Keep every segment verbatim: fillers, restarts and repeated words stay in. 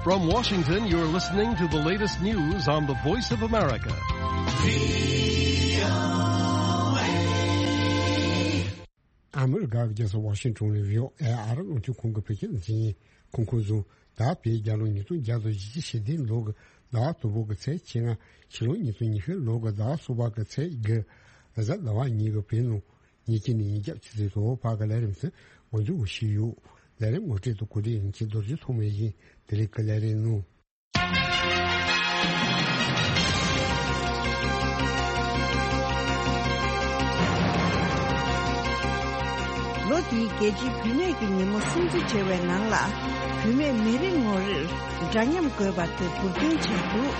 From Washington, you're listening to the latest news on the Voice of America. ཨ་མི་རི་ཀ་གི་རྒྱལ་ས་ཝ་ཤིང་ཊོན་ནས་བྷི་ཨོ་ཨེ་ཨ་རི་རླུང་འཕྲིན་ཁང་གི་བོད་སྐད་སྡེ་ཚན་ཡིན། ཁོང་ཁོང་ཚོ་ད་བོད་རྒྱལ་ལོ་ཉིས་སྟོང་བརྒྱ་དང་བཞི་བཅུ་ཞེ་བདུན་ལོ་གི་ཟླ་བ་དང་པོ་གི་ཚེས་བཅོ་ལྔ། ཕྱི་ལོ་ཉིས་སྟོང་ཉི་ཤུ་ལོ་གི་ཟླ་བ་གསུམ་པ་གི་ཚེས་དགུ། གཟའ་ཟླ་བ་ཉིན་གྱི་བོད་ནང་ཉིན་གཅིག་ནས་ཉིན་རྒྱབ་ཆུ་ཚོད་དང་པོ་བར་གྱི་ལས་རིམ་ཚོ་འགོ་འཛུགས་ཞུས་ཡོད། ལས་རིམ་ངོ་སྤྲོད་དང་གོ་སྒྲིག་ཡིན་གྱི་རྡོ་རྗེ་ཐོགས་མེད་ཡིན། དེ་རིང་གི་ལས་རིམ་ནང་། ལོ་འདིའི་རྒྱལ་སྤྱིའི་བུད་མེད་ཀྱི་ཉིན་མོ་སྲུང་བརྩི་བྱ་བའི་ནང་ལ། བུད་མེད་མི་རེ་ངོ་རེར་འདྲ་མཉམ་དགོས་པ་དེ་མགོ་འདུན་བྱས་འདུག་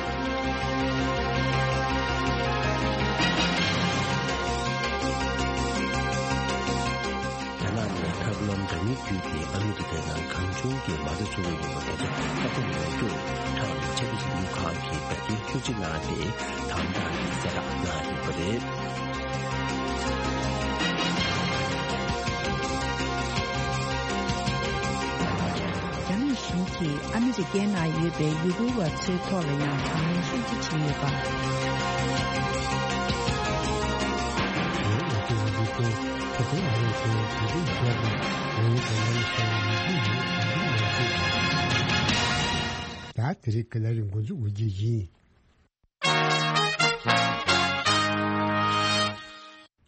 རྒྱ་ནག་ནས་ཐབས་ལམ་འདྲ་མིན་བརྒྱུད་དེ་ཨ་མི་རི་ཀའི་ནང་གང་བྱུང་གིས་མ་རྩ་འཚོ་གི་ཡོད་པ་དེ་ཚོ་ཁ་གཏད་ལོག་རྒྱུར་ཁྲག་ལ་ཆ་གི་ཞིབ་འཇུག་ཁང་གིས་འབད་བརྩོན་ཤུགས་ཆེ་གནང་སྟེ་དམ་དྲག་གི་གསལ་བསྒྲགས་གནང་ཡོད་པ་རེད། རྒྱ་ནག་གཞུང་གིས་ཨ་མི་རི་ཀའི་ནང་ཡོད་པའི་ཡུ་གུར་བ་ཚོའི་ཐོག་ལ་ཡང་དྲག་གནོན་ཤུགས་ཆེ་བྱས་ཡོད་པ། ད་དེ་རིང་གི་ལས་རིམ་འགོ་འཛུགས་འོས་བརྒྱུད་ཡིན།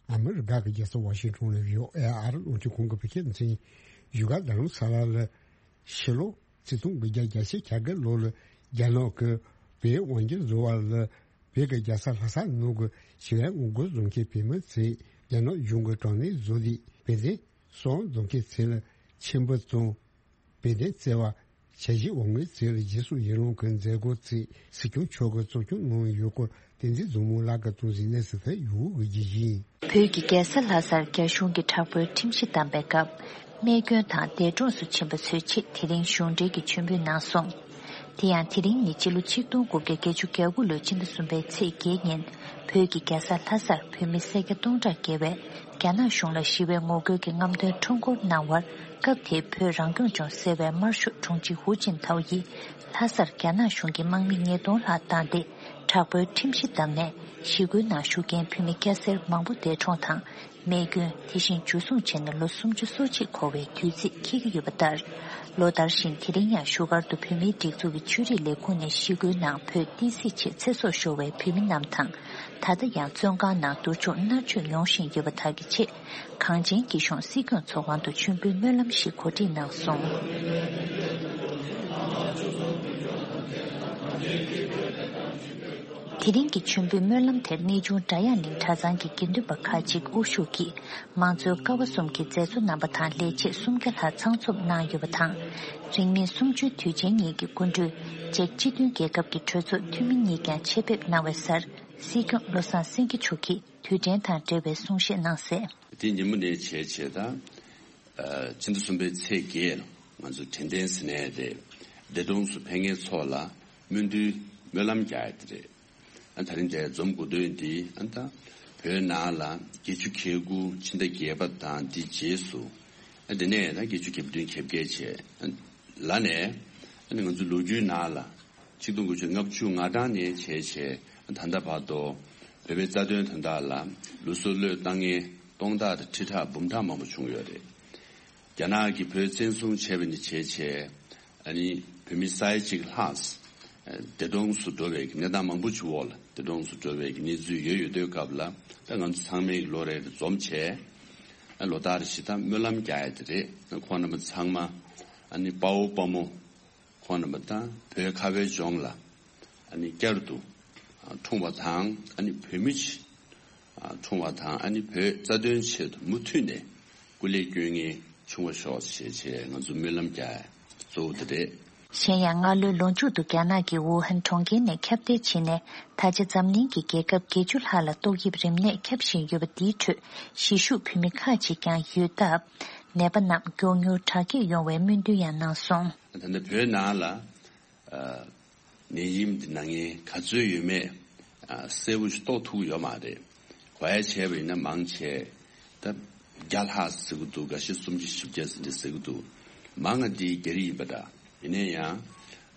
ཨ་མི་རི་ཀ་གི་རྒྱལ་ས་ཝ་ཤིང་ཊོན་ནས་བྷི་ཨོ་ཨེ་ཨ་རི་རླུང་འཕྲིན་ཁང་གི་བོད་སྐད་སྡེ་ཚན་ཡིན། བཞུགས་སྒར་རྡ་རམ་ས་ལ་ལ་ཕྱི་ལོ་ཆིག་སྟོང་དགུ་བརྒྱ་གྱ་བརྒྱད་ལོ་ལ་རྒྱ་ནག་གི་བོད་དབང་སྒྱུར་བཟོ་བ་ལ་བོད་ཀྱི་རྒྱལ་ས་ལྷ་ས་ནང་གི་ཞི་བའི་ངོ་རྒོལ་བཟོ་མཁན་བོད་མི་ཚོས་རྒྱ་ནག་གཞུང་གི་དྲག་གནོན་བཟོ་དུས་བོད་དོན་སྲུང་བཟོ་མཁན་ཚོ་ལ་ཆེན་པོ་དང་། བོད་དོན་བརྩེ་བ། བྱ་གཞི་འོག་མའི་ཚེ་ལ་རྗེས་སུ་ཡི་རང་གི་མཛད་སྒོ་ཚེ་སྲིད་སྐྱོང་མཆོག་གིས་གཙོ་སྐྱོང་གནང་ཡོད་སྐོར་བསྟན་འཛིན་བཟང་མོ་ལགས་ཀྱིས་གཏོང་ཟིན་གནས་ཚུལ་དེ་ཡོད་དགོས་ཀྱི་ཡིན། བོད་ཀྱི་རྒྱལ་ས་ལྷ་སར་རྒྱ་གཞུང་གིས་དྲག་པོའི་ཁྲིམས་གཞི་བསྡམས་པའི་སྐབས། རྨས་སྐྱོན་དང་འདས་གྲོངས་སུ་ཕྱིན་པ་ཚོའི་ཆེད་དེ་རིང་གཞུང་འབྲེལ་གྱི་མཆོད་འབུལ་གནང་སོང་། དེ་ཡང་དེ་རིང་ནི་སྤྱི་ལོ་ཆིག་སྟོང་དགུ་བརྒྱ་བརྒྱད་ཅུ་གྱ་དགུ་ལོའི་ཕྱི་ཟླ་གསུམ་པའི་ཚེས་བརྒྱད་ཉིན་བོད་ཀྱི་རྒྱལ་ས་ལྷ་སར་བོད་མི་སེར་སྐྱ་སྟོང་ཕྲག་བརྒལ་བས། རྒྱ་ནག་གཞུང་ལ་ཞི་བའི་ངོ་རྒོལ་གྱི་རྔམ་སྟོན་ཁྲོམ་སྐོར་གནང་བར། སྐབས་དེའི་བོད་རང་སྐྱོང་ལྗོངས་ཟེར་བའི་དམར་ཤོག་དྲུང་ཆེ་ཧུའུ་ཅིན་ཐའོ་ཡིས་ལྷ་སར་རྒྱ་ནག་གཞུང་གི་དམག་མི་ཉིས་སྟོང་ལྷག་བཏང་སྟེ། དྲག་པོའི་ཁྲིམས་གཞི་བསྡམས་ནས་ཞི་རྒོལ་ནང་ཞུགས་མཁན་བོད་མི་སྐྱ་སེར་མང་པོ་འདས་གྲོངས་དང་། རྨས་སྐྱོན། དེ་བཞིན་འཇུ་བཟུང་བྱས་ནས་ལོ་སུམ་ཅུ་སོ་གཅིག་འཁོར་བའི་དུས་ཚིགས་འཁེལ་གྱི་ཡོད་པ་ལྟར། ལོ་ལྟར་བཞིན་དེ་རིང་ཡང་བཞུགས་སྒར་དུ་བོད་མིའི་སྒྲིག་འཛུགས་ཀྱི་ཆོས་རིག་ལས་ཁུངས་ནས་ཞི་རྒོལ་ནང་བོད་བསྟན་སྲིད་ཆེད་ཚེ་སྲོག་ཤོར་བའི་བོད་མི་རྣམས་དང་། ད་ལྟ་ཡང་བཙོན་ཁང་ནང་སྡུག་སྦྱོང་མནར་གཅོད་མྱོང་བཞིན་ཡོད་པ་དག་གི་ཆེད། གངས་ཅན་སྐྱིད་གཤོངས་སྲིད་སྐྱོང་ཚོགས་དབང་དུ་མཆོད་འབུལ་སྨོན་ལམ་ཞིག་གོ་སྒྲིག་གནང་སོང་། དེ་རིང་གི་མཆོད་འབུལ་སྨོན་ལམ་དེར་གནས་ཆུང་སྒྲ་དབྱངས་གླིང་གྲྭ་ཚང་གི་དགེ་འདུན་པ་ཁག་ཅིག་དབུ་བཞུགས་ཀྱིས་མང་གཙོའི་ཀ་བ་གསུམ་གྱི་མཛད་གཙོ་རྣམ་པ་དང་ལས་བྱེད་སུམ་བརྒྱ་ལྷག་ཚང་འཛོམས་གནང་ཡོད་པ་དང་། རིང་མིན་གསུམ་བཅུའི་དུས་ཆེན་གཉིས་ཀྱི་སྐུ་མགྲོན་ཅེཀ་སྤྱི་མཐུན་རྒྱལ་ཁབ་ཀྱི་གྲོས་ཚོགས་འཐུས་མི་གཉིས་ཀྱང་ཆེད་ཕེབས་གནང་བའི་སར་སྲིད་སྐྱོང་བློ་བཟང་སེང་གེ་མཆོག་གིས་དུས་དྲན་དང་འབྲེལ་བའི་གསུང་བཤད་གནང་གསལ། དེ་ཉིན་མོ་ནས་བྱས་བྱས་ད། ཨ། ཕྱི་ཟླ་གསུམ་པའི་ཚེས་བརྒྱད་ལ་ང་ཚོ་དྲན་རྟེན་ཟེར་ནས་རེད། འདས་གྲོངས་སུ་ཕེབས་མཁན་ཚོ་ལ་སྨོན་འདུན་སྨོན་ལམ་རྒྱག་ཡ་དེ་རེད། ཨ། ད་རིང་འདིར་འཛོམས་དགོས་དོན་འདི་ཨ་ད་བོད་ནང་ལ་བརྒྱད་ཅུ་གྱ་དགུ་ཕྱི་ཟླ་བརྒྱད་པ་དང་འདི་རྗེས་སུ་ཨ་འདི་ནས་ད་བརྒྱད་ཅུ་གྱ་བདུན་གྱ་བརྒྱད་བྱས་ཨ་ལ་ནས་ཨ་ནི་ང་ཚོ་ལོ་རྒྱུས་ནང་ལ་ཆིག་སྟོང་དགུ་བརྒྱ་ལྔ་བཅུ་ང་གྲངས་ནས་བྱས་བྱས་ད་ལྟ་བར་དུ་བོད་པའི་རྩ་དོན་དོན་དག་ལ་ལུས་སྲོག་བློས་བཏང་མཁན་སྟོང་ཕྲག་དང་ཁྲི་ཕྲག་འབུམ་ཕྲག་མང་པོ་བྱུང་ཡོད་རེད། རྒྱ་ནག་གིས་བོད་བཙན་བཟུང་བྱས་པ་ནས་བྱས་བྱས་ཨ་ནི་བོད་མི་ས་ཡ་གཅིག་ལྷག་འདས་གྲོངས་སུ་འགྲོ་བའི་གནས་སྟངས་མང་པོ་ཞིག་འོག་ལ་འདས་གྲོངས་སུ་འགྲོ་བའི་གནས་ཚུལ་ཡོད་ཡོད་དུས་སྐབས་ལ་ད་ང་ཚོ་ཚང་མས་ལོ་རེ་རེ་འཛོམས་བྱས་ལོ་ལྟར་བཞིན་ད་སྨོན་ལམ་རྒྱག་ཡ་དེ་རེད། ཁོང་རྣམ་པ་ཚང་མ་ཨ་ནི་དཔའ་བོ་དཔའ་མོ། ཁོང་རྣམ་པ་དང་བོད་ཁ་བའི་ལྗོངས་ལ་ཨ་ནི་བསྐྱར་དུ་འཁྲུངས་པ་དང་ཨ་ནི་བོད་མི་ཆེད་འཁྲུངས་པ་དང་ཨ་ནི་བོད་རྩ་དོན་ཆེད་དུ་མུ་མཐུད་ནས་སྐུ་ལས་བསྐྱོན་མཁན་བྱུང་བ་ཤོག་ཅེས་བྱས་ང་ཚོ་སྨོན་ལམ་རྒྱག་གཙོ་བོ་དེ་རེད། གཞན་ཡང་སྔ་ལོའི་ལོ་མཇུག་ཏུ་རྒྱ་ནག་གི་ཝུ་ཧན་གྲོང་ཁྱེར་ནས་ཁྱབ་གདལ་ཕྱིན་ནས་ད་ཆ་འཛམ་གླིང་གི་རྒྱལ་ཁབ་བརྒྱད་ཅུ་ལྷག་ལ་ཏོག་དབྱིབས་རིམས་ནད་ཁྱབ་བཞིན་ཡོད་པ་འདིའི་ཁྲོད་གཞིས་བཞུགས་བོད་མི་ཁག་ཅིག་ཀྱང་ཡོད་སྟབས། ནད་པ་རྣམས་མགྱོགས་མྱུར་དྲག་སྐྱེད་ཡོང་བའི་སྨོན་འདུན་ཡང་གནང་སོང་། ད་ལྟ་བོད་ནང་ལ་ཨ་ནད་ཡམས་འདི་ན་མཁན་ག་ཚོད་ཡོད་མེད་ཨ་གསལ་པོ་ཞིག་རྟོགས་ཐུབ་ཀྱི་ཡོད་མ་རེད། གོ་ཡ་བྱས་པ་ཡིན་ན་མང་ཆེ་ད་བརྒྱ་ལྷག་ཟེར་གྱི་འདུག་འགའ་ཤས་སུམ་ཅུ་བཞི་བརྒྱ་ཟེར་འདི་ཟེར་གྱི་འདུག་མང་ང་འདི་རྒྱ་རིགས་ཡིན་པ་འདྲ། ཡིན་ན་ཡང་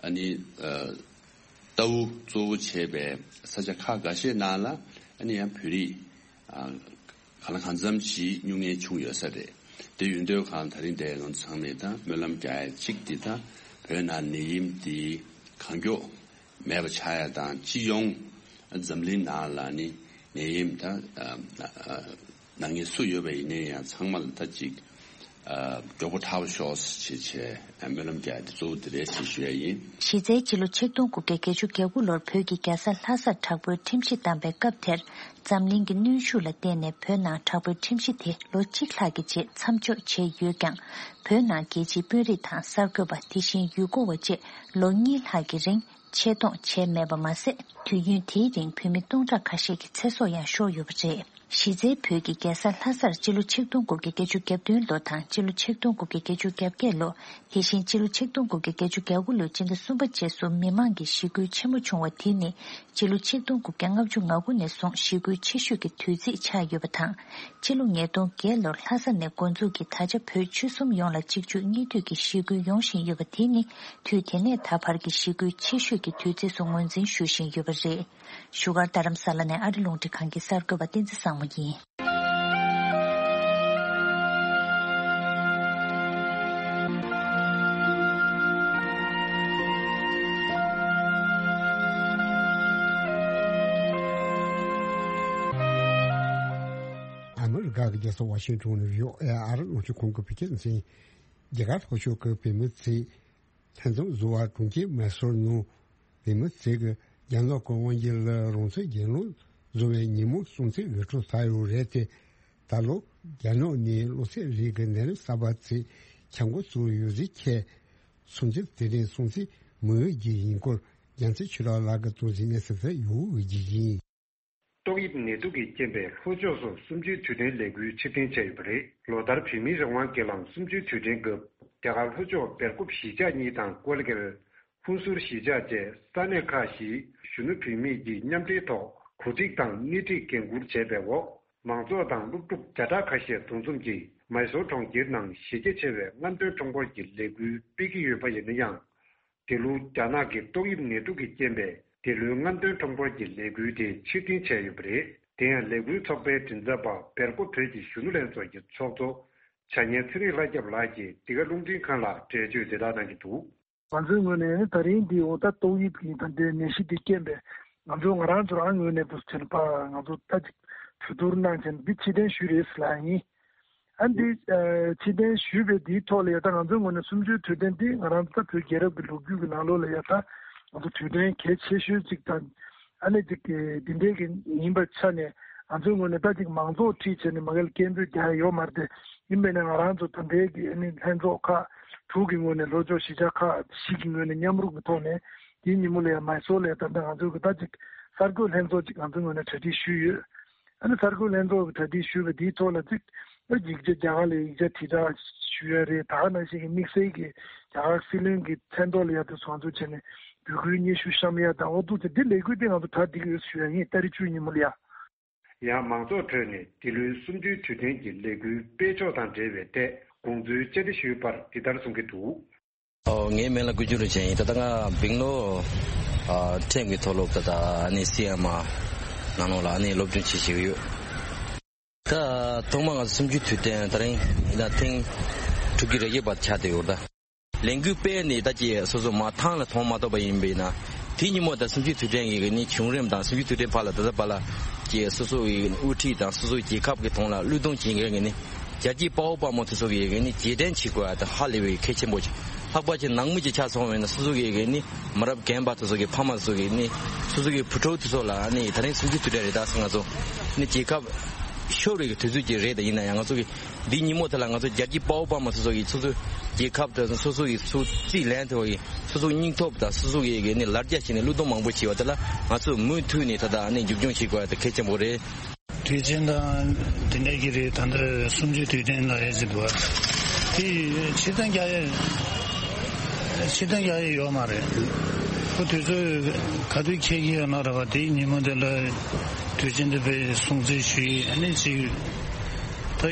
ཨ་ནི་ཨ་ལྟ་བུ་གཙོ་བོ་བྱས་པའི་ས་ཆ་ཁག་འགའ་ཤས་ནང་ལ་ཨ་ནི་ཡང་བོད་རིགས་ཨ་གང་ལ་གང་འཚམ་ཞིག་སྨྱུང་གནས་བྱུང་ཡོད་ས་རེད། དེ་ཡོད་དུས་གང་ད་རིང་འདིར་ང་ཚོ་ཚང་མས་ད་སྨོན་ལམ་རྒྱག་ཡ་གཅིག་འདི་ད་བོད་ནང་ནད་ཡམས་འདི་གང་མགྱོགས་མེད་པ་ཆགས་ཡ་དང་། སྤྱི་ཡོངས་འཛམ་གླིང་ནང་ལ་ནི་ནད་ཡམས་ད་ཨ་ཨ་ནད་ངན་སུ་ཡོད་པ་ཡིན་ན་ཡང་ཚང་མ་ལ་ད་ཅིག་ཨ་མགྱོགས་པོ་དྲག་པོ་ཤོག་ཅེས་བྱས་སྨོན་ལམ་རྒྱག་ཡ་དེ་གཙོ་བོ་དེ་རེད་ཅེས་ཞུ་ཡ་ཡིན། གཞི་རྩའི་སྤྱི་ལོ་ཆིག་སྟོང་དགུ་བརྒྱ་བརྒྱད་ཅུ་གྱ་དགུ་ལོར་བོད་ཀྱི་རྒྱལ་ས་ལྷ་སར་དྲག་པོའི་ཁྲིམས་གཞི་བསྡམས་པའི་སྐབས་དེར། འཛམ་གླིང་གི་གནོན་ཤུགས་ལ་བརྟེན་ནས་བོད་ནང་དྲག་པོའི་ཁྲིམས་གཞི་དེ་ལོ་གཅིག་ལྷག་གི་རྗེས་མཚམས་འཇོག་བྱས་ཡོད་ཀྱང་། བོད་ནང་རྒྱལ་སྤྱིའི་དཔོན་རིགས་དང་གསར་འགོད་པ། དེ་བཞིན་ཡུལ་སྐོར་བ་བཅས་ལོ་གཉིས་ལྷག་གི་རིང་ཆེད་གཏོང་བྱས་མེད་པ་མ་ཟད། དུས་ཡུན་དེའི་རིང་བོད་མི་སྟོང་ཕྲག་ཁ་ཤས་ཀྱི་ཚེ་སྲོག་ཡང་ཤོར་ཡོད་པ་རེད། གཞི་རྩའི་བོད་ཀྱི་རྒྱལ་ས་ལྷ་སར་སྤྱི་ལོ་ཆིག་སྟོང་དགུ་བརྒྱ་བརྒྱད་ཅུ་གྱ་བདུན་ལོ་དང་སྤྱི་ལོ་ཆིག་སྟོང་དགུ་བརྒྱ་བརྒྱད་ཅུ་གྱ་བརྒྱད་ལོ། དེ་བཞིན་སྤྱི་ལོ་ཆིག་སྟོང་དགུ་བརྒྱ་བརྒྱད་ཅུ་གྱ་དགུ་ལོའི་སྤྱི་ཟླ་གསུམ་པ་རྗེས་སུ་མི་མང་གི་ཞི་རྒོལ་ཆེན་མོ་བྱུང་བ་དེ་ནི་སྤྱི་ལོ་ཆིག་སྟོང་དགུ་བརྒྱ་ལྔ་བཅུ་ང་དགུ་ནས་བཟུང་ཞི་རྒོལ་ཆེ་ཤོས་ཀྱི་དུས་ཚིགས་ཆགས་ཡོད་པ་དང་། ཕྱི་ལོ་ཉིས་སྟོང་བརྒྱད་ལོར་ལྷ་ས་ནས་འགོ་འཛུགས་ཀྱིས་ད་ཆ་བོད་ཆོལ་གསུམ་ཡོངས་ལ་གཅིག་མཇུག་གཉིས་མཐུད་ཀྱི་ཞི་རྒོལ་ཡོང་བཞིན་ཡོད་པ་དེ་ནི་དུས་དེ་ནས་ད་བར་གྱི་ཞི་རྒོལ་ཆེ་ཤོས་ཀྱི་དུས་ཚིགས་སུ་ངོས་འཛིན་ཞུ་བཞིན་ཡོད་པ་རེད། བཞུགས་སྒར་རྡ་རམ་ས་ལ་ནས་ཨ་རི་རླུང་འཕྲིན་ཁང་གི་གསར་འགོད་པ་བསྟན་འཛིན་བཟང་མོ་ཡིན། ཨ་མི་རི་ཀ་གི་རྒྱལ་ས་ཝ་ཤིང་ཊོན་ནས་བྷི་ཨོ་ཨེ་ཨ་རི་རླུང་འཕྲིན་ཁང་གི་བོད་སྐད་སྡེ་ཚན། རྒྱ་གར་ལྷོ་ཕྱོགས་ཀྱི་བོད་མི་ཚོས་ལྷན་འཛོམས་བཟོ་བར་གྲོང་ཁྱེར་མེ་སོར་ནང་བོད་མི་ཚོས་ཀྱི་རྒྱ་ནག་གི་དབང་སྒྱུར་ལ་རང་ཚུགས་རྒྱལ་ལོ་བཟོ་བའི་ཉིན་མོ་སྲུང་བརྩི་འོས་སྤྲོད་བྱས་ཡོད་རེད་དེ། ད་ལོ་རྒྱ་ནག་ནས་གློ་ཚད་རིགས་ཀྱི་ནད་རིམས་གསར་པ་ཚོས་ཁྱབ་འགོ་བཙུགས་ཡོད་ཟེར་བྱས། སྲུང་བརྩི་དེ་རིང་སྲུང་བརྩི་མི་འོས་ཀྱི་ཡིན་སྐོར་རྒྱལ་མཚན་ཆོས་གྲགས་ལགས་ཀྱིས་གཙོ་འཛིན་གནས་ཚུལ་དེ་ཡོད་འོས་ཀྱི་ཡིན། ཏོག་དབྱིབས་ནད་དུག་གི་རྐྱེན་པས་ལྷོ་ཕྱོགས་སུ་གསུམ་བཅུའི་དུས་དྲན་ལས་འགུལ་ཕྱིར་འཐེན་བྱས་ཡོད་པ་རེད། ལོ་ལྟར་བོད་མིའི་རང་དབང་སྒེར་ལངས་གསུམ་བཅུའི་དུས་དྲན་སྐབས་རྒྱ་གར་ལྷོ་ཕྱོགས་སྦེལ་ཀོབ་གཞིས་ཆགས་གཉིས་དང་ཀོ་ལི་གྷལ། ཧུན་སུར་གཞིས་ཆགས་བཅས་ས་གནས་ཁག་བཞིའི་གཞོན་ནུ་བུད་མེད་ཀྱིས་མཉམ་འབྲེལ་ཐོག་གོ་སྒྲིག་དང་སྣེ་ཁྲིད་འགན་འཁུར་བྱས་པའི་འོག་མང་ཚོགས་དང་སློབ་ཕྲུག་བརྒྱ་ཕྲག་ཁ་ཤས་འདུ་འཛོམས་ཀྱིས་མའི་སོར་གྲོང་ཁྱེར་ནང་གཞི་རྒྱ་ཆེ་བའི་རྔམ་སྟོན་ཁྲོམ་སྐོར་གྱི་ལས་འགུལ་སྤེལ་གྱི་ཡོད་པ་ཡིན་ན་ཡང་། འདི་ལོ་རྒྱ་ནག་གི་ཏོག་དབྱིབས་ནད་དུག་གི་རྐྱེན་པས་འདི་ལོའི་རྔམ་སྟོན་ཁྲོམ་སྐོར་གྱི་ལས་འགུལ་དེ་ཕྱིར་འཐེན་བྱས་ཡོད་པ་རེད། དེ་ཡང་ལས་འགུལ་ཚོགས་པའི་མགྲིན་ཚབ་པ་སྦེལ་ཀོབ་བོད་ཀྱི་གཞོན་ནུ་ལྷན་ཚོགས་ཀྱི་ཚོགས་གཙོ་བྱ་ཉལ་ཚེ་རིང་ལྷ་སྐྱབས་ལགས་ཀྱིས་འདི་ག་རླུང་འཕྲིན་ཁང་ལ་འགྲེལ་བརྗོད་འདི་ལྟར་གནང་གི་འདུག། ང་ཚོའི་ངོས་ནས་ད་རིང་འདི་འོ་ད་ཏོག་དབྱིབས་ཀྱི་ད་ལྟའི་ནད་གཞི་འདི་རྐྱེན་པས་ང་ཚོ་ང་རང་ཚོ་རང་ངོས་ནས་འདུག་ཟེར་པ་ང་ཚོ་ད་ཅིག་གྲོས་བསྡུར་གནང་བྱས་ནས་འདི་ཕྱིར་འཐེན་ཞུས་རེད་ཟེར་ལབ་ཡིན། ཨ་འདི་ཨ་ཕྱིར་འཐེན་ཞུས་པའི་འདིའི་ཐོག་ལ་ཡ་ད་ང་ཚོའི་ངོས་ནས་གསུམ་བཅུའི་དུས་དྲན་འདི་ང་རང་ཚོ་ད་བོད་རྒྱལ་རབས་ཀྱི་ལོ་རྒྱུས་ཀྱི་ནང་ལོགས་ལ་ཡ་ད་ང་ཚོ་དུས་དྲན་གལ་ཆེ་ཤོས་ཅིག་དང་ཨ་ནི་ཅིག་གི་འདི་འདྲའི་གི་ཡིན་པའི་ཆ་ནས་ང་ཚོའི་ངོས་ནས་ད་ཅིག་མང་ཚོགས་ཁྲིད་བྱས་ནས་མ་གལ་སྐད་འབོད་རྒྱག་ཡ་ཡོད་མ་རེད་དེ། ཡིན་པས་ན་ང་རང་ཚོ་ད་ལྟའི་གི་ཨ་ནི་ལྷན་ཚོགས་ཁག་དྲུག་གི་ངོས་ནས་ལྷོ་ཕྱོགས་གཞིས་ཆགས་ཁག་བཞི་གི་ངོས་ནས་མཉམ་རུབ་ཀྱི་ཐོག་ནས་དེའི་ཉིན་མོ་ལ་ཡ་མའི་སོར་ལ་ཡ་ད་ལྟ་ང་ཚོའི་གི་ད་ཅིག་གསར་འགོད་ལྷན་ཚོགས་ཅིག་ང་ཚོའི་ངོས་ནས་གྲ་སྒྲིག་ཞུས་ཡོད། ཨ་ནི་གསར་འགོད་ལྷན་ཚོགས་ཀྱི་གྲ་སྒྲིག་ཞུས་པ་དེའི་ཐོག་ལ་ཅིག་ཨ་ཡིག་ཆ་རྒྱ་གར་ལ་ཡིག་ཆ་དྲིལ་བསྒྲགས་ཞུ་ཡ་རེད། ད་ག་ནང་བཞིན་གྱི་དམིགས་བསལ་གྱི་རྒྱ་གར་སྲིད་བློན་གྱི་མཚན་ཐོག་ལ་ཡ་དེ་ཚོ་ང་ཚོ་བྱས་ནས་འབོད་སྐུལ་སྙན་ཞུ་བཤམས་ཡ་དང་འོ་འདུག་ཅེས་འདི་ལས་འགུལ་དེ་ང་ཚོ་གྲ་སྒྲིག་ཡོད་ཞུ་ཡ་ཡིན། ཏ་རིག་བཅུ་གཉིས་ཉིན་མོ་ལ་ཡ། ཡང་མང་ཚོགས་ཁྲོད་ནས་འདི་ལོའི་གསུམ་བཅུའི་དུས་དྲན་གྱི་ལས་འགུལ་སྤེལ་ཕྱོགས་དང་འབྲེལ་བའི་ཐད་དགོངས་ཚུལ་བཅར་འདྲི་ཞུས་པར་འདི་ལྟར་གསུང་གི་འདུག། ཨོ་ངའི་མིང་ལ་ཀུ་ཅུ་རིན་ཆེན་ཡིན། ད་ལྟ་ང་སྦེང་ལོར་ཨ་ཁྲིམས་ཀྱི་མཐོ་སློབ་ད་ལྟ་ཨ་ནི་སི་ཨེམ་ཨར་ནང་ལོགས་ལ་ཨ་ནི་སློབ་སྦྱོང་བྱེད་བཞིན་ཡོད། ད་ཐོག་མར་ང་ཚོ་གསུམ་བཅུའི་དུས་དྲན་ད་རིང་ཡིན་ན་ཐེངས་དྲུག་ཅུ་རེ་བརྒྱད་པ་ཆགས་བསྡད་ཡོད་རེད་ད། ལས་འགུལ་སྤེལ་ནས་ད་ཅིག་སོ་སོ་མ་ཐང་ལ་མཐོང་མ་ཐུབ་པ་ཡིན་པས་ན། དེ་ཉིན་མོ་ད་གསུམ་བཅུའི་དུས་དྲན་གྱི་ནི་བྱུང་རིམ་དང་གསུམ་བཅུའི་དུས་དྲན་བར་ལ་ད་ལྟ་བར་ལ་ཅིག་སོ་སོ་ཡི་དབུ་ཁྲིད་དང་སོ་སོའི་རྒྱལ་ཁབ་ཀྱི་དོན་ལ་བློས་གཏོང་བྱེད་མཁན་གྱི་ནི་རྒྱལ་གཅེས་དཔའ་བོ་དཔའ་མོ་དེ་ཚོ་གི་ནི་རྗེས་དྲན་བྱེད་དགོས་པ་དང་ཧ་ལས་པའི་གལ་ཆེན་པོ་ཅིག། ལྷག་པར་ཅིག་ནང་མི་ཅིག་ཆགས་སོང་བས་ན་སོ་སོ་གི་ནི་མི་རབས་རྒན་པ་དེ་ཚོ་གི་ཕ་མ་དེ་ཚོ་གི་ནི་སོ་སོ་གི་བུ་ཕྲུག་དེ་ཚོ་ལ་ནི་ད་རིང་གསུམ་བཅུའི་དུས་དྲན་རེད་ད་ཟེར་ང་ཚོ་ནི་རྒྱལ་ཁབ་ཤོར་བའི་དུས་ཚོད་ཅིག་རེད། ད་ཡིན་ན་ཡང་ང་ཚོ་གི་འདིའི་ཉིན་མོ་དེ་ལ་ང་ཚོ་རྒྱལ་གཅེས་དཔའ་བོ་དཔའ་མོ་སོ་སོ་ཡི་སོ་སོའི་རྒྱལ་ཁབ་དང་སོ་སོ་ཡི་སུ་རྩིས་ལེན་ཐུབ་པའི་སོ་སོའི་སྙིང་སྟོབས་དང་སོ་སོ་ཡི་གི་ནི་ལ་རྒྱ་བྱས་ནས་བློས་གཏོང་མང་པོ་བྱས་པ་དེ་ལ་ང་ཚོ་མུ་མཐུད་ནས་ད་ལྟ་ནི་མཇུག་སྐྱོང་བྱེད་དགོས་པ་དེ་གལ་ཆེན་པོ་རེད། དུས་ཆེན་དང་དེ་འདྲ་གི་རེད། ད་ལྟ་གསུམ་བཅུའི་དུས་དྲན་ལ་རེད་ཟེར་འདུག་བ། དེ་ཕྱིར་འཐེན་རྒྱག་ཡས་ཕྱིར་འཐེན་རྒྱག་ཡས་ཡོད་མ་རེད། ཁོ་དུས་ཚོད་ག་དུས་འཁེལ་གྱི་ཡོད་ན་ར་བ་དེའི་ཉིན་མོ་དེ་ལ་དུས་ཆེན་དེ་བས་སྲུང་བརྩི་ཞུ་ཡས་ཨ་ནི་ཅིག་ད་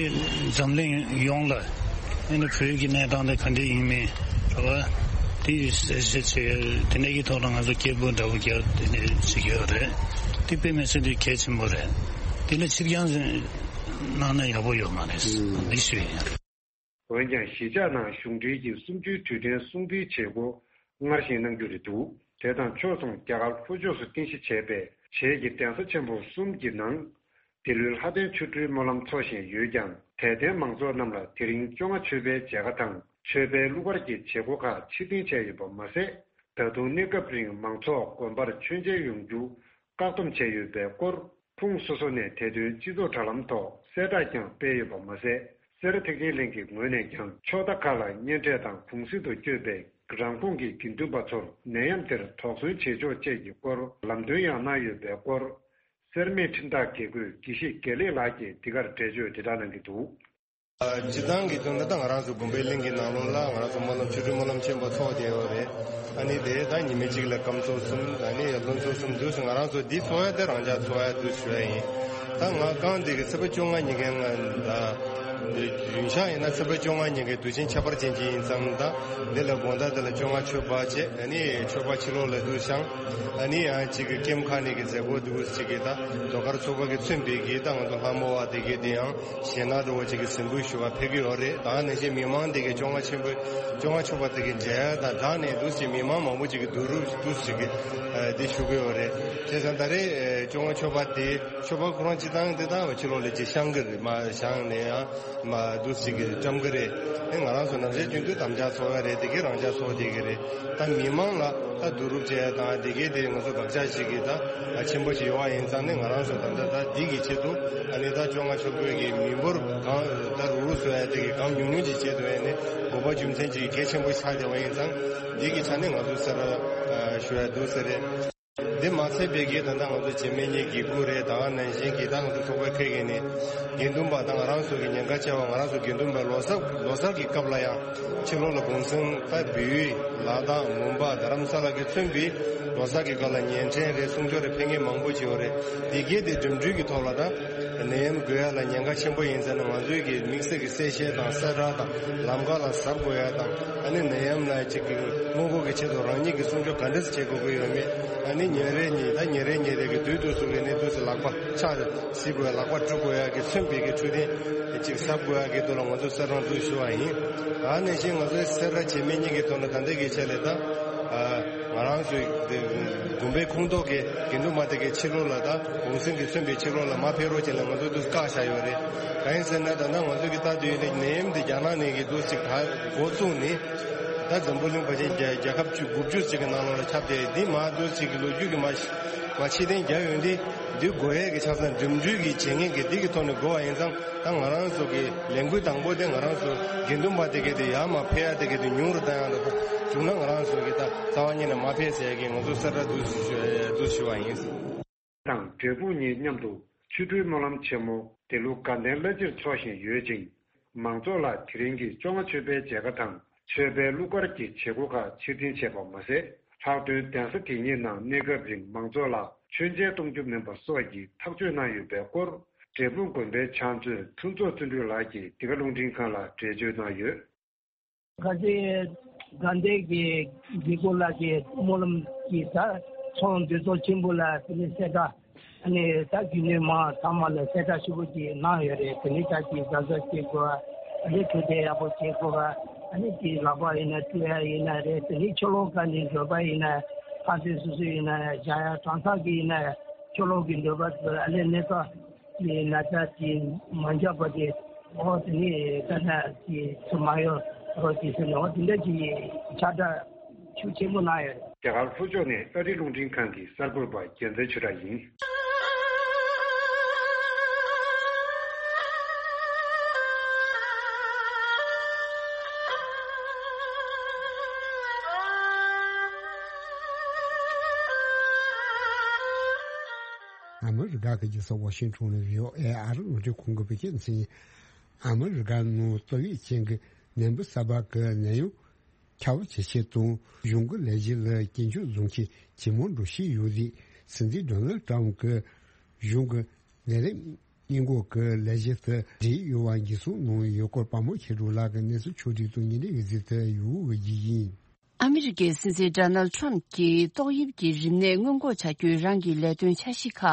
འཛམ་གླིང་ཡོངས་ལ་ཨ་ནི་བོད་ཀྱི་གནས་སྟངས་དེ་ག་འདྲ་ཡིན་མིན་རེད་བ། དེ་གསལ་བཤད་བྱེད་ཡ་དེ་ནས་ཀྱི་ཐོག་ལ་ང་ཚོ་སྐད་འབོད་འདྲ་པོ་རྒྱག་དེ་ནས་བྱེད་ཀྱི་ཡོད་རེད། དེ་དཔེ་མི་སྲིད་དུ་གལ་ཆེན་པོ་རེད། དེ་ལ་ཕྱིར་འགྱངས་གནང་ན་ཡག་པོ་ཡོད་མ་རེད། འདི་ཞུ་ཡིན། འོན་ཀྱང་གཞིས་ཆགས་ནང་གཞུང་འབྲེལ་གྱི་གསུམ་བཅུའི་དུས་དྲན་སྲུང་བརྩིའི་བྱེད་སྒོ་སྔར་བཞིན་གནང་རྒྱུ་རེད་འདུག་དེ་དང་ཕྱོགས་མཚུངས་རྒྱ་གར་ལྷོ་ཕྱོགས་སུ་རྟེན་གཞི་བྱས་པའི་བྱེས་ཀྱི་གདན་ས་ཆེན་པོ་གསུམ་གྱི་ནང་། འདི་ལོའི་ལྷ་ལྡན་ཆོ་འཕྲུལ་སྨོན་ལམ་འཚོགས་བཞིན་ཡོད་ཀྱང་། དད་ལྡན་མང་ཚོགས་རྣམས་ལ་དེ་རིང་བཅོ་ལྔ་མཆོད་པའི་མཇལ་ཁ་དང་མཆོད་པའི་གླུ་གར་གྱི་བྱེད་སྒོ་ཁག་ཕྱིར་འཐེན་བྱས་ཡོད་པ་མ་ཟད། ད་དུང་གནས་སྐབས་རིང་མང་ཚོགས་དགོན་པར་མཆོད་མཇལ་ཡོང་རྒྱུ་བཀག་སྡོམ་བྱས་ཡོད་པའི་སྐོར། ཁོངས་སོ་སོ་ནས་དེ་དོན་སྤྱི་ཚོགས་དྲ་ལམ་ཐོག་གསལ་བསྒྲགས་ཀྱང་སྤེལ་ཡོད་པ་མ་ཟད། སེ་ར་ཐེག་ཆེན་གླིང་གི་ངོས་ནས་ཀྱང་ཕྱོགས་མཐའ་ཁག་ལ་གཉེན་འཕྲད་དང་གུང་གསེང་དུ་བསྐྱོད་པའི་རང་ཁོངས་ཀྱི་དགེ་འདུན་པ་ཚོར་ནད་ཡམས་དེར་དོགས་ཟོན་བྱེད་ཆོག་བཅས་ཀྱི་སྐོར་ལམ་སྟོན་ཡང་གནང་ཡོད་པའི་སྐོར། སེར་སྨད་ཁྲིམས་བདག་དགེ་བསྐོས་དགེ་བཤེས་དགེ་ལེགས་ལགས་ཀྱིས་འདི་གར་འགྲེལ་བརྗོད་དེ་དག་གནང་གི་འདུག། སྤྱིར་བཏང་གི་དོན་ལ་ད་ང་རང་ཚོ་དགོན་པའི་གླིང་གི་ནང་ལོགས་ལ་ང་རང་ཚོ་སྨོན་ལམ་ཆོ་འཕྲུལ་སྨོན་ལམ་ཆེན་པོ་ཚོགས་བསྡད་ཡོད་རེད། ཨ་ནི་དེ་ད་ཉི་མ་གཅིག་ལ་སྐབས་ཚོགས་གསུམ། ཨ་ནི་ལོ་ཚོགས་གསུམ་དུས་སུ་ང་རང་ཚོ་འདི་ཚོགས་ཡ་དེ་རང་འཇགས་ཚོགས་ཡ་དུས་ཞུ་ཡ་ཡིན། ད་ང་རྐང་འདི་གི་ཚེས་པ་བཅོ་ལྔ་ཉིན་གན་ང་ད་རྒྱུན་ཆགས་ཡིན་ན་ཚེས་པ་བཅོ་ལྔ་ཉིན་གན་དུས་ཆེན་ཁྱད་པར་ཅན་ཅིག་ཡིན་ཙང་། ད་འདི་ལ་དགོང་དག་འདི་ལ་བཅོ་ལྔ་མཆོད་པ་བྱས། ཨ་ནི་མཆོད་པ་ཕྱི་ལོགས་ལ་དུ་བཞེངས། ཨ་ནི་ཡང་གཅིག་གི་ཀེམ་ཁ་ནས་གི་མཛད་སྒོ་དུ་གཅིག་གི་ད་ཟློས་གར་ཚོགས་པ་གི་མཚོན་པའི་གི་ད་ང་ཚོ་ལྷ་མོ་བ་དེ་གི་དེ་ཡང་གཞས་སྣ་འགྲོ་བ་གཅིག་གི་གཟིགས་འབུལ་ཞུ་བ་ཕེབས་ཀྱི་ཡོད་རེད། ད་ནང་བཞིན་མི་མང་དེ་གི་བཅོ་ལྔ་ཆེན་པོ་བཅོ་ལྔ་མཆོད་པ་དེ་གི་མཇལ་ཡ་དང་སྦྲགས་ནས་དུ་གཅིག་མི་མང་མང་པོ་གཅིག་གི་བསྡུ་རུབ་དུ་གཅིག་གི་དེ་ཞུ་གི་ཡོད་རེད། བྱས་ཙང་ད་རེས་བཅོ་ལྔ་མཆོད་པ་དེ་མཆོད་པ་ཁོ་རང་སྤྱི་བཏང་དེ་དག་ཕྱི་ལོགས་ལ་ཅིག་བཤམས་ཀྱི་རེད། མ་བཤམས་ནས་ཡང་མ་འདུག་ཅིག་གི་བཀྲམ་གི་རེད། ཨེ་ང་རང་ཚོ་ནམ་ཞག་རྒྱུན་དུ་དམ་བཅའ་ཚོགས་ཡ་རེད། དེ་གའི་རང་འཇགས་ཚོགས་བསྡད་གི་རེད། ད་མི་མང་ལ་ད་བསྡུ་རུབ་བྱས་ཡ་དང་དེ་གའི་དེ་ང་ཚོ་དགག་བྱ་ཞིག་གི་ད་ཆེན་པོ་ཞིག་ཡོང་བ་ཡིན་ཙང་ནས། ང་རང་ཚོ་ད་ལྟ་ད་འདི་གི་ཆེད་དུ་ཨ་ནི་ད་བཅོ་ལྔ་མཆོད་འབུལ་གི་མི་འབོར་གང་ད་རུག་རུག་བཟོ་ཡ་དེ་གི་གང་ཉུང་ཉུང་ཅིག་བྱེད་དུ་ཡ་ནས་དགོས་པ་རྒྱུ་མཚན་ཅིག་གལ་ཆེན་པོ་ཆགས་བསྡད་པ་ཡིན་ཙང་། འདི་གི་ཆ་ནས་ང་ཚོ་སེ་ར་ཞུ་ཡ་འདུག་ཟེར་རེད། འདི་མ་ཚད་པའི་གི་ད་ལྟ་ང་ཚོ་བྱེས་སྨད་གཉིས་དགེ་བསྐོས་རེད། ད་ག་ནང་བཞིན་གི་ད་ང་ཚོ་ཚོགས་པའི་ཁ་གི་ནས་དགེ་འདུན་པ་དང་ང་རང་ཚོ་གི་ཉེན་ཁ་ཆེ་བ། ང་རང་ཚོ་དགེ་འདུན་པའི་ལོ་གསར་ལོ་གསར་གི་སྐབས་ལ་ཡང་ཕྱི་ལོགས་ལ་གུང་སེང་ད་བལ་ཡུལ་ལ་དྭགས་མོན་པ་རྡ་རམ་ས་ལ་གི་མཚོན་པའི་ལོ་གསར་གི་སྐབས་ལ་བརྙན་འཕྲིན་རེད། གསུང་ཆོས་རེད། ཕེབས་མཁན་མང་པོ་ཅིག་ཡོད་རེད། དེ་གའི་དེ་འགྲིམ་འགྲུལ་གི་ཐོག་ལ་ད་ནད་ཡམས་འགོས་ཡ་ལ་ཉེན་ཁ་ཆེན་པོ་ཡིན་ཙང་ནས། ང་ཚོའི་གི་དམིགས་བསལ་གི་གསལ་བཤད་དང་གསལ་བསྒྲགས་དང་ལམ་ཁ་ལ་གཟབ་དགོས་ཡ་དང་། ཨ་ནི་ནད་ཡམས་ལ་ཅིག་གི་སྔོན་འགོག་གི་ཆེད་དུ་རང་ཉིད་ཀྱི་སྲུང་སྐྱོབ་ག་འདྲ་སེ་བྱེད་དགོས་ཀྱི་ཡོད་མེད། ཨ་ནི་ཉིན་རེ་ཉིན་ད་ཉིན་རེ་ཉིན་རེ་གི་དུས་དུས་སུ་གི་ནི་དུས་སུ་ལག་པ་ཕྱག་བསིལ་དགོས་ཡ། ལག་པ་བཀྲུ་དགོས་ཡ་གི་མཚོན་པའི་གི་འཕྲོད་བསྟེན་ཅིག་གཟབ་དགོས་ཡ་གི་དོན་ལ་ང་ཚོས་གསལ་བསྒྲགས་འདུག་ཞུ་བ་ཡིན། ཨ་ནི་བཞིན་ང་ཚོའི་སེ་ར་བྱེས་སྨད་གཉིས་ཀྱི་དོན་ལ་ད་ལྟའི་གི་ཆ་ལས་ད་ང་རང་ཚོའི་དགོན་པའི་ཁོངས་གཏོགས་ཀྱི་དགེ་འདུན་པ་དེ་གའི་ཕྱི་ལོགས་ལ་ད་གུང་སེང་གི་མཚོན་པའི་ཕྱི་ལོགས་ལ་མ་ཕེབས་རོགས་བྱས་ལ་ང་ཚོ་དུས་བཀག་བཞག་ཡོད་རེད། གང་ཡིན་ཟེར་ན་ད་ལྟ་ང་ཚོ་གི་ལྟ་དུས་ཡིན་ན་ནད་ཡམས་འདི་རྒྱ་ནག་ནས་གི་འདུག་ཅིག་ད་འགོ་བཙུགས་ནས། ད་འཛམ་བུ་གླིང་བར་ཆད་རྒྱལ་རྒྱལ་ཁབ་བཅུ་དགུ་བཅུ་ཅིག་གི་ནང་ལོགས་ལ་ཁྱབ་བསྡད། འདི་མ་འདུག་ཅིག་གི་ལོ་རྒྱུས་ཀྱི་མ་མ་ཕྱིར་འཐེན་རྒྱག་ཡོང་དུས། འདི་དགོས་ཡས་ཀྱི་ཆ་ཚང་འགྲིམ་འགྲུལ་གྱི་བྱེད་མཁན་གྱི་འདི་གི་ཐོག་ནས་དགོས་པ་ཡིན་ཙང་། ད་ང་རང་ཚོ་གི་ལས་འགུལ་དང་པོ་དེ་ང་རང་ཚོ་དགེ་འདུན་པ་དེ་གའི་དེ་ཡར་མར་ཕེབས་ཡ་དེ་གའི་དེ་ཉུང་རུ་བཏང་ཡ་འདྲ་པོ་བྱུང་ན། ང་རང་ཚོ་གི་ད་རྩ་བ་ཉིད་ནས་མ་ཕེབས་ཟེར་ཡ་གི་ང་ཚོ་གསལ་བསྒྲགས་འདུག་ཞུ་འདུག་ཞུ་བ་ཡིན། དང་འབྲས་སྤུངས་གཉིས་མཉམ་དུ་ཆོ་འཕྲུལ་སྨོན་ལམ་ཆེན་མོ་འདི་ལོ་དགའ་ལྡན་བླ་སྤྱིར་འཚོགས་བཞིན་ཡོད་ཅིང་། མང་ཚོགས་ལ་དེ་རིང་གི་བཅོ་ལྔ་མཆོད་པའི་མཇལ་ཁ་དང་མཆོད་པའི་གླུ་གར་གྱི་བྱེད་སྒོ་ཁག་ཕྱིར་འཐེན་བྱས་པ་མ་ཟད། ལྷག་དོན་གདན་ས་དེ་ཉིད་ནང་གནས་སྐབས་རིང་མང་ཚོགས་ལ་མཆོད་མཇལ་གཏོང་རྒྱུ་མིན་པ་སོགས་ཀྱི་ཐག་གཅོད་གནང་ཡོད་པའི་སྐོར། འབྲས་སྤུངས་དགོན་པའི་ཕྱག་མཛོད་ཕུན་ཚོགས་བརྩོན་འགྲུས་ལགས་ཀྱིས་འདི་ག་རླུང་འཕྲིན་ཁང་ལ་འགྲེལ་བརྗོད་གནང་ཡོད། ཁ་ཆེ་དགའ་ལྡན་གྱི་དགེ་སྐོས་ལགས་ཀྱི་སྨོན་ལམ་གྱི་ད་ཚོགས་འདུ་ཚོགས་ཆེན་པོ་ལ་དེ་ནས་གསལ་བསྒྲགས། ཨ་ནི་ད་རྒྱུན་ལས་མང་ཚང་མ་ལ་གསལ་བསྒྲགས་ཞུ་དགོས་ཀྱི་གནང་ཡོད་རེད། དེ་ནས་ད་ཀྱི་གཟབ་གཟབ་བྱེད་དགོས། ཨ་ནི་འཕྲོད་བསྟེན་ཡག་པོ་བྱེད་དགོས། ཨ་ནི་ཀྱི་ལག་པ་ཡིན་ན་བཀྲུ་ཡ་ཡིན་ན་རེད། དེ་ནས་ཕྱི་ལོགས་ག་ནས་འགྲོ་པ་ཡིན་ན་ཕར་ཚུར་སོ་སོ་ཡིན་ན་བཞག་ཡ། གྲོང་གསེབ་ཀྱི་ཡིན་ན་ཕྱི་ལོགས་ཀྱི་འགྲོ་པ་ཚོ་ཨ་ནི་གནས་སྐབས་ཀྱི་ན་ཚ་དེ་མ་འཇགས་པ་དེ། འོ་དེ་ནས་ད་ལྟ་དེ་ཚོ་མ་ཡོང་རོགས་ཅེས་ཟེར་ནས། འོ་དེ་འདྲ་གྱི་ཁྱབ་བསྒྲགས་ཤུགས་ཆེན་པོ་གནང་ཡོད། རྒྱ་གར་ལྷོ་ཕྱོགས་ནས་ཨ་རི་རླུང་འཕྲིན་ཁང་གི་གསར་འགོད་པ་རྒྱལ་མཚན་ཆོས་གྲགས་ཡིན། ཨ་མི་རི་ཀ་གི་རྒྱལ་ས་ཝ་ཤིང་ཊོན་ནས་བྷི་ཨོ་ཨེ་ཨ་རི་རླུང་འཕྲིན་ཁང་གི་བོད་སྐད་སྡེ་ཚན། ཨ་མི་རི་ཀ་ནང་ཏོག་དབྱིབས་ཅན་གྱི་ནད་འབུ་གསར་པ་གི་ནད་ཡམས་ཁྱབ་ཇེ་ཆེ་དང་། གཞུང་གི་ལས་གཞི་ལ་སྐྱོན་བརྗོད་བཟོ་མཁན་ཇེ་མང་འགྲོ་བཞིན་ཡོད་དུས། སྲིད་འཛིན་ཌོ་ནལ་ཊམ་གྱི་གཞུང་གི་ལས་རིམ་སྔོན་འགོག་གི་ལས་གཞི་དེ་འབྲེལ་ཡོད་པ་འགྱུར་སོང་གནང་ཡོད་སྐོར། པ་མོ་ཆོས་སྒྲོན་ལགས་ཀྱིས་གནས་ཚུལ་ཕྱོགས་བསྒྲིགས་དང་ཉིན་རེའི་གཟིགས་ཏེ་ཡོད་པ་ཡིན། ཨ་མི་རི་ཀའི་སྲིད་འཛིན་ཌོ་ནལ་ཁྲམ་གྱིས་ཏོག་དབྱིབས་ཀྱི་རིམས་ནད་སྔོན་འགོག་བྱ་རྒྱུའི་རང་གི་ལས་དོན་འཆར་གཞི་ཁག་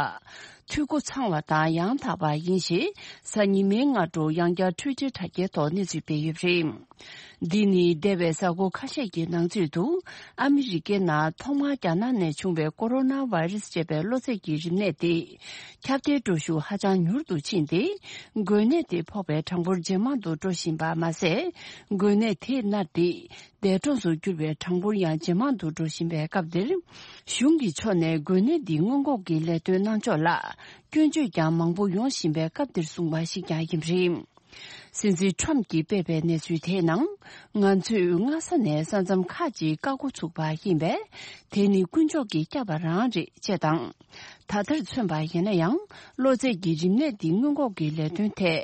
འཐུས་སྒོ་ཚང་བ་དང་ཡང་དག་པ་ཡིན་ཞེས་གཟའ་ཉི་མའི་སྔ་དྲོ་ཡང་བསྐྱར་ཊུའི་ཊར་དྲ་རྒྱའི་ཐོག་གནས་ཚུལ་སྤེལ་ཡོད་པ་རེད། འདི་ནི་འདས་པའི་གཟའ་འཁོར་ཁ་ཤས་ཀྱི་ནང་ཚུད་དུ་ཨ་མི་རི་ཀའི་ནང་ཐོག་མར་རྒྱ་ནག་ནས་བྱུང་བའི་ཀོ་རོ་ན་བྷའི་རུ་སི་ཅེས་པའི་གློ་ཚད་ཀྱི་རིམས་ནད་དེ་ཁྱབ་གདལ་འགྲོ་ཤུགས་ཧ་ཅང་མྱུར་དུ་ཕྱིན་ཏེ། འགོས་ནད་དེ་ཕོག་པའི་གྲངས་འབོར་ཇེ་མང་དུ་འགྲོ་བཞིན་པ་མ་ཟད། འགོས་ནད་དེས་མནར་ཏེ། འདས་གྲོངས་སུ་གྱུར་པའི་གྲངས་འབོར་ཡང་ཇེ་མང་དུ་འགྲོ་བཞིན་པའི་སྐབས་འདིར། གཞུང་གི་ཕྱོགས་ནས་འགོས་ནད་འདི་སྔོན་འགོག་གི་ལས་དོན་གནང་ཕྱོགས་ལ་སྐྱོན་བརྗོད་ཀྱང་མང་པོ་ཡོང་བཞིན་པའི་སྐབས་འདིར་གསུངས་པ་ཞིག་ཀྱང་ཡིན་པ་རེད། སྲིད་འཛིན་ཁྲོམ་གྱིས་སྤེལ་བའི་གནས་ཚུལ་དེའི་ནང་། ང་ཚོས་སྔ་ས་ནས་ས་མཚམས་ཁག་ཅིག་བཀག་འགོ་ཚུགས་པ་ཡིན་པས། དེ་ནི་དཀོན་མཆོག་གིས་བསྐྱབས་པ་རང་རེད་ཅེས་དང་། ད་ལྟར་མཚོན་པ་ཡིན་ན་ཡང་། གློ་ཚད་ཀྱི་རིམས་ནད་འདི་སྔོན་འགོག་གི་ལས་དོན་ཐད།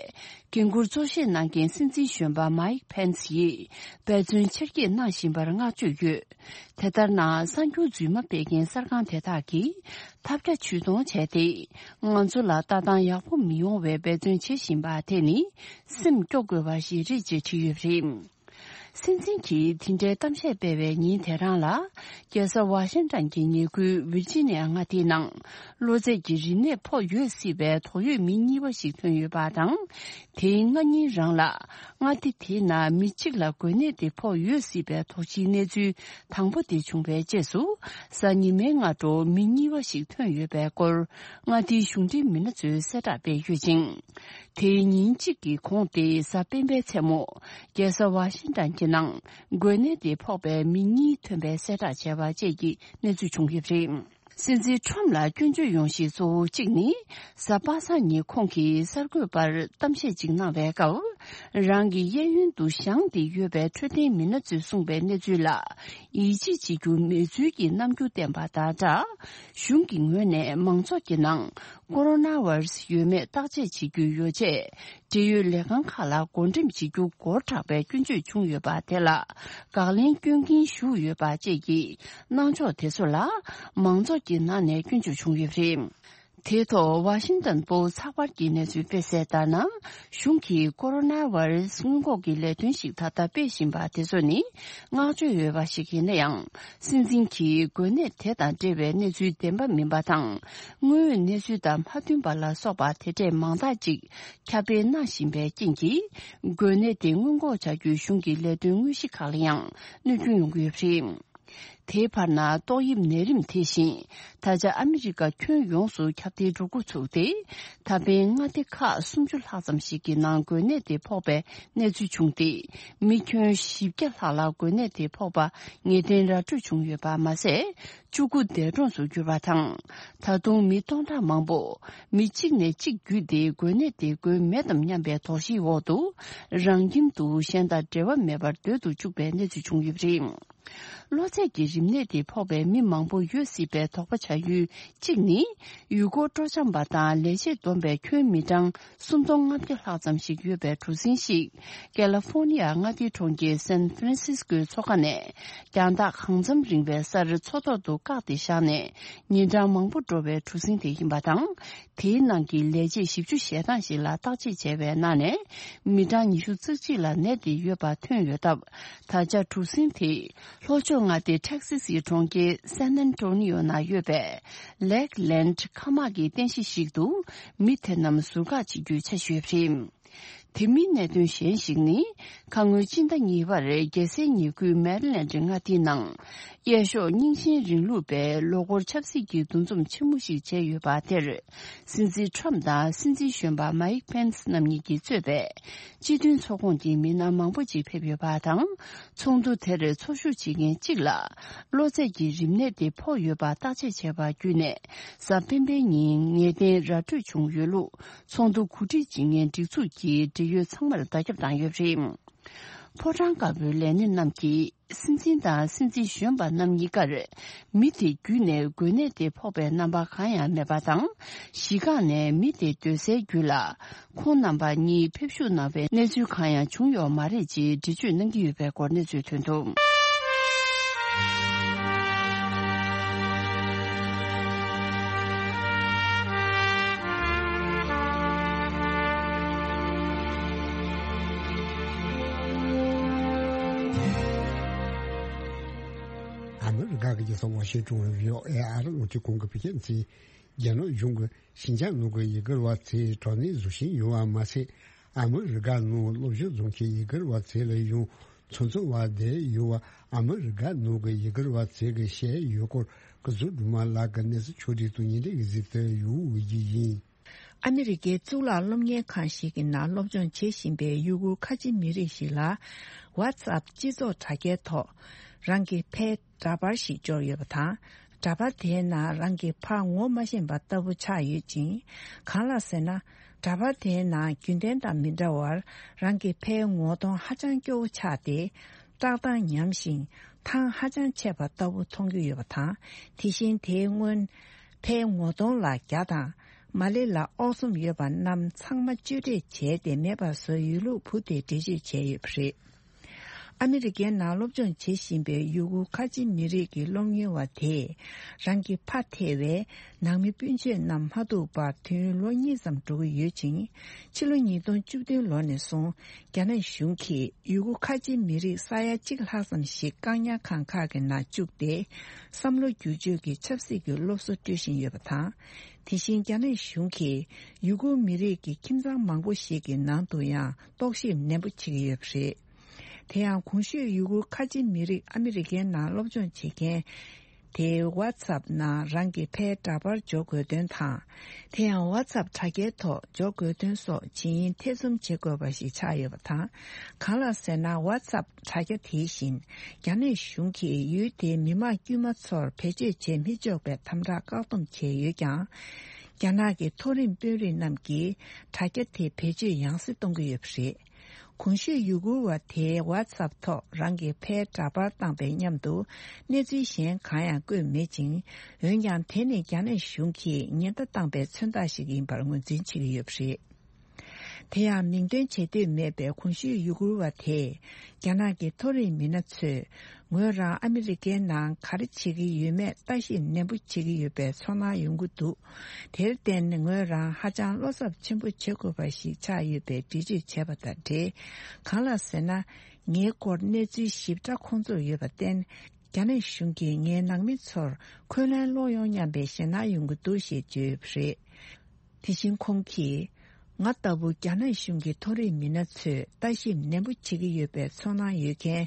འགན་འཁུར་གཙོ་བཞེས་གནང་མཁན་སྲིད་འཛིན་གཞོན་པ་མའིག་ཕེན་སི་ཡིས་འབད་བརྩོན་ཆེར་སྐྱེད་གནང་བཞིན་པར་བསྔགས་བརྗོད་ཡོད། དེ་ལྟར་ན། གསར་འགྱུར་རྫུན་མ་སྤེལ་མཁན་གསར་ཁང་དེ་དག་གིས་ཐབས་བརྒྱ་ཇུས་སྟོང་བྱས་ཏེ། ང་ཚོ་ལ་ལྟ་སྟངས་ཡག་པོ་མི་ཡོང་བའི་འབད་བརྩོན་བྱེད་བཞིན་པ་དེ་ནི་སེམས་སྐྱོ་དགོས་པ་ཞིག་རེད་ཅེས་བྲིས་ཡོད་པ་རེད། སྲིད་འཛིན་གྱིས་དེ་འདྲའི་གཏམ་བཤད་སྤེལ་བའི་ཉིན་དེ་རང་ལ། རྒྱལ་ས་ཝ་ཤིང་ཏན་གྱི་ཉེ་ཁུལ་ཝིར་ཇི་ནི་ཡ་མངའ་སྡེའི་ནང་། གློ་ཚད་ཀྱི་རིམས་ནད་ཕོག་ཡོད་སྲིད་པའི་དོགས་ཡོད་མི་གཉིས་པ་ཞིག་ཐོན་ཡོད་པ་དང་། དེའི་སྔ་ཉིན་རང་ལ། མངའ་སྡེ་དེའི་ནང་མི་གཅིག་ལ་འགོས་ནད་དེ་ཕོག་ཡོད་སྲིད་པའི་དོགས་གཞིའི་གནས་ཚུལ་དང་པོ་དེ་བྱུང་བའི་རྗེས་སུ། གཟའ་ཉི་མའི་སྔ་དྲོ་མི་གཉིས་པ་ཞིག་ཐོན་ཡོད་པའི་སྐོར། མངའ་སྡེའི་གཞུང་འབྲེལ་མི་སྣ་ཚོས་གསལ་བསྒྲགས་སྤེལ་ཡོད་ཅིང་། དེའི་ཉིན་གཅིག་གི་གོང་སྟེ། གཟའ་སྤེན་པའི་མཚན་མོ། རྒྱལ་ས་ཝ་ཤིང་ཏན་གྱི་ནང་། འགོས་ནད་དེ་ཕོག་པའི་མི་གཉིས་ཐོན་པའི་གསལ་བསྒྲགས་བྱས་པ་བཅས་ཀྱི་གནས་ཚུལ་བྱུང་ཡོད་པ་རེད། སྲིད་འཛིན་ཁྲོམ་ལ་སྐྱོན་བརྗོད་ཡོང་གཞི་གཙོ་བོ་གཅིག་ནི། གཟའ་པ་སངས་ཉིན་ཁོང་གིས་གསར་འགོད་པར་གཏམ་བཤད་ཅིག་གནང་བའི་སྐབས། རང་གི་གཡས་གཡོན་དུ་བཞེངས་ཏེ་ཡོད་པའི་འཕྲོད་བསྟེན་མི་སྣ་ཚོས་གསུངས་པའི་གནས་ཚུལ་ལ། ཡིད་ཆེས་བྱེད་རྒྱུ་མེད་ཚུལ་གྱི་རྣམ་འགྱུར་བསྟན་པ་དང་སྦྲགས། གཞུང་གི་ངོས་ནས་མང་ཚོགས་ཀྱི་ནང་། ཀོ་རོ་ན་བྷ་རུ་སི་ཡོད་མེད་བརྟག་དཔྱད་བྱེད་རྒྱུའི་ཡོ་བྱད། འབྲེལ་ཡོད་ལས་ཁང་ཁག་ལ་བགོ་འགྲེམས་བྱེད་རྒྱུ་སྒོར་དྲག་པའི་སྐྱོན་བརྗོད་བྱུང་ཡོད་པ་དེ་ལ་དགག་ལན་སྐྱོན་གྱིན་ཞུགས་ཡོད་པ་བཅས་ཀྱི་གནང་ཕྱོགས་དེ་ཚོ་ལ་མང་ཚོགས་ཀྱི་ནང་ནས་སྐྱོན་བརྗོད་བྱུང་ཡོད་པ་རེད། དེའི་ཐོག་ཝ་ཤིང་ཏན་པོ་ཚགས་པར་གྱི་གནས་ཚུལ་སྤེལ་གསལ་ལྟར་ན། གཞུང་གིས་ཀོ་རོ་ན་བྷ་རུ་སི་སྔོན་འགོག་གི་ལས་དོན་ཞིག་ད་ལྟ་སྤེལ་བཞིན་པ་དེ་ཚོ་ནི་བསྔགས་བརྗོད་ཡོད་པ་ཞིག་ཡིན་ན་ཡང་། སྲིད་འཛིན་གྱིས་འགོས་ནད་དེ་དང་འབྲེལ་བའི་གནས་ཚུལ་བདེན་པ་མིན་པ་དང་། དངོས་ཡོད་གནས་ཚུལ་དང་མ་མཐུན་པ་ལ་སོགས་པ་དེ་འདྲས་མང་དག་ཅིག་ཁྱབ་སྤེལ་གནང་བཞིན་པའི་རྐྱེན་གྱིས། འགོས་ནད་དེ་སྔོན་འགོག་བྱ་རྒྱུའི་གཞུང་གི་ལས་དོན་དངོས་གཞི་ཁག་ལ་ཡང་གནོད་སྐྱོན་ཡོང་གི་ཡོད་པ་རེད། དེའི་བར་ན་ཏོག་དབྱིབས་ནད་རིམས་དེ་བཞིན་ད་ཆ་ཨ་མི་རི་ཀ་ཁྱོན་ཡོངས་སུ་ཁྱབ་གདལ་འགྲོ་འགོ་ཚུགས་ཏེ། ད་ཕན་མངའ་སྡེ་ཁག་སུམ་ཅུ་ལྷག་ཙམ་ཞིག་གི་ནང་འགོས་ནད་དེ་ཕོག་པའི་གནས་ཚུལ་བྱུང་སྟེ། མི་ཁྱོན་བཞི་བརྒྱ་ལྷག་ལ་འགོས་ནད་དེ་ཕོག་པ་ངེས་གཏན་ར་སྤྲོད་བྱུང་ཡོད་པ་མ་ཟད། བཅུ་དགུ་འདས་གྲོངས་སུ་གྱུར་པ་དང་། ད་དུང་མི་སྟོང་ཕྲག་མང་པོ་མི་གཅིག་ནས་གཅིག་བརྒྱུད་དེ་འགོས་ནད་དེ་འགོས་མེད་དམ་སྙམ་པའི་དོགས་གཞིའི་འོག་ཏུ་རང་ཁྱིམ་དུ་གཞན་དང་འབྲེལ་བ་མེད་པར་སྡོད་དུ་བཅུག་པའི་གནས་ཚུལ་བྱུང་ཡོད་པ་རེད། གློ་ཚད་ཀྱི་རིམས་ནད་དེ་ཕོག་པའི་མི་མང་པོ་ཡོད་སྲིད་པའི་དོགས་པ་བྱ་ཡུལ་གཅིག་ནི། ཡུལ་སྐོར་སྤྲོ་འཆམ་པ་དང་ལས་བྱེད་བསྡོམས་པའི་ཁྱོན་མི་གྲངས་སུམ་སྟོང་ལྔ་བརྒྱ་ལྷག་ཙམ་ཞིག་ཡོད་པའི་གྲུ་གཟིངས་ཤིག་ཀེ་ལི་ཧྥོར་ནི་ཡ་མངའ་སྡེའི་གྲོང་ཁྱེར་སན་ཧྥ་རན་སིས་ཀོའི་མཚོ་ཁ་ནས་རྒྱང་ཐག་གང་འཚམ་རིང་བའི་སར་མཚོ་ཐོག་ཏུ་བཀག་སྟེ་བཞག་ནས་ཉིན་གྲངས་མང་པོ་འགྲོ་བའི་གྲུ་གཟིངས་དེ་ཡིན་པ་དང་། དེའི་ནང་གི་ལས་བྱེད་བཞི་བཅུ་ཞེ་གྲངས་ཤིག་ལ་བརྟག་དཔྱད་བྱས་པའི་ནང་ནས། མི་གྲངས་ཉི་ཤུ་རྩ་གཅིག་ལ་ནད་དེ་ཡོད་པ་ཐོན་ཡོད་སྟབས། ད་ཆ་གྲུ་གཟིངས་དེ་ལྷོ་ཕྱོགས་མངའ་སྡེ་ཊེག་སི་སིའི་གྲོང་ཁྱེར་སན་ཨན་ཊོ་ནི་ཡོ་ན་ཡོད་པའི་ལེག་ལེན་ཁ་མག་གི་རྟེན་གཞི་ཞིག་ཏུ་མི་དེ་རྣམས་ཟུར་བཀག་བྱེད་རྒྱུའི་འཆར་གཞི་ཡོད་པ་རེད། དེ་མིན་གནད་དོན་གཞན་ཞིག་ནི། ཁ་སྔོན་སྤྱི་ཟླ་གཉིས་པར་རྒྱལ་སའི་ཉེ་ཁུལ་མེ་རི་ལེན་ཌི་མངའ་སྡེའི་ནང་། གཡས་ཕྱོགས་རྙིང་ཞེན་རིང་ལུགས་པའི་ལོ་འཁོར་ཆབ་སྲིད་ཀྱི་འདུ་འཛོམས་ཆེན་མོ་ཞིག་བྱས་ཡོད་པ་དེར། སྲིད་འཛིན་ཁྲོམ་དང་སྲིད་འཛིན་གཞོན་པ་མའིག་ཕེན་སི་རྣམ་གཉིས་ཀྱིས་གཙོས་པའི་སྤྱི་མཐུན་ཚོགས་ཁོངས་ཀྱི་མི་སྣ་མང་པོ་ཅིག་ཕེབས་ཡོད་པ་དང་། ཚོགས་འདུ་དེར་འཚོགས་ཞུགས་བྱེད་མཁན་གཅིག་ལ་གློ་ཚད་ཀྱི་རིམས་ནད་དེ་ཕོག་ཡོད་པ་བརྟག་དཔྱད་བྱས་པ་བརྒྱུད་ནས། གཟའ་སྤེན་པའི་ཉིན་ངེས་གཏན་ར་སྤྲོད་བྱུང་ཡོད་ལུགས། ཚོགས་འདུ་གོ་སྒྲིག་བྱེད་མཁན་སྒྲིག་འཛུགས་ཀྱི་འབྲེལ་ཡོད་ཚང་མར་བརྡ་ཁྱབ་བཏང་ཡོད་པ་རེད། ཕོ་བྲང་དཀར་པོའི་ལས་སྣེ་རྣམས་ཀྱིས་སྲིད་འཛིན་དང་སྲིད་འཛིན་གཞོན་པ་རྣམ་གཉིས་ཀར་མི་དེ་བརྒྱུད་ནས་འགོས་ནད་དེ་ཕོག་པའི་རྣམ་པ་གང་ཡང་མེད་པ་དང་། གཞི་རྐང་ནས་མི་དེ་སྡོད་སའི་རྒྱུད་ལ་ཁོང་རྣམ་པ་གཉིས་ཕེབས་ཞུགས་གནང་བའི་གནས་ཚུལ་གང་ཡང་བྱུང་ཡོད་མ་རེད་ཅེས་འགྲེལ་བརྗོད་གནང་གི་ཡོད་པའི་སྐོར་གནས་ཚུལ་ཐོན་འདུག་ཨ་མི་རི་ཀ་གི་རྒྱལ་ས་ཝ་ཤིང་ཊོན་བྷི་ཨོ་ཨེ་ཨར་རླུང་འཕྲིན་ཁང་གི་བོད་སྐད་སྡེ་ཚན། རྒྱ་ནག་གཞུང་གིས་ཞིན་ཅང་ནང་གི་ཡུ་གུར་བ་ཚོའི་དྲག་གནོན་བཟོ་བཞིན་ཡོད་པ་མ་ཟད། ཨ་མི་རི་ཀ་ནང་སློབ་སྦྱོང་བྱེད་མཁན་ཡུ་གུར་བ་ཚོ་ལ་ཡང་ཚོང་བཙོང་བ་བསྡད་ཡོད་པ་ཨ་མི་རི་ཀ་ནང་གི་ཡུ་གུར་བ་ཚོ་གིས་བཤད་ཡོད་སྐོར་སྐུ་ཚབ་སྒྲོལ་མ་ལགས་ཀྱིས་གནས་ཚུལ་ཕྱོགས་སྒྲིག་དང་ཉེ་འབྲེལ་གྱི་གཟིགས་ཚུལ་ཡོད་ཡིན། ཨ་མི་རི་ཀའི་གཙུག་ལག་སློབ་གཉེར་ཁང་ཞིག་གི་ནང་སློབ་སྦྱོང་བྱེད་བཞིན་པའི་ཡུ་གུར་ཁ་ཆེ་མི་རིགས་ཤིག་ལ། ཝ་ཚབ་སྤྱི་ཚོགས་དྲ་རྒྱའི་ཐོག་རང་གི་ཕའི་འདྲ་པར་ཞིག་འབྱོར་ཡོད་པ་དང་། འདྲ་པར་དེའི་ནང་རང་གི་ཕ་ངོ་མ་ཤེས་པ་ལྟ་བུ་ཆགས་ཡོད་ཅིང་། གང་ལགས་ཟེར་ན། འདྲ་པར་དེའི་ནང་རྒྱུན་ལྡན་དང་མི་འདྲ་བར། རང་གི་ཕའི་ངོ་གདོང་ཧ་ཅང་སྐྱོ་བོ་ཆགས་ཏེ། བཀྲག་མདངས་ཉམས་ཤིང་ཐང་ཧ་ཅང་ཆད་པ་ལྟ་བུ་མཐོང་རྒྱུ་ཡོད་པ་དང་། དེ་བཞིན་དེའི་སྔོན་ཕའི་ངོ་གདོང་ལ་རྒྱ་དང་མ་ལེ་ལ་ཨོག་ཚོམ་ཡོད་པ་རྣམས་ཚང་མ་གཅོད་འབྲེག་བྱས་ཏེ་མེད་པར་བཟོ་ཡོད་ལུགས་བུ་དེས་འགྲེལ་བརྗོད་བྱས་ཡོད་པ་རེད། ཨ་མི་རི་ཀའི་ནང་སློབ་སྦྱོང་བྱེད་བཞིན་པའི་ཡུ་གུར་ཁ་ཆེ་མི་རིགས་ཀྱི་སློབ་གཉེར་བ་དེས་རང་གི་ཕ་ཐེ་བའི་ནང་མི་སྤུན་མཆེད་རྣམས་མ་ཐུག་པར་དུས་ཡུན་ལོ་གཉིས་ཙམ་འགྲོ་གི་ཡོད་ཅིང་། ཕྱི་ལོ་ཉིས་སྟོང་བཅུ་བདུན་ལོ་ནས་བཟུང་རྒྱ་ནག་གཞུང་གིས་ཡུ་གུར་ཁ་ཆེ་མི་རིགས་ས་ཡ་གཅིག་ལྷག་ཙམ་ཞིག་བཀག་ཉར་ཁང་ཁག་གི་ནང་བཅུག་སྟེ། བསམ་བློ་བསྒྱུར་བཅོས་ཀྱི་ཆབ་སྲིད་ཀྱི་སློབ་གསོ་སྤྲོད་བཞིན་ཡོད་པ་དང་། དེ་བཞིན་རྒྱ་ནག་གཞུང་གིས་ཡུ་གུར་མི་རིགས་ཀྱི་ཁྱིམ་ཚང་མང་པོ་ཞིག་གི་ནང་དུ་ཡང་རྟོག་ཞིབ་ནན་པོ་བྱེད་ཀྱི་ཡོད་པ་རེད། དེ་ཡང་གོང་ཞུས་ཡུ་གུར་ཁ་ཆེ་མི་རིགས་ཨ་མི་རི་ཀའི་ནང་སློབ་སྦྱོང་བྱེད་མཁན་དེའི་ཝ་ཚབ་ནང་རང་གི་ཕའི་འདྲ་པར་འཇོག་དགོས་དོན་དང་། དེ་ཡང་ཝ་ཚབ་དྲ་རྒྱའི་ཐོག་འཇོག་དགོས་དོན་སོགས་ཇི་ཡིན་ཐེ་ཚོམ་བྱེད་དགོས་པ་ཞིག་ཆགས་ཡོད་པ་དང་། གང་ལགས་ཟེར་ན། ཝ་ཚབ་དྲ་རྒྱ་དེ་བཞིན་རྒྱ་ནག་གཞུང་གིས་ཡུལ་དེའི་མི་མང་དཀྱུས་མ་ཚོར་བེད་སྤྱོད་བྱེད་མི་ཆོག་པའི་དམ་དྲག་བཀག་སྡོམ་བྱས་ཡོད་ཀྱང་། རྒྱ་ནག་གི་མཐོ་རིམ་དཔོན་རིགས་རྣམས་ཀྱིས་དྲ་རྒྱ་དེ་བེད་སྤྱོད་ཡང་སེ་གཏོང་གི་ཡོད་པ་རེད། གོང་ཞུས་ཡུ་གུར་བ་དེས་ཝ་ཚབ་ཐོག་རང་གི་ཕའི་འདྲ་པར་བཏང་པའི་མཉམ་དུ་གནས་ཚུལ་གཞན་གང་ཡང་བཀོད་མེད་ཅིང་། འོན་ཀྱང་དེ་ནི་རྒྱ་ནག་གཞུང་གིས་ཉེན་བརྡ་བཏང་པའི་མཚོན་རྟགས་ཤིག་ཡིན་པར་ངོས་འཛིན་བྱེད་ཀྱི་ཡོད་པ་རེད། དེ་ཡང་མིང་འདོན་བྱེད་འདོད་མེད་པའི་གོང་ཞུས་ཡུ་གུར་བ་དེས་རྒྱ་ནག་གི་མཐོ་རིམ་མི་སྣ་ཚོས་ངོས་རང་ཨ་མི་རི་ཀའི་ནང་ག་རེ་བྱེད་ཀྱི་ཡོད་མེད་ལྟ་ཞིབ་ནན་པོ་བྱེད་ཀྱི་ཡོད་པའི་ཚོར་སྣང་ཡོང་གི་འདུག་དེར་བརྟེན་ངོས་རང་ཧ་ཅང་བློ་འཚབ་ཆེན་པོ་བྱེད་དགོས་པ་ཞིག་ཆགས་ཡོད་པའི་འགྲེལ་བརྗོད་བྱས་པ་དང་འབྲེལ། གང་ལགས་ཟེར་ན། ངའི་སྐོར་གནས་ཚུལ་ཞིབ་ཕྲ་ཁོང་ཚོར་ཡོད་པར་བརྟེན། རྒྱ་ནག་གཞུང་གིས་ངའི་ནང་མི་ཚོར་འཁོན་ལན་སློག་ཡོང་སྙམ་པའི་ཞེད་སྣང་ཡོང་གི་འདུག་ཞེས་བརྗོད་ཡོད་པ་རེད། དེ་བཞིན་ཁོང་གིས། ང་ལྟ་བུ་རྒྱ་ནག་གཞུང་གི་མཐོ་རིམ་མི་སྣ་ཚོས་ལྟ་ཞིབ་ནན་པོ་བྱེད་ཀྱི་ཡོད་པའི་ཚོར་སྣང་ཡོད་མཁན་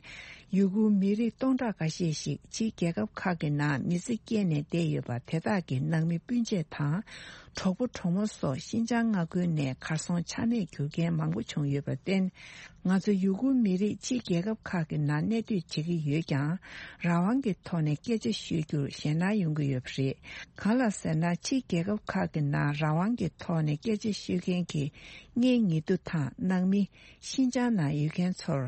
ཡུ་གུར་མི་རིགས་སྟོང་ཕྲག་འགའ་ཤས་ཤིག་ཕྱིའི་རྒྱལ་ཁབ་ཁག་གི་ནང་མི་ཚེ་སྐྱེལ་ནས་བསྡད་ཡོད་པ་དེ་དག་གི་ནང་མི་སྤུན་མཆེད་དང་གྲོགས་པོ་གྲོགས་མོ་སོགས་ཤིན་ཅང་མངའ་ཁུལ་ནས་གར་སོང་ཆ་མེད་གྱུར་མཁན་མང་པོ་བྱུང་ཡོད་པར་བརྟེན། ང་ཚོ་ཡུ་གུར་མི་རིགས་ཕྱིའི་རྒྱལ་ཁབ་ཁག་གི་ནང་གནས་སྡོད་བྱེད་ཀྱི་ཡོད་ཀྱང་། རང་དབང་གི་ཐོག་ནས་སྐད་ཆ་ཤོད་རྒྱུར་ཞེད་སྣང་ཡོང་གི་ཡོད་པ་རེད། གང་ལགས་ཟེར་ན། ཕྱིའི་རྒྱལ་ཁབ་ཁག་གི་ནང་རང་དབང་གི་ཐོག་ནས་སྐད་ཆ་ཤོད་མཁན་གྱི་གཉེན་ཉེ་དུ་དང་ནང་མི། ཤིན་ཅང་ནང་ཡོད་མཁན་ཚོར་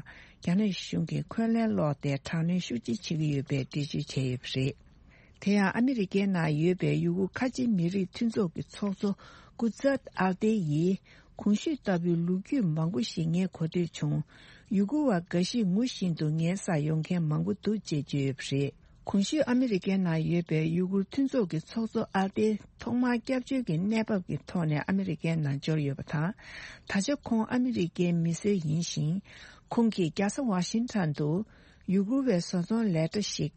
རྒྱ་ནག་གཞུང་གིས་འཁོན་ལན་སློག་སྟེ་དྲག་གནོན་ཤུགས་ཆེ་བྱེད་ཀྱི་ཡོད་པའི་འགྲེལ་བརྗོད་བྱས་ཡོད་པ་རེད། དེ་ཡང་ཨ་མི་རི་ཀའི་ནང་ཡོད་པའི་ཡུ་གུར་ཁ་ཆེ་མི་རིགས་མཐུན་ཚོགས་ཀྱི་ཚོགས་གཙོ་ཀུ་ཛད་ཨལ་ཏེ་ཡིས། གོང་ཞུས་ལྟ་བུའི་ལོ་རྒྱུས་མང་པོ་ཞིག་ངས་གོ་ཐོས་བྱུང་། ཡུ་གུར་བ་འགའ་ཞིག་ངུ་བཞིན་དུ་ངའི་སར་ཡོང་མཁན་མང་པོ་འདུག་ཅེས་བརྗོད་ཡོད་པ་རེད། གོང་ཞུས་ཨ་མི་རི་ཀའི་ནང་ཡོད་པའི་ཡུ་གུར་མཐུན་ཚོགས་ཀྱི་ཚོགས་གཙོ་ཨལ་ཏེ་ཐོག་མར་སྐྱབས་བཅོལ་གྱི་གནས་བབ་ཀྱི་ཐོག་ནས་ཨ་མི་རི་ཀའི་ནང་འབྱོར་ཡོད་པ་དང་། ད་ཆ་ཁོང་ཨ་མི་རི་ཀའི་མི་སེར་ཡིན་ཞིང་། ཁོང་གིས་རྒྱལ་ས་ཝ་ཤིང་ཊོན་དུ་ཡུ་གུར་བའི་བཟོ་ཚོང་ལས་གྲྭ་ཞིག་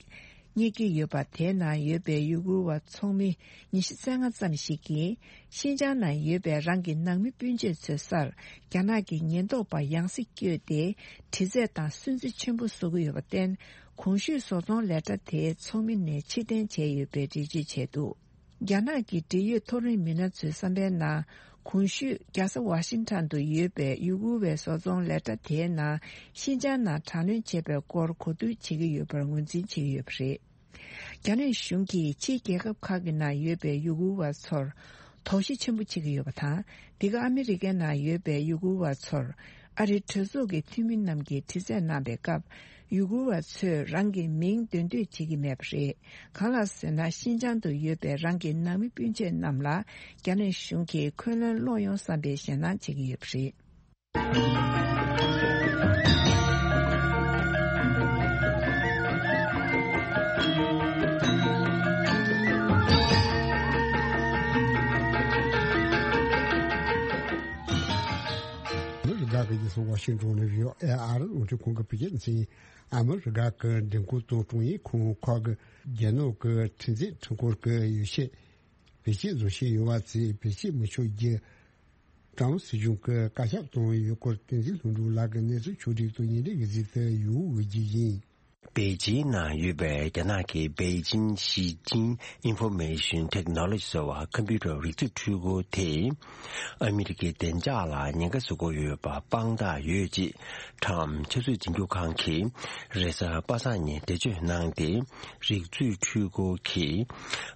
གཉེར་གྱི་ཡོད་པ། དེའི་ནང་ཡོད་པའི་ཡུ་གུར་བ་ཚོགས་མི་ཉི་ཤུ་རྩ་ལྔ་ཙམ་ཞིག་གིས་ཤིན་ཅང་ནང་ཡོད་པའི་རང་གི་ནང་མི་སྤུན་མཆེད་ཚོའི་སར་རྒྱ་ནག་གི་ཉེན་རྟོག་པ་ཡང་སེ་བསྐྱོད་དེ་དྲི་རྩད་དང་སུན་གཙེར་ཆེན་པོ་བཟོ་གི་ཡོད་པར་བརྟེན། གོང་ཞུས་བཟོ་ཚོང་ལས་གྲྭ་དེའི་ཚོགས་མི་ནས་ཕྱིར་འཐེན་བྱས་ཡོད་པའི་འགྲེལ་བརྗོད་བྱས་འདུག་རྒྱ་ནག་གི་འབྲེལ་ཡོད་མཐོ་རིམ་མི་སྣ་ཚོའི་བསམ་པའི་ནང་། གོང་ཞུས་རྒྱལ་ས་ཝ་ཤིང་ཊོན་དུ་ཡོད་པའི་ཡུ་གུར་བའི་བཟོ་ཚོང་ལས་གྲྭ་དེའི་ནང་ཤིན་ཅང་ནང་དྲག་གནོན་བྱས་པའི་སྐོར་གོ་བསྡུར་བྱེད་ཀྱི་ཡོད་པར་ངོས་འཛིན་བྱེད་ཀྱི་ཡོད་པ་རེད། རྒྱ་ནག་གཞུང་གིས་ཕྱིའི་རྒྱལ་ཁབ་ཁག་གི་ནང་ཡོད་པའི་ཡུ་གུར་བ་ཚོར་དོགས་གཞི་ཆེན་པོ་བྱེད་ཀྱི་ཡོད་པ་དང་། འདི་ག་ཨ་མི་རི་ཀའི་ནང་ཡོད་པའི་ཡུ་གུར་བ་ཚོར་ཨ་རིའི་གྲོས་ཚོགས་ཀྱི་འཐུས་མི་རྣམས་ཀྱིས་དྲི་རྩད་གནང་པའི་སྐབས། ཡུ་གུར་བ་ཚོས་རང་གི་མིང་འདོན་འདོད་བྱེད་ཀྱི་མེད་པ་རེད། གང་ལགས་ཟེར་ན། ཤིན་ཅང་དུ་ཡོད་པའི་རང་གི་ནང་མི་སྤུན་མཆེད་རྣམས་ལ་རྒྱ་ནག་གཞུང་གིས་འཁོན་ལན་སློག་ཡོང་བསམ་པའི་ཞེད་སྣང་བྱེད་ཀྱི་ཡོད་པ་རེད། མི་རེ་འགའ་གིས་ སོང་ཝ་ཤིང་ཏོན་ནས་བྷི་ཨོ་ཨེ་ཨ་རི་རླུང་འཕྲིན་ཁང་གི་བོད་སྐད་སྡེ་ཚན། ཨ་མི་རི་ཀ་གི་མགྲོན་ཁང་དང་ཀྲུང་དབྱང་ཁང་ཁག་གི་རྒྱ་ནག་གི་ཁྲིམས་འཛིན་ཁྲིམས་ཁང་གི་ཡོ་བྱད་བེད་སྤྱོད་བཟོ་བཞིན་ཡོད་པ་དེ་བེད་སྤྱོད་མི་ཆོག་རྒྱུ། ཀྲམ་སྲིད་གཞུང་གི་བཀའ་ཁྱབ་བཏང་ཡོད་སྐོར་བསྟན་འཛིན་ལྷུན་གྲུབ་ལགས་ཀྱིས་གནས་ཚུལ་ཕྱོགས་སྒྲིག་དང་ཉིན་རེའི་གཟིགས་ཚུལ་ཡོང་འོས་རྒྱུ་ཡིན། པེ་ཅིང་ནང་ཡོད་པའི་རྒྱ་ནག་གི་Beijing Xiqing Information Technology ཟེར་བ་ཁམ་པུ་ཊར་རིག་མཛོད་འཕྲུལ་འཁོར་དེས་ཨ་མི་རི་ཀའི་བདེ་འཇགས་ལ་ཉེན་ཁ་བཟོ་གི་ཡོད་པ་དཔང་རྟགས་ཡོད་ཅེས་ཁྲམ་ཆབ་སྲིད་འཛིན་སྐྱོང་ཁང་གིས་རེས་གཟའ་པ་སངས་ཉིན་འགྲེལ་བརྗོད་གནང་སྟེ། རིག་མཛོད་འཕྲུལ་འཁོར་གྱིས་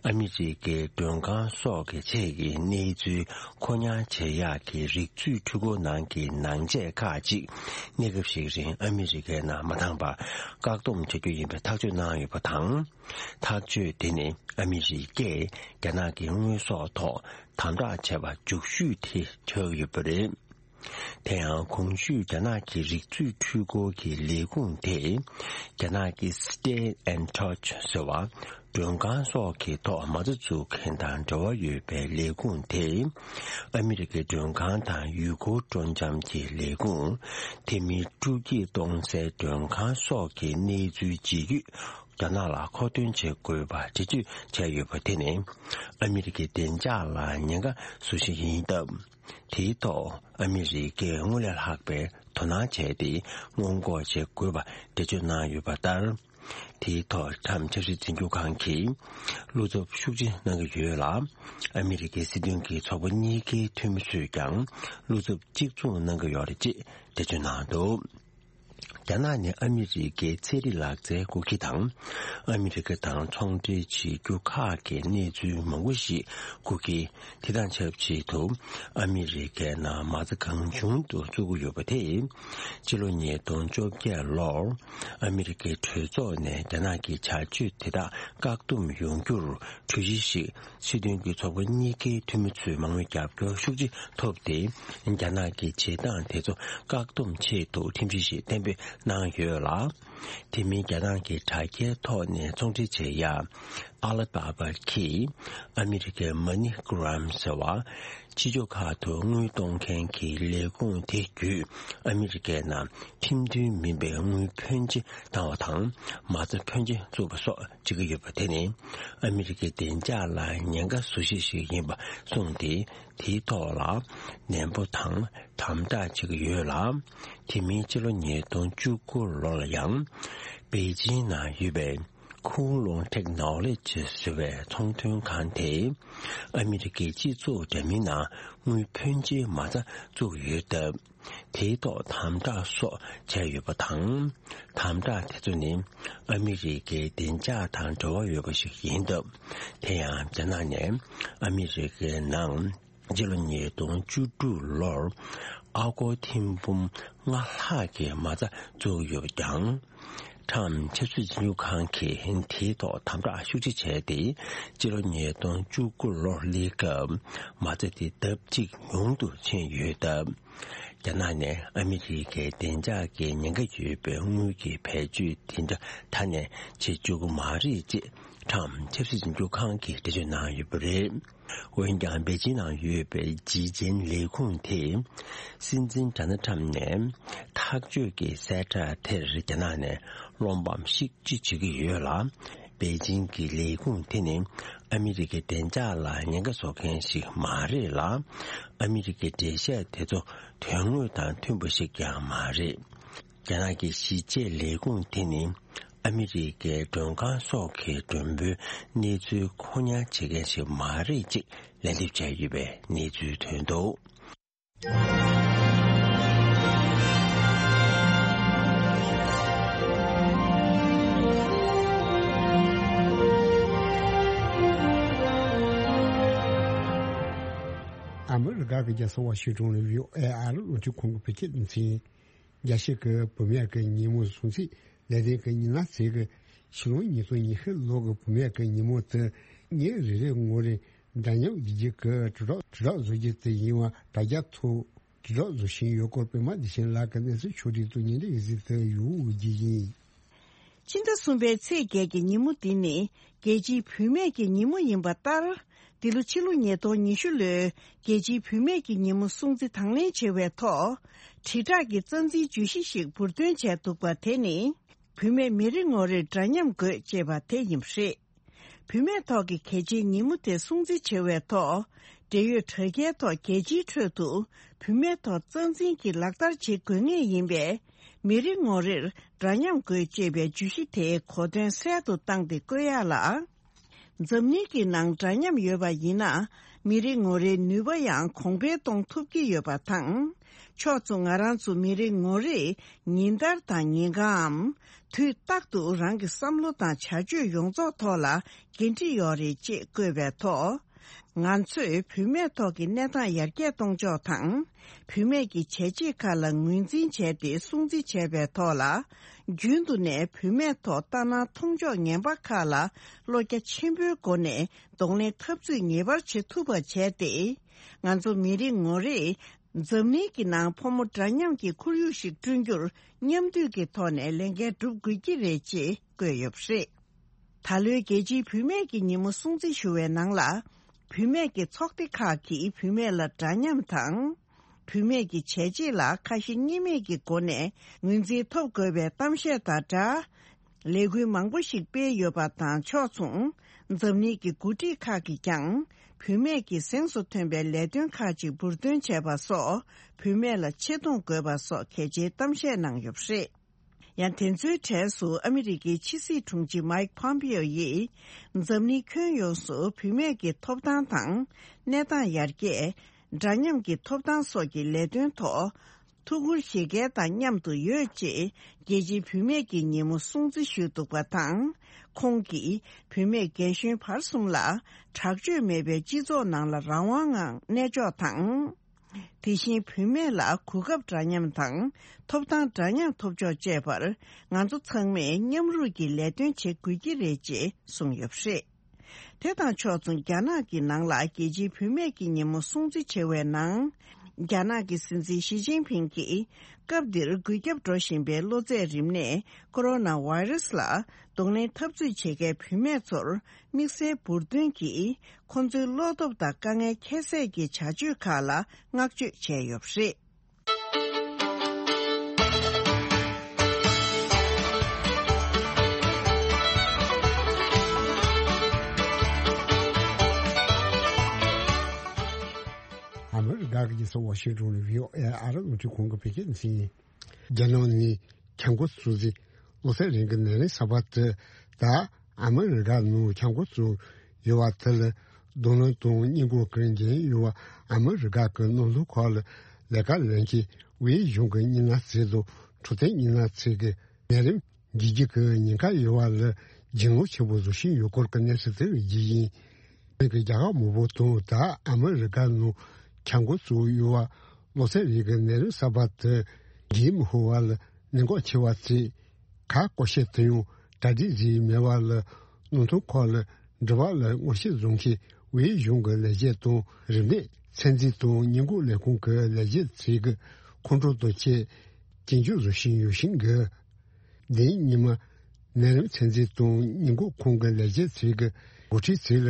ཨ་མི་རི་ཀའི་མགྲོན་ཁང་སོགས་ཀྱི་ཆེད་ཀྱི་གནས་ཚུལ་མཁོ་མྱང་བྱེད་ཡག་གི་རིག་མཛོད་འཕྲུལ་འཁོར་ནང་གི་ནང་ཆས་ཁག་ཅིག་གནས་སྐབས་ཤིག་རིང་ཨ་མི་རི་ཀའི་ནང་མ་འདང་བར་བཀག་སྡོམ་བྱ་རྒྱུ་ཡིན་པའི་ཐག་གཅོད་གནང་ཡོད་པ་དང་། ཐག་གཅོད་དེ་ནི་ཨ་མི་རི་ཀས་རྒྱ་ནག་གི་དངོས་ཟོག་ཐོག་དམ་དྲག་བྱས་པ་མཇུག་ཤོས་དེ་ཆགས་ཡོད་པ་རེད། དེ་ཡང་གོང་ཞུས་རྒྱ་ནག་གི་རིག་མཛོད་འཕྲུལ་འཁོར་གྱི་ལས་ཁུངས་དེ་རྒྱ་ནག་གི་Stay in Touch ཟེར་བ་མགྲོན་ཁང་སོགས་ཀྱི་ཐོག་མ་རྩ་འཛུགས་མཁན་དང་འབྲེལ་བ་ཡོད་པའི་ལས་ཁུངས་དེས་ཨ་མི་རི་ཀའི་མགྲོན་ཁང་དང་ཡུལ་སྐོར་སྤྲོ་འཆམ་གྱི་ལས་ཁུངས། དེ་མིན་སྤྲོ་སྐྱིད་གཏོང་སའི་མགྲོན་ཁང་སོགས་ཀྱི་གནས་ཚུལ་ཇི་ཡོད་རྒྱ་ནག་ལ་མཁོ་འདོན་བྱེད་དགོས་པ་འགྲེལ་བརྗོད་བྱས་ཡོད་པ་དེ་ནི་ཨ་མི་རི་ཀའི་བདེ་འཇགས་ལ་ཉེན་ཁ་བཟོ་གཞི་ཡིན་སྟབས། དེའི་ཐོག་ཨ་མི་རི་ཀས་སྔོན་ལས་ལྷག་པའི་དོ་སྣང་བྱས་ཏེ་སྔོན་འགོག་བྱེད་དགོས་པ་འགྲེལ་བརྗོད་གནང་ཡོད་པ་ལྟར། དེའི་ཐོག་ཁྲམ་ཆབ་སྲིད་འཛིན་སྐྱོང་ཁང་གིས་བློ་འཚབ་ཤུགས་ཆེ་གནང་གི་ཡོད་ལ། ཨ་མི་རི་ཀའི་སྲིད་དོན་གྱི་ཚོགས་པ་གཉིས་ཀའི་འཐུས་མི་ཚོས་ཀྱང་བློ་འཚབ་གཅིག་མཚུངས་གནང་གི་ཡོད་རེད་ཅེས་འགྲེལ་བརྗོད་གནང་འདུག་རྒྱ་ནག་ནི་ཨ་མི་རི་ཀའི་ཚན་རིག་ལག་རྩལ་སྐུ་སྒེར་དང་། ཨ་མི་རི་ཀ་དང་ཚོང་འབྲེལ་བྱེད་རྒྱུ་ཁག་གི་གནས་ཚུལ་མང་པོ་ཞིག་སྐུ་སྒེར། དེ་དང་ཆབས་ཅིག་ཏུ་ཨ་མི་རི་ཀའི་ནང་མ་རྩ་གང་བྱུང་དུ་བཙུགས་ཀྱི་ཡོད་པ་དེས། སྤྱི་ལོ་ཉིས་སྟོང་བཅོ་བརྒྱད་ལོར་ཨ་མི་རི་ཀའི་གྲོས་ཚོགས་ནས་རྒྱ་ནག་གི་བྱ་སྤྱོད་དེ་དག་བཀག་སྡོམ་ཡོང་རྒྱུར་གྲོས་གཞི་ཞིག་སྲིད་དོན་གྱི་ཚོགས་པ་གཉིས་ཀའི་འཐུས་མི་ཚོའི་མང་མོས་རྒྱབ་སྐྱོར་ཤུགས་ཆེ་ཐོབ་སྟེ། རྒྱ་ནག་གི་བྱེད་སྟངས་དེ་ཚོ་བཀག་སྡོམ་ཆེད་དུ་ཁྲིམས་གཞི་ཞིག་གཏན་འབེབས་གནང་ཡོད་ལ། དེ་མིན་རྒྱ་ནག་གི་དྲ་རྒྱའི་ཐོག་ནས་ཚོང་འབྲེལ་བྱེད་ཡ། ཨ་ལི་བྷ་བྷ་གིས་ཨ་མི་རི་ཀའི་MoneyGram ཟེར་བ། ཕྱི་ཕྱོགས་ཁག་ཏུ་དངུལ་གཏོང་མཁན་གྱི་ལས་ཁུངས་དེ་བརྒྱུད་ཨ་མི་རི་ཀའི་ནང་ཁྲིམས་མཐུན་མིན་པའི་དངུལ་ཕོན་ཆེ་བཏང་བ་དང་མ་རྩ་ཕོན་ཆེ་བཙུགས་པ་སོགས་བྱེད་ཀྱི་ཡོད་པ་དེ་ནི་ཨ་མི་རི་ཀའི་བདེ་འཇགས་ལ་ཉེན་ཁ་བཟོ་གཞི་ཞིག་ཡིན་པ་གསུངས་ཏེ། དེའི་ཐོག་ལ་ནན་པོ་དང་དམ་དྲག་བྱེད་ཀྱི་ཡོད་ལ། དེ་མིན་སྤྱི་ལོ་ཉིས་སྟོང་བཅུ་དགུ་ལོ་ལ་ཡང་པེ་ཅིང་ནང་ཡོད་པའི་ཁུང་ལུང་ཊེག་ནོ་ལོ་ཇི་ཟེར་བའི་ཚོང་དོན་ཁང་དེས་ཨ་མི་རི་ཀའི་སྤྱི་ཚོགས་འདྲ་མིན་ནང་དངུལ་ཕོན་ཆེའི་མ་རྩ་བཙུགས་ཡོད་སྟབས། དེའི་ཐོག་དམ་དྲག་སོགས་བྱས་ཡོད་པ་དང་། དམ་དྲག་དེ་ཚོ་ནི་ཨ་མི་རི་ཀའི་བདེ་འཇགས་དང་འབྲེལ་བ་ཡོད་པ་ཞིག་ཡིན་སྟབས། དེ་ཡང་རྒྱ་ནག་ནས་ཨ་མི་རི་ཀའི་ནང་སྤྱི་ལོ་ཉིས་སྟོང་བཅུ་དྲུག་ལོར་ཨ་སྒོར་ཐེར་འབུམ་ལྔ་ལྷག་གི་མ་རྩ་བཙུགས་ཡོད་ཀྱང་། ཁྲམ་ཆབ་སྲིད་འཛིན་སྐྱོང་ཁང་གིས་དེའི་ཐོག་དམ་དྲག་ཤུགས་ཆེ་བྱས་ཏེ། སྤྱི་ལོ་ཉིས་སྟོང་བཅུ་དགུ་ལོར་སླེབས་སྐབས་མ་རྩ་དེ་ལྡབ་གཅིག་ཉུང་དུ་ཕྱིན་ཡོད་སྟབས། རྒྱ་ནག་ནས་ཨ་མི་རི་ཀའི་བདེ་འཇགས་ཀྱི་ཉེན་ཁ་ཡོད་པའི་དངུལ་གྱི་བེད་སྤྱོད་དེ་འདྲ་ད་ནས་བྱེད་བཅུག་གི་མ་རེད་ཅེས་ཁྲམ་ཆབ་སྲིད་འཛིན་སྐྱོང་ཁང་གིས་འགྲེལ་བརྗོད་གནང་ཡོད་པ་རེད། འོན་ཀྱང་པེ་ཅིན་ནང་ཡོད་པའི་ཇི་ཅན་ལས་ཁུངས་དེས་སྲིད་འཛིན་ཌོ་ནལ་ཊམ་ནས་ཐག་གཅོད་ཀྱི་གསལ་བསྒྲགས་དེར་རྒྱ་ནག་ནས་བློ་ཕམ་ཤུགས་ཆེ་བྱེད་ཀྱི་ཡོད་ལ། པེ་ཅིན་གྱི་ལས་ཁུངས་དེ་ནི་ཨ་མི་རི་ཀའི་བདེ་འཇགས་ལ་ཉེན་ཁ་བཟོ་མཁན་ཞིག་མ་རེད་ལ། ཨ་མི་རི་ཀའི་འགྲེལ་བཤད་དེ་ཚོ་དོན་དངོས་དང་མཐུན་པ་ཞིག་ཀྱང་མ་རེད། རྒྱ་ནག་གི་གཞིས་བྱེས་ལས་ཁུངས་དེ་ནི་ཨ་མི་རི་ཀའི་མགྲོན་ཁང་སོགས་ཀྱི་མགྲོན་པོའི་གནས་ཚུལ་མཁོ་མྱང་བྱེད་མཁན་ཞིག་མ་རེད་ཅེས་ལན་འདེབས་བྱས་ཡོད་པའི་གནས་ཚུལ་ཐོན་འདུག་ཨ་མི་རི་ཀ་གི་རྒྱལ་ས་ཝ་ཤིང་ཏོན་ནས་བྷི་ཨོ་ཨེ་ཨ་རི་རླུང་འཕྲིན་ཁང་གི་བོད་སྐད་སྡེ་ཚན། རྒྱལ་སྤྱི་གི་བུད་མེད་ཀྱི་ཉིན་མོ་སྲུང་བརྩི་ལས་དོན་གྱི་ཉིན་ལ་ཚེས་ཀྱི་ཕྱི་ལོ་ཉིས་སྟོང་ཉི་ཤུ་ལོ་གི་བུད་མེད་ཀྱི་ཉིན་མོ་དེ་ཉིན་རེ་རེའི་ངོ་རེ་འདྲ་མཉམ་བསྡུ་རྒྱུ་གི་དྲིལ་སྒྲོག་དྲིལ་སྒྲོག་བཟོ་རྒྱུ་དེ་ཡིན་པ་དྲ་རྒྱ་ཐོག་དྲིལ་སྒྲོག་བཟོ་བཞིན་ཡོད་སྐོར་པད་མ་བདེ་ཆེན་ལགས་ཀྱི་གནས་ཚུལ་ཕྱོགས་སྒྲིག་ཏུ་ཉིན་རེའི་གཟིགས་དུ་ཡོད་རྒྱུ་ཡིན། ཕྱི་ཟླ་གསུམ་པའི་ཚེས་བརྒྱད་ཀྱི་ཉིན་མོ་འདི་ནི་རྒྱལ་སྤྱིའི་བུད་མེད་ཀྱི་ཉིན་མོ་ཡིན་པ་ལྟར། འདི་ལོ་ཕྱི་ལོ་ཉིས་སྟོང་ཉི་ཤུ་ལོའི་རྒྱལ་སྤྱིའི་བུད་མེད་ཀྱི་ཉིན་མོ་སྲུང་བརྩི་དང་ལེན་བྱེད་པའི་ཐོག་དྲིལ་བསྒྲགས་ཀྱི་རྩ་འཛིན་བརྗོད་གཞི་ཞིག་འབུར་འདོན་བྱས་འདུག་པ་དེ་ནི། བུད་མེད་མི་རེ་ངོ་རེར་འདྲ་མཉམ་དགོས་ཅེས་པ་དེ་ཡིན་པ་རེད། བུད་མེད་ཐོག་གི་གལ་ཆེའི་ཉིན་མོ་དེ་སྲུང་བརྩི་བྱེད་པའི་ཐོག་འབྲེལ་ཡོད་དྲ་རྒྱའི་ཐོག་རྒྱལ་སྤྱིའི་ཁྲོད་དུ་བུད་མེད་ཐོག་རྩ་འཛིན་གྱི་ལག་བསྟར་བྱེད་དགོས་ངེས་ཡིན་པས། མི་རེ་ངོ་རེར་འདྲ་མཉམ་དགོས་ཅེས་པའི་བརྗོད་གཞི་དེའི་གོ་དོན་གསལ་དུ་བཏང་སྟེ་བཀོད་ཡག་ལ། འཛམ་གླིང་གི་ནང་འདྲ་མཉམ་ཡོད་པ་ཡིན་ན། མི་རེ་ངོ་རེའི་ནུས་པ་ཡང་གོང་འཕེལ་གཏོང་ཐུབ་ཀྱི་ཡོད་པ་དང་། ཕྱོགས་མཚུངས་ང་རང་ཚོ་མི་རེ་ངོ་རེས་ཉིན་ལྟར་དང་ཉིན་གང་ངམ། དུས་རྟག་ཏུ་རང་གི་བསམ་བློ་དང་བྱ་སྤྱོད་ཡོངས་རྫོགས་ཐོག་ལ་འགན་འཁྲི་ཡོད་རེད་ཅེས་བཀོད་པའི་ཐོག་ང་ཚོས་བུད་མེད་ཐོག་གི་གནས་སྟངས་ཡར་རྒྱས་གཏོང་ཕྱོགས་དང་། བུད་མེད་ཀྱི་བྱས་རྗེས་ཁག་ལ་ངོས་འཛིན་བྱས་ཏེ་སྲུང་བརྩི་བྱས་པའི་ཐོག་ལ། རྒྱུན་དུ་ནས་བུད་མེད་ཐོག་ལྟ་ན་མཐོང་ཕྱོགས་ངན་པ་ཁག་ལ་བློ་རྒྱ་ཆེན་པོའི་སྒོ་ནས་གདོང་ལེན་འཐབ་རྩོད་ངེས་པར་བྱེད་ཐུབ་པ་བྱས་ཏེ། ང་ཚོ་མི་རེ་ངོ་རེས་འཛམ་གླིང་གི་ནང་ཕོ་མོ་འདྲ་མཉམ་གྱི་ཁོར་ཡུག་ཞིག་བསྐྲུན་རྒྱུར་མཉམ་འདུས་ཀྱི་ཐོག་ནས་ལས་འགན་སྒྲུབ་དགོས་ཀྱི་རེད་ཅེས་བཀོད་ཡོད་པ་རེད། ད་ལོའི་རྒྱལ་སྤྱིའི་བུད་མེད་ཀྱི་ཉིན་མོ་སྲུང་བརྩི་ཞུ་བའི་ནང་ལ། བུད་མེད་ཀྱི་ཚོགས་སྡེ་ཁག་གིས་བུད་མེད་ལ་འདྲ་མཉམ་དང་། བུད་མེད་ཀྱི་བྱས་རྗེས་ལ་ཁ་ཞེ་གཉིས་མེད་ཀྱི་སྒོ་ནས་ངོས་འཛིན་ཐོབ་དགོས་པའི་གཏམ་བཤད་དང་སྦྲགས། ལས་འགུལ་མང་པོ་ཞིག་སྤེལ་ཡོད་པ་དང་ཕྱོགས་མཚུངས། འཛམ་གླིང་གི་འགོ་ཁྲིད་ཁག་གིས་ཀྱང་། བུད་མེད་ཀྱིས་གཟེངས་སུ་ཐོན་པའི་ལས་དོན་ཁག་ཅིག་འབུར་འདོན་བྱས་པ་སོགས། བུད་མེད་ལ་ཆེ་མཐོང་དགོས་པ་སོགས་གལ་ཆེའི་གཏམ་བཤད་གནང་ཡོད་པ་རེད། ཡང་དེ་ཚོའི་གྲས་སུ་ཨ་མི་རི་ཀའི་ཕྱི་སྲིད་དྲུང་ཆེ་མའིག་ཕོམ་པེའོ་ཡིས། འཛམ་གླིང་ཁྱོན་ཡོངས་སུ་བུད་མེད་ཀྱི་ཐོབ་ཐང་དང་། གནས་སྟངས་ཡར་རྒྱས། འདྲ་མཉམ་གྱི་ཐོབ་ཐང་སོགས་ཀྱི་ལས་དོན་ཐོག་ཐུགས་ཁུར་བཞེས་མཁན་དང་མཉམ་དུ་ཡོད་ཅེས། རྒྱལ་སྤྱིའི་བུད་མེད་ཀྱི་ཉིན་མོ་སྲུང་བརྩི་ཞུས་འདུག་པ་དང་། ཁོང་གིས་བུད་མེད་རྒན་གཞོན་བར་གསུམ་ལ་དྲག་སྤྱོད་མེད་པའི་སྤྱི་ཚོགས་ནང་ལ་རང་དབང་ངང་གནས་ཕྱོགས་དང་། དེ་བཞིན་བུད་མེད་ལ་གོ་སྐབས་འདྲ་མཉམ་དང་ཐོབ་ཐང་འདྲ་མཉམ་ཐོབ་ཕྱོགས་བཅས་པར་ང་ཚོ་ཚང་མས་མཉམ་རུབ་ཀྱིས་ལས་དོན་བྱེད་དགོས་ཀྱི་རེད་ཅེས་གསུངས་ཡོད་པ་རེད། དེ་དང་ཕྱོགས་མཚུངས་རྒྱ་ནག་གི་ནང་ལ་རྒྱལ་སྤྱིའི་བུད་མེད་ཀྱི་ཉིན་མོ་སྲུང་བརྩི་བྱེད་པའི་ནང་། རྒྱ་ནག་གི་སྲིད་འཛིན་ཞི་ཅིན་ཕིང་གིས་སྐབས་འདིར་འགོས་ཁྱབ་འགྲོ་བཞིན་པའི་གློ་ཚད་རིམས་ནད་ཀོ་རོ་ན་ཝའི་རུ་སི་ལ་གདོང་ལེན་འཐབ་རྩོད་བྱེད་མཁན་བུད་མེད་ཚོར་དམིགས་བསལ་འབུར་འདོན་གྱིས་ཁོང་ཚོའི་བློ་སྟོབས་དང་དཀའ་ངལ་ཁྱད་བསད་ཀྱི་བྱ་སྤྱོད་ཁག་ལ་བསྔགས་བརྗོད་བྱས་ཡོད་པ་རེད། ཨ་མི་རི་ཀ་གི་རྒྱལ་ས་ཝ་ཤིང་ཏོན་ནས་བྷི་ཨོ་ཨེ་ཨ་རི་རླུང་འཕྲིན་ཁང་གི་བོད་སྐད་སྡེ་ཚན་ཡིན། རྒྱ་ནག་ནས་ཁྱབ་ཁོངས་སྲུང་བརྩི་གློ་ཚད་རིམས་ཀྱི་ནད་རིམས་གསར་པ་དེ་དང་ཨ་མི་རི་ཀ་ནང་ཁྱབ་ཁོངས་སུ་ཡོད་པ་དེ་ལ་གདོང་ལེན་དང་སྙད་འགོག་གི་འགན་ཡོད་པ་ཨ་མི་རི་ཀ་གི་ནང་དོན་ཁག་ལ་ལས་ཀ་ལས་མཁན་ཝེ་གཞུང་གི་སྙན་ལམ་ཚིག་དང་འཕྲོད་བསྟེན་སྙན་ལམ་ཚིག་གི་ནད་རིམས་འགོས་རྒྱུ་གི་ཉེན་ཁ་ཡོད་པ་ལ་འགྱིང་ལོག་ཆེན་པོ་བཟོ་བཞིན་ཡོད་སྐོར་གྱི་གནས་ཚུལ་དེ་རྒྱུ་ཡིན། བོད་ཀྱི་རྒྱ་གར་མང་པོ་དང་ད་ཨ་མི་རི་ཀ་ནང་ཁྱབ་ཁོངས་སུ་ཡོད་པ་གློ་ཚད་རིམས་ཀྱི་ནད་རིམས་གསར་པ་དེ་འགོས་མི་ཤོར་བ་ལ་གནད་འགག་ཆེ་བ་བརྩིས། གར་སྐོར་ཤས་དེ་ཡང་གྲ་སྒྲིག་བཟོས་མེད་པ་ལ་ནང་དོན་ཁག་ལ་འབྲེལ་བ་ལ་ངོ་ཤེས་བཟོ་མཁན་ཝེ་གཞུང་གི་ལས་བྱེད་དང་རིམས་ནད་ཚད་འཛིན་དང་སྙད་འགོག་ལས་ཁུངས་ཀྱི་ལས་བྱེད་ཚོས་ཀྱི་ཁོང་ཁྲོ་དང་བཅས་སྐྱོན་བརྗོད་བཟོ་བཞིན་ཡོད་བཞིན་གི། འདིའི་ཉི་མ་ནད་རིམས་ཚད་འཛིན་དང་སྙད་འགོག་ཁང་གི་ལས་བྱེད་ཚོས་ཀྱི་འགོ་ཁྲིད་ཚོས་ལ་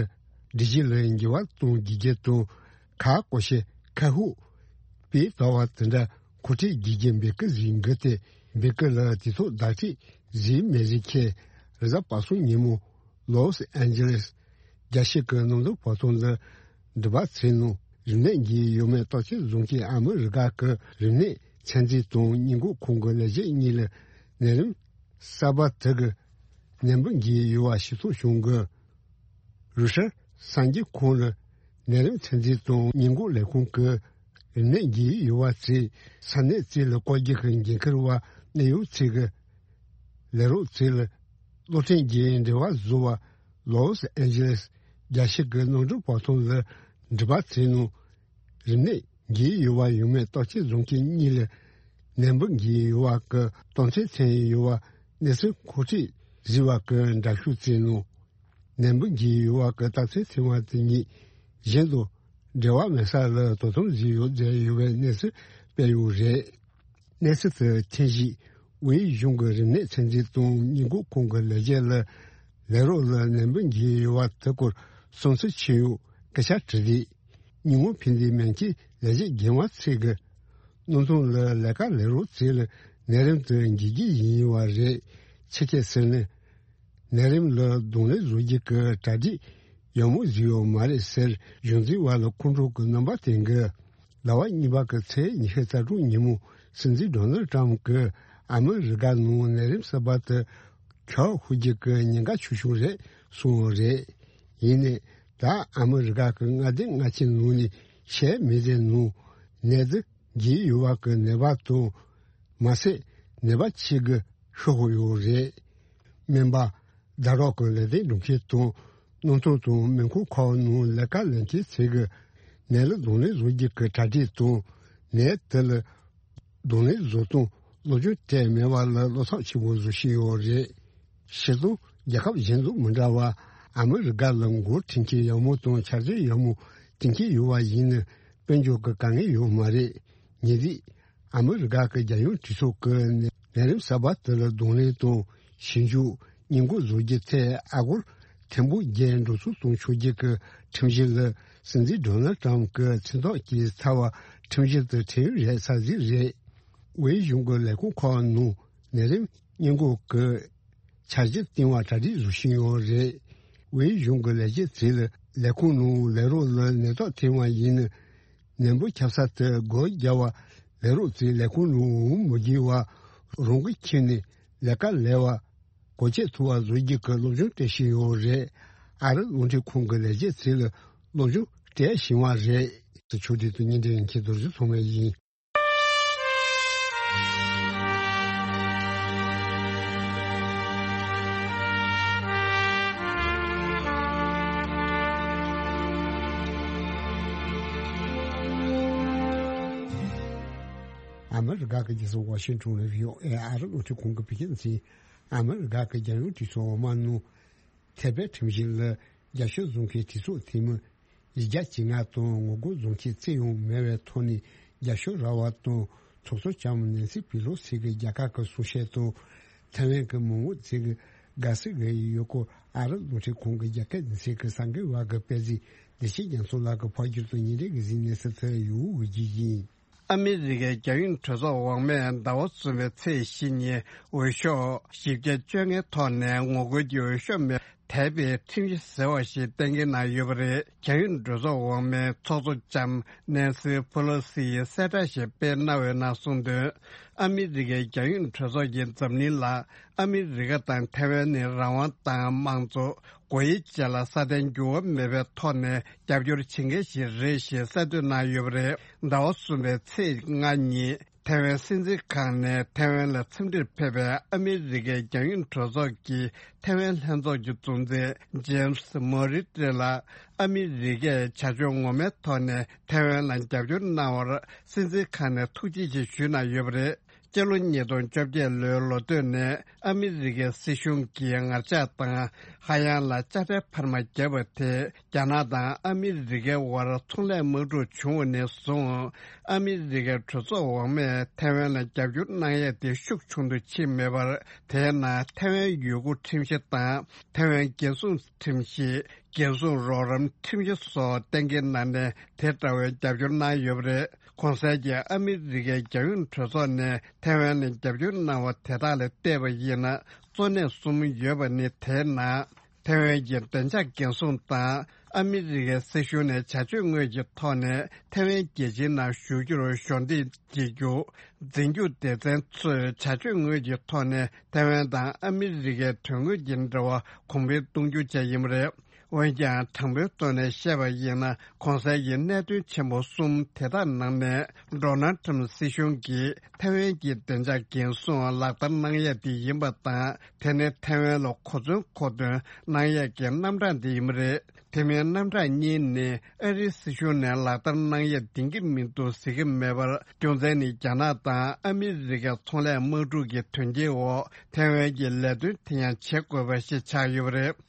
སྒྲིག་གཞི་ལ་འགྱུར་བ་གཏོང་དགོས་རྒྱུ་དང་གར་སྐོར་ཤས་ཁ་ཤས་སྤེལ་དགོས་པ་དེ་འདྲ་གོ་སྒྲིག་དགོས་རྒྱུ་འབོད་སྐུལ་བཟོས་འདུག་སྟེ། འབོད་སྐུལ་ལ་དུས་ཐོག་བརྡ་སྤྲོད་བཟོས་མེད་རིགས་ཁས་རེས་གཟའ་པ་སངས་ཉིན་མོ་ལོས་ཨན་ཇི་ལེས་རྒྱལ་སྤྱི་གི་ནང་དོན་བར་སྟོང་ལ་འགྲུལ་པ་ཚོའི་ནང་རིམས་ནད་འགོས་ཡོད་མེད་བརྟག་དཔྱད་བཟོ་མཁན་ཨ་མི་རི་ཀ་གི་རིམས་ནད་ཚད་འཛིན་དང་སྙད་འགོག་ཁང་གི་ལས་བྱེད་གཉིས་ལ་ནད་རིམས་གསར་པ་དེ་གི་ནད་འབུ་འགོས་ཡོད་པ་ཤེས་རྟོགས་བྱུང་གི། རུ་ཤར་གསར་འགྱུར་ཁང་ལ་ནད་རིམས་ཚད་འཛིན་དང་སྙད་འགོག་ལས་ཁུངས་ཀྱི་རིམས་ནད་འགོས་ཡོད་པ་ཚོའི་ས་གནས་ཚོ་ལ་བཀོད་རྒྱ་གི་འགན་འཁུར་བ་གནད་ཡོད་ཚོས་ཀྱི་ལས་རོགས་ཚོ་ལ་གློག་འཕྲིན་གྱི་འབྲེལ་བ་བཟོ་བ་ལོས་ཨན་ཇི་ལེས་རྒྱལ་སྤྱི་གི་ནང་དོན་བར་སྟོང་ལ་འགྲུལ་པ་ཚོའི་ནང་རིམས་ནད་འགོས་ཡོད་པ་ཡོད་མེད་བརྟག་དཔྱད་བཟོ་མཁན་གཉིས་ལ་ནད་འབུ་འགོས་ཡོད་པ་གི་དོན་ཚན་ཚན་ཡོད་པ་གནས་ཚུལ་མཁོ་སྤྲོད་བཟོས་པ་གི་འདྲ་བཤུས་བཙལ་ནོ། ནད་འབུ་འགོས་ཡོད་པ་གི་རྟགས་མཚན་ཚང་བ་དེ་གཉིས་གཞན་དུ་འབྲེལ་བ་མེད་ས་ལ་དོ་དམ་བཟོས་ཡོད་མཛད་ཡོད་པའི་གནས་ཚུལ་སྤེལ་ཡོད་རེད། གནས་ཚུལ་དེ་མཁྱེན་རྗེས་ཝེ་གཞུང་གི་རིམས་ནད་ཚད་འཛིན་དང་སྙད་འགོག་ཁང་གི་ལས་བྱེད་ལ་ལས་རོགས་ལ་ནད་འབུ་འགོས་ཡོད་པ་དེ་སྐོར་སུམ་ཚུལ་ཆེ་ཡོད་ སྐད་ཆ་དྲི་རེད། ཉིན་མོ་ཕན་བདེའི་མན་ཆད་ལས་བྱེད་རྒན་པ་ཚོས་ཀྱི་གནམ་ཐང་ལ་ལས་ཀ་ལས་རོགས་ཚོ་ལ་ནད་རིམས་དེ་འགོས་ཀྱི་ཡིན་པ་རེད། ཆེད་མཁས་ཟེར་ནས་ནད་རིམས་ལ་གདོང་ལེན་བཟོ་རྒྱུ་གི་གྲ་སྒྲིག་ཡག་མོ་བཟོས་ཡོད་མ་རེད་ཟེར། གཞུང་འཛིན་པ་ལ་ཁོང་ཁྲོ་གི་རྣམ་པ་བསྟན་གི། ཟླ་བ་གཉིས་པ་གི་ཚེས་ཉི་ཤུ་རྩ་དྲུག་ཉིན་མོ་སྲིད་འཛིན་ཌོ་ནལ་ཊམ་གྱིས་ཨ་མི་རི་ཀ་ནང་ནད་རིམས་གསར་པ་དེ་ཁྱབ་ཤོར་རྒྱུ་གི་ཉེན་ཁ་ཆེ་ཤོས་རེད་གསུངས་ཡོད་རེད། ཡིན་ནའི་ད་ཨ་མི་རི་ཀ་གི་མངའ་སྡེ་སྔ་ཕྱི་ནང་ནས་ཤེས་མི་ཟེར་ནང་ནད་དེ་འགོས་ཡོད་པ་གི་ནད་པ་དང་མ་ཟད་ནད་པ་ཆེ་གི་ཤོར་ཡོད་རེད། སྨན་པ། ཟླ་གྲོགས་ཀྱི་ལས་དོན་སྒྲུབ་མཁན་དང་གནམ་ཐང་དང་མེ་འཁོར་ཁག་ནང་ལས་ཀ་ལས་མཁན་ཚོས་ཀྱི་ནད་ལ་གདོང་ལེན་བཟོ་རྒྱུ་གི་གྲ་སྒྲིག་དང་ནད་དེ་ལ་གདོང་ལེན་བཟོ་སྟངས་སློབ་སྦྱོང་སྤྲད་མེད་པ་ལ་བློ་འཚབ་ཆེན་པོ་བཟོ་བཞིན་ཡོད་རེད། སྤྱིར་བཏང་རྒྱལ་ཁབ་གཞན་དང་མི་འདྲ་བར་ཨ་མི་རི་ཀ་ལ་འགོ་ཁྲིད་མཁན་ཡག་མོ་དང་འཆར་གཞི་ཡག་མོ་བཏིང་མཁན་ཡོད་པ་ཡིན་ན་དཔལ་འབྱོར་གྱི་དཀའ་ངལ་ཡོད་མ་རེད། ཉེ་དུས། ཨ་མི་རི་ཀ་གི་རྒྱལ་ཡོངས་གྲོས་ཚོགས་ཀྱིས་ནད་རིམས་གསར་པ་དེ་ལ་གདོང་ལེན་དང་ཞིབ་འཇུག་སྔོན་འགོག་བཟོ་རྒྱུའི་ཐད་ཨ་སྒོར་ཐེར་འབུམ་བརྒྱད་འགྲོ་སོང་གཏོང་ཆོག་རྒྱུ་གི་ཁྲིམས་གཞི་ལ་སྲིད་འཛིན་ཌོ་ནལ་ཊམ་གྱི་མཚན་ཐོག་གི་ཚབ་པ་ཁྲིམས་གཞི་དེ་ཁྲིམས་ཡིག་རེད་ས་ཟིག་རེད། ཝེ་གཞུང་གི་ལས་ཁུངས་ཁག་ནང་ནད་རིམས་སྔོན་འགོག་གི་འཆར་གཞི་བཏིང་བ་གྲ་སྒྲིག་བཟོ་བཞིན་ཡོད་རེད། ཝེ་གཞུང་གི་ལས་བྱེད་ཚོས་ལས་ཁུངས་ནང་ལས་རོགས་ལ་ནད་རྟགས་ཐོན་པ་ཡིན་ན། ནད་འབུ་ཁྱབ་ས་དེ་སྒོ་བརྒྱབ་པ་ལས་རོགས་ཚོས་ལས་ཁུངས་ནང་འོང་མི་དགོས་པ་རང་འགུལ་ཁྱེར་ནས་ལས་ཀ་ལས་པ་གོ་ཆོད་ཐུབ་པ་བཟོ་རྒྱུ་གི་སློབ་སྦྱོང་སྤྲད་བཞིན་ཡོད་རེད། ཨ་རི་རླུང་འཕྲིན་ཁང་གི་ལས་བྱེད་ཚོས་ལ་སློབ་སྦྱོང་སྤྲད་བཞིན་པ་རེད། ཆུ་དེ་དུ་ཉིན་དེ་ཡིན་ཁྱེད་རྡོ་རྗེ་ཚང་མ་ཡིན། ཨ་མི་རི་ཀ་གི་རྒྱལ་ས་ཝ་ཤིང་ཊོན་ལ་བྷི་ཨོ་ཨེ་ཨ་རི་རླུང་འཕྲིན་ཁང་གི་བོད་སྐད་སྡེ་ཚན། ཨ་མི་རི་ཀ་གི་རྒྱལ་ཡོངས་གྲོས་ཚོགས་འོག་མ་ནང་ཐེ་བའི་ཁྲིམས་གཞི་ལ་རྒྱབ་སྐྱོར་བཟོ་མཁན་གྲོས་ཚོགས་འཐུས་མི་བཞི་བརྒྱ་བཅོ་ལྔ་དང་ངོ་རྒོལ་བཟོ་མཁན་རྩིས་ཡོང་མེད་པའི་ཐོག་ནས་རྒྱབ་སྐྱོར་རག་པ་དང་ཚོགས་གཙོ་ལྕམ་ནན་སི་པི་ལོ་སི་གི་རྒྱལ་ཁབ་ཀྱི་གསུང་བཤད་དང་། ཐའེ་ཝན་གྱི་མི་དམངས་ཚོས་ཀྱི་དགའ་བསུ་གི་ཡོད་སྐོར་ཨ་རི་རླུང་འཕྲིན་ཁང་གི་རྒྱ་སྐད་སྡེ་ཚན་གྱི་གསར་འགོད་པ་གིས་སྤེལ་གཟིགས་བདེ་ཆེན་རྒྱ་མཚོ་ལགས་ཀྱིས་ཕབ་བསྒྱུར་དུ་ཉིན་རེ་གི་གཟིགས་གནས་སུ་ཚུད་ཡོད་རྒྱུ་ཡིན། ཨ་མི་རི་ཀའི་རྒྱལ་ཡོངས་གྲོས་ཚོགས་འོག་མས་ཟླ་བ་གསུམ་པའི་ཚེས་བཞི་ཉིན་འོས་ཤོག་བཞི་བརྒྱ་བཅོ་ལྔའི་ཐོག་ནས་ངོ་རྒོལ་གྱི་འོས་ཤོག་མེད་པར་དེད་པའི་ཁྲིམས་གཞི་ཟེར་བ་ཞིག་གཏན་འཁེལ་གནང་ཡོད་པ་རེད། རྒྱལ་ཡོངས་གྲོས་ཚོགས་འོག་མའི་ཚོགས་གཙོ་ལྕམ་ནན་སི་ཕུ་ལོ་སི་ཡིས་གསལ་བསྒྲགས་ཤིག་སྤེལ་གནང་བའི་ནང་གསུངས་དོན། ཨ་མི་རི་ཀའི་རྒྱལ་ཡོངས་གྲོས་ཚོགས་ཀྱིས་འཛམ་གླིང་ལ་ཨ་མི་རི་ཀ་དང་ཐའེ་ཝན་ནི་རང་དབང་དང་དམངས་གཙོ། སྒོ་དབྱེ་བཅས་ལ་སྲ་བརྟན་འགྱུར་བ་མེད་པའི་ཐོག་ནས་རྒྱབ་སྐྱོར་བྱེད་མཁན་ཞིག་རེད་ཞེས་གསལ་འདོན་གནང་ཡོད་པ་རེད། ཟླ་བ་གསུམ་པའི་ཚེས་ལྔ་ཉིན་ཐའེ་ཝན་སྲིད་འཛིན་ཁང་ནས་ཐའེ་ཝན་ལ་འཚམས་འདྲིར་ཕེབས་པའི་ཨ་མི་རི་ཀའི་རྒྱལ་ཡོངས་གྲོས་ཚོགས་ཀྱི་ཐའེ་ཝན་ལྷན་ཚོགས་ཀྱི་གཙོ་འཛིན་ཇེམ་སི་མོ་རི་ཏྲེ་ལ་ཨ་མི་རི་ཀས་བྱ་སྤྱོད་ངོ་མའི་ཐོག་ནས་ཐའེ་ཝན་ལ་རྒྱབ་སྐྱོར་གནང་བར་སྲིད་འཛིན་ཁང་ནས་ཐུགས་རྗེ་ཆེ་ཞུས་གནང་ཡོད་པ་རེད། སྤྱི་ལོ་ཉིས་སྟོང་བཅོ་བརྒྱད་ལོའི་ལོ་སྟོད་ནས་ཨ་མི་རི་ཀའི་སྲིད་གཞུང་གིས་ངར་ལྕགས་དང་ཧ་ཡང་ལ་དཔྱ་ཁྲལ་འཕར་མ་བརྒྱབ་པ་དེས་རྒྱ་ནག་དང་ཨ་མི་རི་ཀའི་དབར་ཚོང་ལས་དམག་འཁྲུག་བྱུང་བ་ནས་བཟུང་ཨ་མི་རི་ཀའི་གྲོས་ཚོགས་འོག་མས་ཐའེ་ཝན་ལ་རྒྱབ་སྐྱོར་གནང་ཡས་དེ་ཤུགས་ཆུང་དུ་ཕྱིན་མེད་པར། དེས་ན་ཐའེ་ཝན་ཡུལ་སྐོར་ཁྲིམས་གཞི་དང་ཐའེ་ཝན་འགན་སྲུང་ཁྲིམས་གཞི། འགན་སྲུང་རོགས་རམ་ཁྲིམས་གཞི་སོགས་གཏན་འཁེལ་གནང་ནས་དེ་འདྲ་བའི་རྒྱབ་སྐྱོར་གནང་ཡོད་པ་རེད། གོང་གསལ་གྱི་ཨ་མི་རི་ཀའི་རྒྱལ་ཡོངས་གྲོས་ཚོགས་ནས་ཐའེ་ཝན་ལ་རྒྱབ་སྐྱོར་གནང་བ་དེ་དག་ལ་བལྟས་པ་ཡིན་ན་གཙོ་གནད་གསུམ་ཡོད་པ་ནི། དེའི་ནང་ཐའེ་ཝན་གྱི་བདེ་འཇགས་འགན་སྲུང་དང་ཨ་མི་རི་ཀའི་སྲིད་གཞུང་ནས་བྱ་སྤྱོད་དངོས་ཀྱི་ཐོག་ནས་ཐའེ་ཝན་རྒྱལ་སྤྱིའི་ནང་བཞུགས་རྒྱུར་གཞོགས་འདེགས་བྱེད་རྒྱུ། འཛིན་སྐྱོང་སྡེ་ཚན་ཚོས་བྱ་སྤྱོད་དངོས་ཀྱི་ཐོག་ནས་ཐའེ་ཝན་དང་ཨ་མི་རི་ཀའི་དོན་དངོས་ཀྱི་འབྲེལ་བ་གོང་འཕེལ་གཏོང་རྒྱུ་བཅས་ཡིན་པ་རེད། འོན་ཀྱང་དྲང་པོའི་ཐོག་ནས་བཤད་པ་ཡིན་ན་གོང་གསལ་གྱི་གནད་དོན་ཆེན་པོ་གསུམ་དེ་དག་ནང་ནས་ཌོ་ནལ་ཊམ་སྲིད་གཞུང་གིས་ཐའེ་ཝན་གྱི་བདེ་འཇགས་འགན་སྲུང་ལག་བསྟར་གནང་ཡས་དེ་ཡིན་པ་དང་དེ་ནི་ཐའེ་ཝན་ལ་གོ་མཚོན་མཁོ་འདོན་གནང་ཡས་ཀྱི་རྣམ་གྲངས་དེ་ཡིན་པ་རེད། དེ་མིན་རྣམ་གྲངས་གཉིས་ནི་ཨ་རིའི་སྲིད་གཞུང་ནས་ལག་བསྟར་གནང་ཡས་འདིང་གི་མི་འདུག་ཟེར་གྱི་མེད་པར་རྒྱུ་མཚན་ནི་རྒྱ་ནག་དང་ཨ་མི་རི་ཀའི་ཚོང་ལས་དམག་འཁྲུག་གི་དོན་རྐྱེན་འོག་ཐའེ་ཝན་གྱི་ལས་དོན་དེ་ཡང་བྱེད་དགོས་པ་ཞིག་ཆགས་ཡོད་པ་རེད།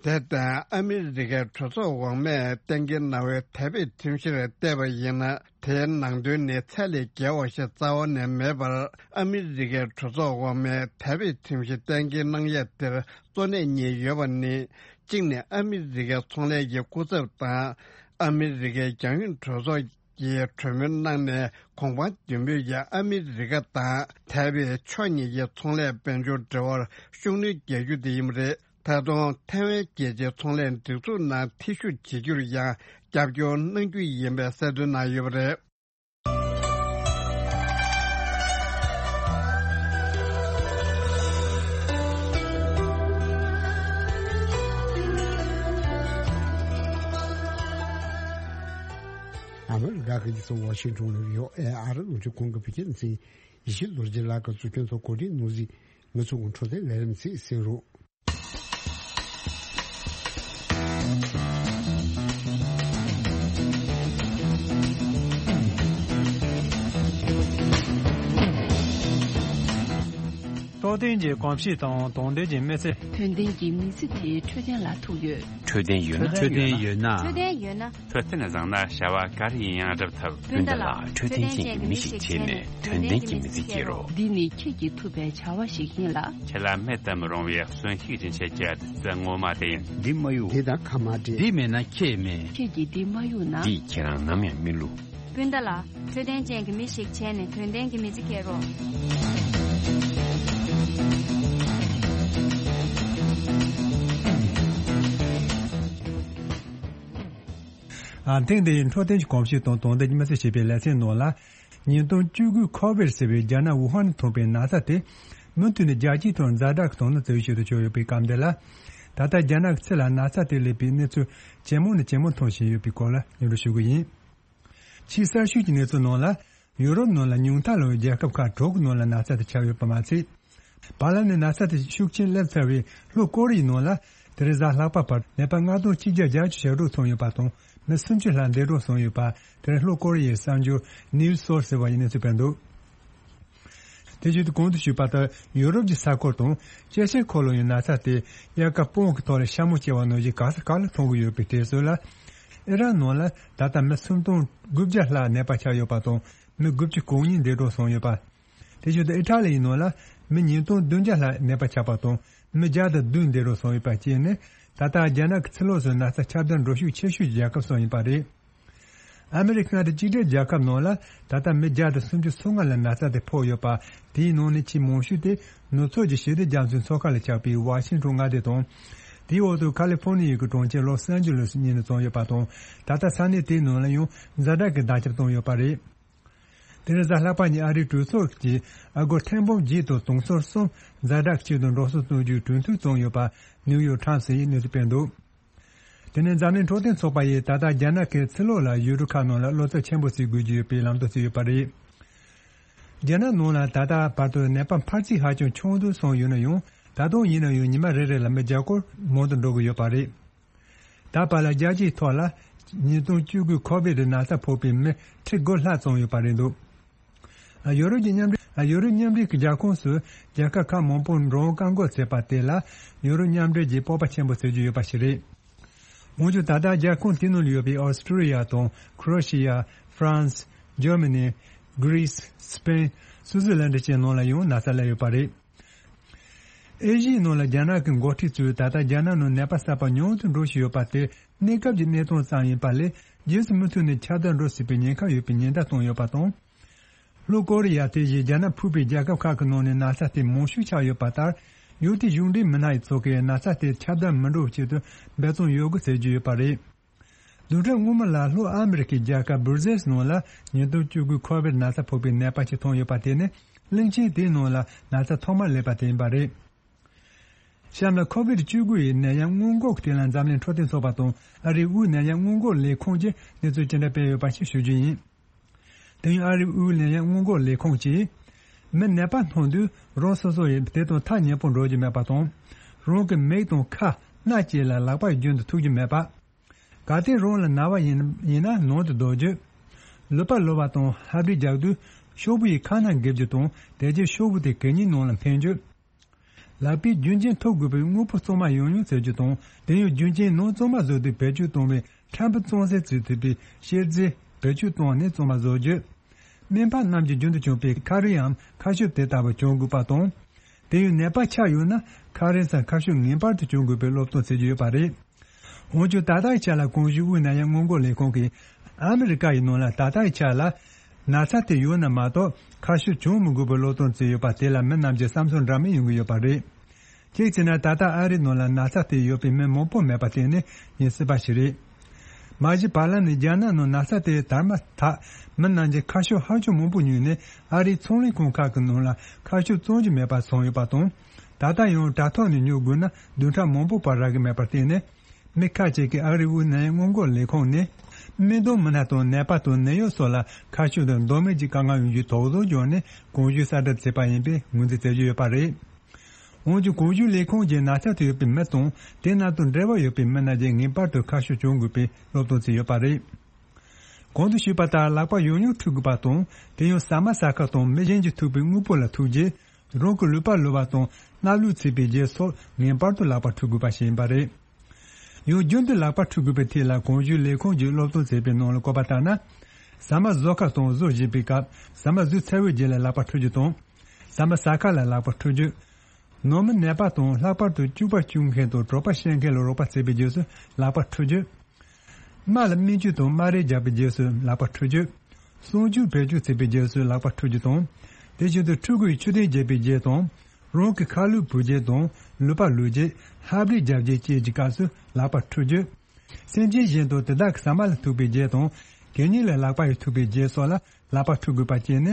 དེ་ལྟར་ཨ་མི་རི་ཀའི་གྲོས་ཚོགས་འོག་མས་གཏན་འཁེལ་གནང་བའི་དེ་བས་ཁྲིམས་གཞིར་བལྟས་པ་ཡིན་ན་དེའི་ནང་དོན་ནི་ཚད་ལས་བརྒལ་བ་ཞིག་རྩ་བ་ནས་མེད་པར་ཨ་མི་རི་ཀའི་གྲོས་ཚོགས་འོག་མས་དེ་བས་ཁྲིམས་གཞི་གཏན་འཁེལ་གནང་ཡས་དེར་གཙོ་གནད་གཉིས་ཡོད་པ་ནི། གཅིག་ནི་ཨ་མི་རི་ཀའི་ཚོང་ལས་ཀྱི་སྐུ་ཚབ་དང་ ཨ་མི་རི་ཀའི་རྒྱང་ཡོལ་གྲོས་ཚོགས་ཀྱིས་གྲོས་མོལ་གནང་ནས་གོང་འཕང་མདུན་སྤོས་ཀྱིས་ཨ་མི་རི་ཀ་དང་ཐའེ་ཝན་ཕྱོགས་གཉིས་ཀྱི་ཚོང་ལས་དཔལ་འབྱོར་འབྲེལ་བར་ཤུགས་སྣོན་རྒྱག་རྒྱུ་དེ་ཡིན་པ་རེད། ད་དུང་ཐའེ་ཝན་རྒྱལ་སྤྱིའི་ཚོང་ལས་སྒྲིག་འཛུགས་ནང་ཐེ་ཞུགས་བྱེད་རྒྱུར་ཡང་རྒྱབ་སྐྱོར་གནང་རྒྱུ་ཡིན་པའི་གསལ་སྟོན་གནང་ཡོད་པ་རེད། ཨ་མི་རི་ཀ་གི་རྒྱལ་ས་ཝ་ཤིང་ཊོན་ལ་ཡོད་ཨེ་ཨ་རི་རླུང་འཕྲིན་ཁང་གི་བོད་སྐད་སྡེ་ཚན་ཡེ་ཤེས་རྡོ་རྗེ་ལགས་ཀྱིས་གཙོ་སྐྱོང་ཐོག་གོ་སྒྲིག་གནང་གཟིགས། ང་ཚོ་གི་འཕྲོད་བསྟེན་ལས་རིམ་ཚིག་གསན་རོགས། རྟོགས་ལྡན་གྱི་གོམས་གཤིས་དང་དོགས་ལྡན་གྱི་མི་ཚེ། དོན་ལྡན་གྱི་མི་ཚེ་དེ་འཕྲོད་བསྟེན་ལ་ཐུག་ཡོད། འཕྲོད་བསྟེན་ཡོད་ན། འཕྲོད་བསྟེན་ཡོད་ན། འཕྲོད་བསྟེན་ཡོད་ན། འཕྲོད་བསྟེན་བཟང་ན་བྱ་བ་ག་རེ་ཡིན་ཡང་འགྲུབ་ཐུབ། སྤུན་ཟླ་ལགས། འཕྲོད་བསྟེན་ཅན་གྱི་མི་ཞིག་བྱས་ནས་དོན་ལྡན་གྱི་མི་ཚེ་སྐྱེལ་རོགས། འདི་ནི་ཁྱེད་ཀྱིས་ཐུབ་པའི་བྱ་བ་ཞིག་ཡིན་ལ། ཁྱེད་ལ་མེད་དུ་མི་རུང་བའི་གསོན་ཤུགས་ཡིན། ཁྱེད་ཀྱི་བདུད་རྩི་ངོ་མ་དེ་ཡིན། འདི་མ་གཡུག་འདི་དང་ཁ་མ་འབྲལ། འདི་མེད་ན་ཁྱེད་མེད། ཁྱེད་ཀྱིས་འདི་མ་གཡུག་ན། འདིས་ཁྱེད་རང་ནམ་ཡང་མི་བསླུ། སྤུན་ཟླ་ལགས། འཕྲོད་བསྟེན་ཅན་གྱི་མི་ཞིག་བྱས་ནས་དོན་ལྡན་གྱི་མི་ཚེ་སྐྱེལ་རོགས། ཨ། ཐེངས་འདིའི་འཕྲོད་བསྟེན་གྱི་གོམས་གཤིས་དང་དོན་ལྡན་གྱི་མི་ཚེ་ཞེས་པའི་ལེ་ཚན་ནང་ལ། ཉིས་སྟོང་བཅུ་དགུ་ཁོ་བིད་ཟེར་བའི་རྒྱ་ནག་ཝུ་ཧན་ནས་ཐོན་པའི་ན་ཚ་དེ། མུ་མཐུད་ནས་རྒྱལ་སྤྱིའི་ཐོག་ཛ་དྲག་གི་དོ་སྣང་བྱེད་ཀྱི་ཡོད་དུ་ཆུགས་ཡོད་པའི་སྐབས་འདི་ལ། ད་ལྟ་རྒྱ་ནག་གི་ཕྱི་ལ་ན་ཚ་དེ་སླེབས་པའི་གནས་ཚུལ་ཇེ་མང་ནས་ཇེ་མང་ཐོན་བཞིན་ཡོད་པའི་སྐོར་ལ་སྙན་སྒྲོན་ཞུ་གི་ཡིན། ཕྱིའི་གསར་ཤོས་ཀྱི་གནས་ཚུལ་ནང་ལ། ཡུ་རོབ་ནང་ལ་ཉུང་མཐའ་ལོགས་རྒྱལ་ཁབ་ཁག་དྲུག་གི་ནང་ལ་ན་ཚ་དེ་ཁྱབ་ཡོད་པ་མ་ཚད། བར་ལམ་ནས་ན་ཚ་དེ་ཤུགས་ཆེན་སླེབས་ཚར་བའི་ལྷོ་ཀོ་རི་ཡའི་ནང་ལ། དེ་རིང་གཟའ་ལྷག་པ་བར་ནད་པ་ལྔ་སྟོང་གཅིག་བརྒྱ་བརྒྱད་ཅུ་ཞེ་དྲུག་ཐོན་ཡོད་པ་དང་། མི་སུམ་ཅུ་ལྷག་འདས་གྲོངས་སོང་ཡོད་པ། དེ་རིང་ལྷོ་ཀོ་རི་ཡའི་གསར་འགྱུར་ནིའུ་སི་སོར་སི་ཟེར་བ་ཡིས་གནས་ཚུལ་སྤེལ་འདུག་དེ་བཞིན་དུ་གོང་དུ་ཞུས་པ་ལྟར། ཡུ་རོབ་ཀྱི་ས་ཁུལ་དང་། ཨེ་ཤི་ཡའི་ཁོར་ལོ་ཡི་ན་ཚ་དེ་དབྱར་ཁ་སྤོང་གི་ཐོག་ལ་ཤ་མོ་སྐྱེ་བ་ནང་བཞིན་ག་ས་ག་ལ་མཐོང་གི་ཡོད་པའི་དུས་ཚོད་ལ། ཨི་རན་ནང་ལ་ད་ལྟ་མི་སུམ་སྟོང་དགུ་བརྒྱ་ལྷག་ནད་པ་ཆགས་ཡོད་པ་དང་། མི་དགུ་བཅུ་གོ་གཉིས་འདས་གྲོངས་སོང་ཡོད་པ། དེ་བཞིན་དུ་ཨི་ཊ་ལི་ཡི་ནང་ལ་མི་ཉིས་སྟོང་བདུན་བརྒྱ་ལྷག་ནད་པ་ཆགས་པ་དང་། མི་བརྒྱ་དང་བདུན་འདས་གྲོངས་སོང་ཡོད་པ་བཅས་ནི། ད་ལྟ་རྒྱ་ནག་གི་ཕྱི་ལོགས་སུ་ན་ཚ་ཁྱབ་གདལ་འགྲོ་ཤུགས་ཆེ་ཤོས་ཀྱི་རྒྱལ་ཁབ་སུ་ཡིན་པ་རེད། ཨ་མི་རི་ཀ་མངའ་སྡེ་གཅིག་སྒྲིལ་རྒྱལ་ཁབ་ནང་ལ་ད་ལྟ་མི་བརྒྱ་དང་སུམ་ཅུ་སོ་ལྔ་ལ་ན་ཚ་དེ་ཕོག་ཡོད་པ། དེའི་ནང་ནས་ཆེས་མང་ཤོས་དེ་ནུབ་ཕྱོགས་ཀྱི་ཞི་བདེ་རྒྱ་མཚོའི་མཚོ་ཁ་ལ་ཆགས་པའི་ཝ་ཤིང་ཊོན་མངའ་སྡེ་དང་། དེའི་འོག་ཏུ་ཁ་ལི་ཧྥོ་ནི་ཡའི་གྲོང་ཁྱེར་ལོ་སན་ཇི་ལུ་སི་གཉིས་ནས་བཙུགས་ཡོད་པ་དང་། ད་ལྟ་ས་གནས་དེའི་ནང་ལ་ཡང་ཛ་དྲག་གི་བརྡ་ཁྱབ་བཏང་ཡོད་པ་རེད། དེ་རིང་གཟའ་ལྷག་པ་ཉིན་ཨ་རིའི་གྲོས་ཚོགས་ཀྱིས་ཨ་སྒོར་ཐེར་འབུམ་བརྒྱད་དང་དུང་སོར་གསུམ་ཛ་དྲག་ཆེད་དུ་འགྲོ་སོང་གཏོང་རྒྱུའི་གྲོས་མཐུན་བརྩམས་ཡོད་པ་ནིའུ་ཡོག་ཊའིམ་སི་ཡིས་གནས་ཚུལ་སྤེལ་འདུག་དེ་ནས་འཛམ་གླིང་འཕྲོད་བསྟེན་ཚོགས་པ་ཡིས་ད་ལྟ་རྒྱ་ནག་གི་ཕྱི་ལོགས་ལ་ཡུལ་གྲུ་ཁག་ནང་ལ་བློ་འཚབ་ཆེན་པོ་བྱེད་དགོས་ཀྱི་ཡོད་པའི་ལམ་སྟོན་བྱས་ཡོད་པ་རེད། རྒྱ་ནག་ནང་ལ་ད་ལྟ་བར་དུ་ནད་པ་འཕར་ཚད་ཧ་ཅང་ཆུང་དུ་སོང་ཡོད་ན་ཡང་། ད་དུང་ཡིན་ན་ཡང་ཉི་མ་རེ་རེ་ལ་མི་བརྒྱ་སྐོར་མང་དུ་འགྲོ་གི་ཡོད་པ་རེད། ད་བར་ལ་རྒྱལ་སྤྱིའི་ཐོག་ལ་ཉིས་སྟོང་བཅུ་དགུ་ཁོ་བིད་ཀྱི་ན་ཚ་ཕོག་པའི་མི་ཁྲི་དགུ་ལྷག་ཙམ་ཡོད་པ་རེད་འདུག་ཡོ་རོབ་ཀྱི་མཉམ་འབྲེལ། ཡོ་རོབ་མཉམ་འབྲེལ་གྱི་རྒྱལ་ཁོངས་སུ་རྒྱལ་ཁབ་ཁག་མང་པོར་འགྲོ་འོང་བཀག་འགོག་བྱས་པ་དེ་ལ་ཡོ་རོབ་མཉམ་འབྲེལ་གྱིས་སྤོབས་པ་ཆེན་པོ་བྱེད་ཀྱི་ཡོད་པ་ཞིག་རེད། འོན་ཀྱང་ད་ལྟ་རྒྱལ་ཁོངས་དེའི་ནང་ལ་ཡོད་པའི་ཨོ་སི་ཀྲི་ཡ་དང་ཁྲོ་ཨེ་ཤི་ཡ། ཧྥ་རན་སི། ཇར་མ་ནི། གྷི་རི་སི། སི་པེན། སུའུ་ཙི་ལན་ཌི་བཅས་ནང་ལ་ཡང་ན་ཚ་སླེབས་ཡོད་པ་རེད། ཨེ་ཤི་ཡའི་ནང་ལ་རྒྱ་ནག་གི་འགོ་ཁྲིད་ཚོས་ད་ལྟ་རྒྱ་ནག་ནང་ནད་པ་གསར་པ་ཉུང་དུ་འགྲོ་བཞིན་ཡོད་པ་དེ་གནས་སྐབས་ཀྱི་གནས་སྟངས་ཙམ་ཡིན་པ་ལས། རྗེས་སུ་མུ་མཐུད་ནས་ཁྱབ་གདལ་འགྲོ་སྲིད་པའི་ཉེན་ཁ་ཡོད་པའི་ཉེན་བརྡ་བཏང་ཡོད་པ་དང་། ལྷོ་ཀོ་རི་ཡ་དེ་བཞིན་རྒྱ་ནག་ཕུད་པའི་རྒྱལ་ཁབ་ཁག་གི་ནང་ནས་ན་ཚ་དེ་མང་ཤོས་ཆགས་ཡོད་པ་ལྟར། ཡུལ་དེའི་གཞུང་འབྲེལ་མི་སྣ་ཡི་ཚོགས་ཀྱིས་ན་ཚ་དེ་ཁྱབ་གདལ་མི་འགྲོ་བའི་ཆེད་དུ་འབད་བརྩོན་ཡོད་དགོས་ཟེར་གྱི་ཡོད་པ་རེད། བདུན་ཕྲག་སྔོན་མ་ལ་ལྷོ་ཨ་མི་རི་ཀའི་རྒྱལ་ཁབ་སྦུར་ཟེལ་ནང་ལ་ཉིས་སྟོང་བཅུ་དགུ་ཁོ་བིད་ན་ཚ་ཕོག་པའི་ནད་པ་ཞིག་ཐོན་ཡོད་པ་དེ་ནི་གླིང་ཆེན་དེའི་ནང་ལ་ན་ཚ་ཐོག་མར་སླེབས་པ་དེ་ཡིན་པ་རེད། གཤམ་ལ་ཁོ་བིད་བཅུ་དགུ་ཡི་ནད་ཡམས་སྔོན་འགོག་གི་ཐད་ལ་འཛམ་གླིང་འཕྲོད་བསྟེན་ཚོགས་པ་དང་ཨ་རིའི་དབུས་ནད་ཡམས་སྔོན་འགོག་ལས་ཁུངས་ཀྱིས་གནས་ཚུལ་ཅི་འདྲ་སྤེལ་ཡོད་པ་ཞིག་ཞུ་རྒྱུ་ཡིན། དེ་ཡང་ཨ་རིའི་དབུས་ནད་ཡམས་སྔོན་འགོག་ལས་ཁུངས་ཀྱིས། མི་ནད་པ་མཐོང་དུས་རང་སོ་སོ་ཡིས་དེ་དང་ཐག་ཉེ་པོ་འགྲོ་རྒྱུ་མེད་པ་དང་། རང་གི་མིག་དང་ཁ་སྣ་བཅས་ལ་ལག་པ་རྒྱུན་དུ་ཐུག་རྒྱུ་མེད་པ། གལ་ཏེ་རང་ལ་ན་བ་ཡིན་ཡིན་ན་ནང་དུ་སྡོད་རྒྱུ། ལུད་པ་ལོག་པ་དང་ལྷ་བྲིས་རྒྱག་དུས་ཤོག་བུ་ཡི་ཁ་ནང་འགེབས་རྒྱུ་དང་དེ་རྗེས་ཤོག་བུ་དེ་གད་སྙིགས་ནང་ལ་འཕེན་རྒྱུ། ལག་པས་རྒྱུན་ཆད་ཐུབ་དགོས་པའི་དངོས་པོ་གཙང་མ་ཡང་ཡང་བཙལ་རྒྱུ་དང་དེ་ཡང་རྒྱུན་ཆད་ནང་གཙང་མ་བཟོ་དུས་བེད་སྤྱོད་གཏོང་བའི་ཕྲན་བུ་གཙང་སེལ་བྱེད་ཐུབ་པའི་གཤེར་རྫས་བེད་སྤྱོད་བཏང་ནས་གཙང་མ་བཟོ་རྒྱུ། སྨན་པ་རྣམས་ཀྱིས་རྒྱུན་དུ་གྱོན་པའི་ཁ་རས་འམ་ཁ་ཤུབས་དེ་ལྟ་བུ་གྱོན་དགོས་པ་དང་། དེ་ཡང་ནད་པ་ཆགས་ཡོད་ན་ཁ་རས་སམ་ཁ་ཤུབས་ངེས་པར་དུ་གྱོན་དགོས་པའི་སློབ་སྟོན་བྱེད་ཀྱི་ཡོད་པ་རེད། འོན་ཀྱང་ད་ལྟའི་ཆ་ལ་གོང་ཞུས་དབུས་ནད་ཡམས་སྔོན་འགོག་ལས་ཁུངས་ཀྱིས་ཨ་མི་རི་ཀ་ཡི་ནང་ལ་ད་ལྟའི་ཆ་ལ་ན་ཚ་དེ་ཡོད་ན་མ་གཏོགས་ཁ་ཤས་བྱུང་མི་དགོས་པའི་སློབ་སྟོན་བྱས་ཡོད་པ་དེ་ལ་མི་རྣམས་ཀྱིས་བསམ་ཚུལ་འདྲ་མིན་ཡོང་གི་ཡོད་པ་རེད། གཅིག་བྱས་ན་ད་ལྟ་ཨ་རིའི་ནང་ལ་ན་ཚ་དེ་ཡོད་པའི་མི་མང་པོ་མེད་པ་དེ་ནི་ཡིན་སྲིད་པ་ཞིག་རེད། མ་གཞི་བར་ལམ་ནས་རྒྱ་ནག་ནང་ན་ཚ་དེ་དར་མ་ཐག་མི་རྣམས་ཀྱིས་ཁ་ཤས་ཧ་ཅང་མང་པོ་ཉོས་ནས་ཨ་རིའི་ཚོང་ལས་ཁང་ཁག་གི་ནང་ལ་ཁ་ཤས་བཙོང་རྒྱུ་མེད་པ་བྱུང་ཡོད་པ་དང་། ད་ལྟ་ཡང་དྲ་ཐོག་ནས་ཉོ་དགོས་ན་བདུན་ཕྲག་མང་པོ་བར་རག་གི་མེད་པར་བརྟེན་ནས། མི་ཁག་ཅིག་གིས་ཨ་རིའི་དབུས་ནད་ཡམས་སྔོན་འགོག་ལས་ཁུངས་ནས། སྨན་གཏོང་མི་སྣ་དང་ནད་པ་དང་ནད་གཡོག་སོགས་ལ་ཁ་ཤས་དང་ལྡོག་མེད་ཀྱི་དཀའ་ངལ་ཡོང་རྒྱུའི་དོགས་ཟོན་བྱུང་ནས་གོང་ཞུས་གསལ་བསྒྲགས་བྱས་པ་ཡིན་པའི་ངོས་འཛིན་བྱེད་ཀྱི་ཡོད་པ་རེད། འོན་ཀྱང་གོང་ཞུས་ལས་ཁུངས་ཀྱིས་ན་ཚ་དེ་ཡོད་པའི་མི་དང་དེ་རྣམས་དང་འབྲེལ་བ་ཡོད་པའི་མི་རྣམས་ཀྱིས་ངེས་པར་དུ་ཁ་ཤས་གྱོན་དགོས་པའི་སློབ་སྟོན་བྱས་ཡོད་པ་རེད། གོང་དུ་ཞུས་པ་ལྟར་ལག་པ་ཡང་ཡང་འཁྲུ་དགོས་པ་དང་དེ་ཡང་ཟ་མ་ཟ་ཁ་དང་མི་གཞན་གྱིས་ཐུག་པའི་དངོས་པོ་ལ་ཐུག་རྗེས། རང་གི་ལུས་པ་བླུགས་པ་དང་སྣ་བླུགས་བྱས་པའི་རྗེས་སོགས་ངེས་པར་དུ་ལག་པ་འཁྲུ་དགོས་པ་ཞིག་ཡིན་པ་རེད། ཡང་རྒྱུན་དུ་ལག་པ་འཁྲུ་དགོས་པའི་ཐད་ལ་གོང་ཞུས་ལས་ཁུངས་ཀྱིས་སློབ་སྟོན་བྱས་པའི་ནང་ལ་བཀོད་པ་ལྟར་ན། ཟ་མ་བཟོ་སྐབས་དང་བཟོ་བཞིན་པའི་སྐབས་ཟ་མ་བཟོས་ཚར་བའི་རྗེས་ལ་ལག་པ་འཁྲུ་རྒྱུ་དང་། ཟ་མ་ཟ་ཁ་ལ་ལག་པ་འཁྲུ་རྒྱུ། ནང་མི་ནད་པ་དང་ལྷག་པར་དུ་སྐྱུག་པ་སྐྱུག་མཁན་དང་གྲོད་པ་བཤལ་མཁན་ལ་རོགས་པ་བྱེད་པའི་རྗེས་སུ་ལག་པ་འཁྲུ་རྒྱུ། རྨ་ལ་སྨན་བཅོས་དང་རྨ་རས་རྒྱག་པའི་རྗེས་སུ་ལག་པ་འཁྲུ་རྒྱུ། གསང་སྤྱོད་བེད་སྤྱོད་བྱེད་པའི་རྗེས་སུ་ལག་པ་འཁྲུ་རྒྱུ་དང་། དེ་བཞིན་དུ་ཕྲུ་གུ་ཡི་མཆོད་རྟེན་བརྒྱབ་པའི་རྗེས་དང་། རང་གི་ཁ་ལུད་བུད་རྗེས་དང་ལུད་པ་བླུགས་རྗེས་ལྷ་བྲིས་རྒྱབ་རྗེས་བཅས་ཀྱི་སྐབས་སུ་ལག་པ་འཁྲུ་རྒྱུ། སེམས་ཅན་གཞན་དང་དེ་དག་གི་ཟ་མ་ལ་ཐུག་པའི་རྗེས་དང་། གད་སྙིགས་ལ་ལག་པ་ཡིས་ཐུག་པའི་རྗེས་སོགས་ལ་ལག་པ་འཁྲུ་དགོས་པ་བཅས་ནི།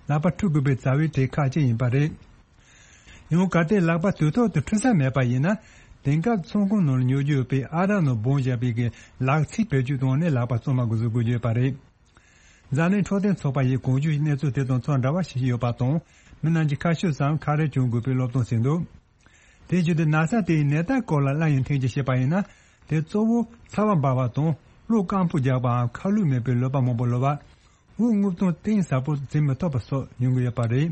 ལག་པ་འཁྲུ་དགོས་པའི་རྩ་བའི་གྲས་ཁག་ཅིག་ཡིན་པ་རེད། ཡང་གལ་ཏེ་ལག་པ་དུས་ཐོག་ཏུ་འཁྲུ་ས་མེད་པ་ཡིན་ན། དེང་སྐབས་ཚོང་ཁང་ནང་ལ་ཉོ་རྒྱུ་ཡོད་པའི་ཨ་རག་ནང་སྦོམ་བཞག་པའི་གི་ལག་ཚིགས་བེད་སྤྱོད་བཏང་ནས་ལག་པ་གཙང་མ་དགོས་སུ་དགོས་རྒྱུ་ཡོད་པ་རེད། འཛམ་གླིང་འཕྲོད་བསྟེན་ཚོགས་པ་ཡིས་གོང་ཞུས་གནས་ཚུལ་དེ་དང་ཚོད་འདྲ་བ་ཞིག་ཡོད་པ་དང་། མི་རྣམས་ཀྱིས་ཁ་ཤས་སམ་ཁ་རས་གྱོན་དགོས་པའི་སློབ་སྟོན་བྱས་འདུག་དེ་བཞིན་དུ་ན་ཚ་དེའི་ནད་རྟགས་སྐོར་ལ་སླར་ཡང་ཐེངས་གཅིག་བཤད་པ་ཡིན་ན། དེ་གཙོ་བོ་ཚ་བ་འབར་བ་དང་གློ་སྐམ་པོ་རྒྱག་པའམ་ཁ་ལུད་མེད་པའི་ལུད་པ་མང་པོ་ལུད་པ། དབུགས་རྔུབ་སྟངས་གཏིང་ཟབ་པོ་འཛིན་མི་ཐུབ་པ་སོགས་ཡོང་གི་ཡོད་པ་རེད།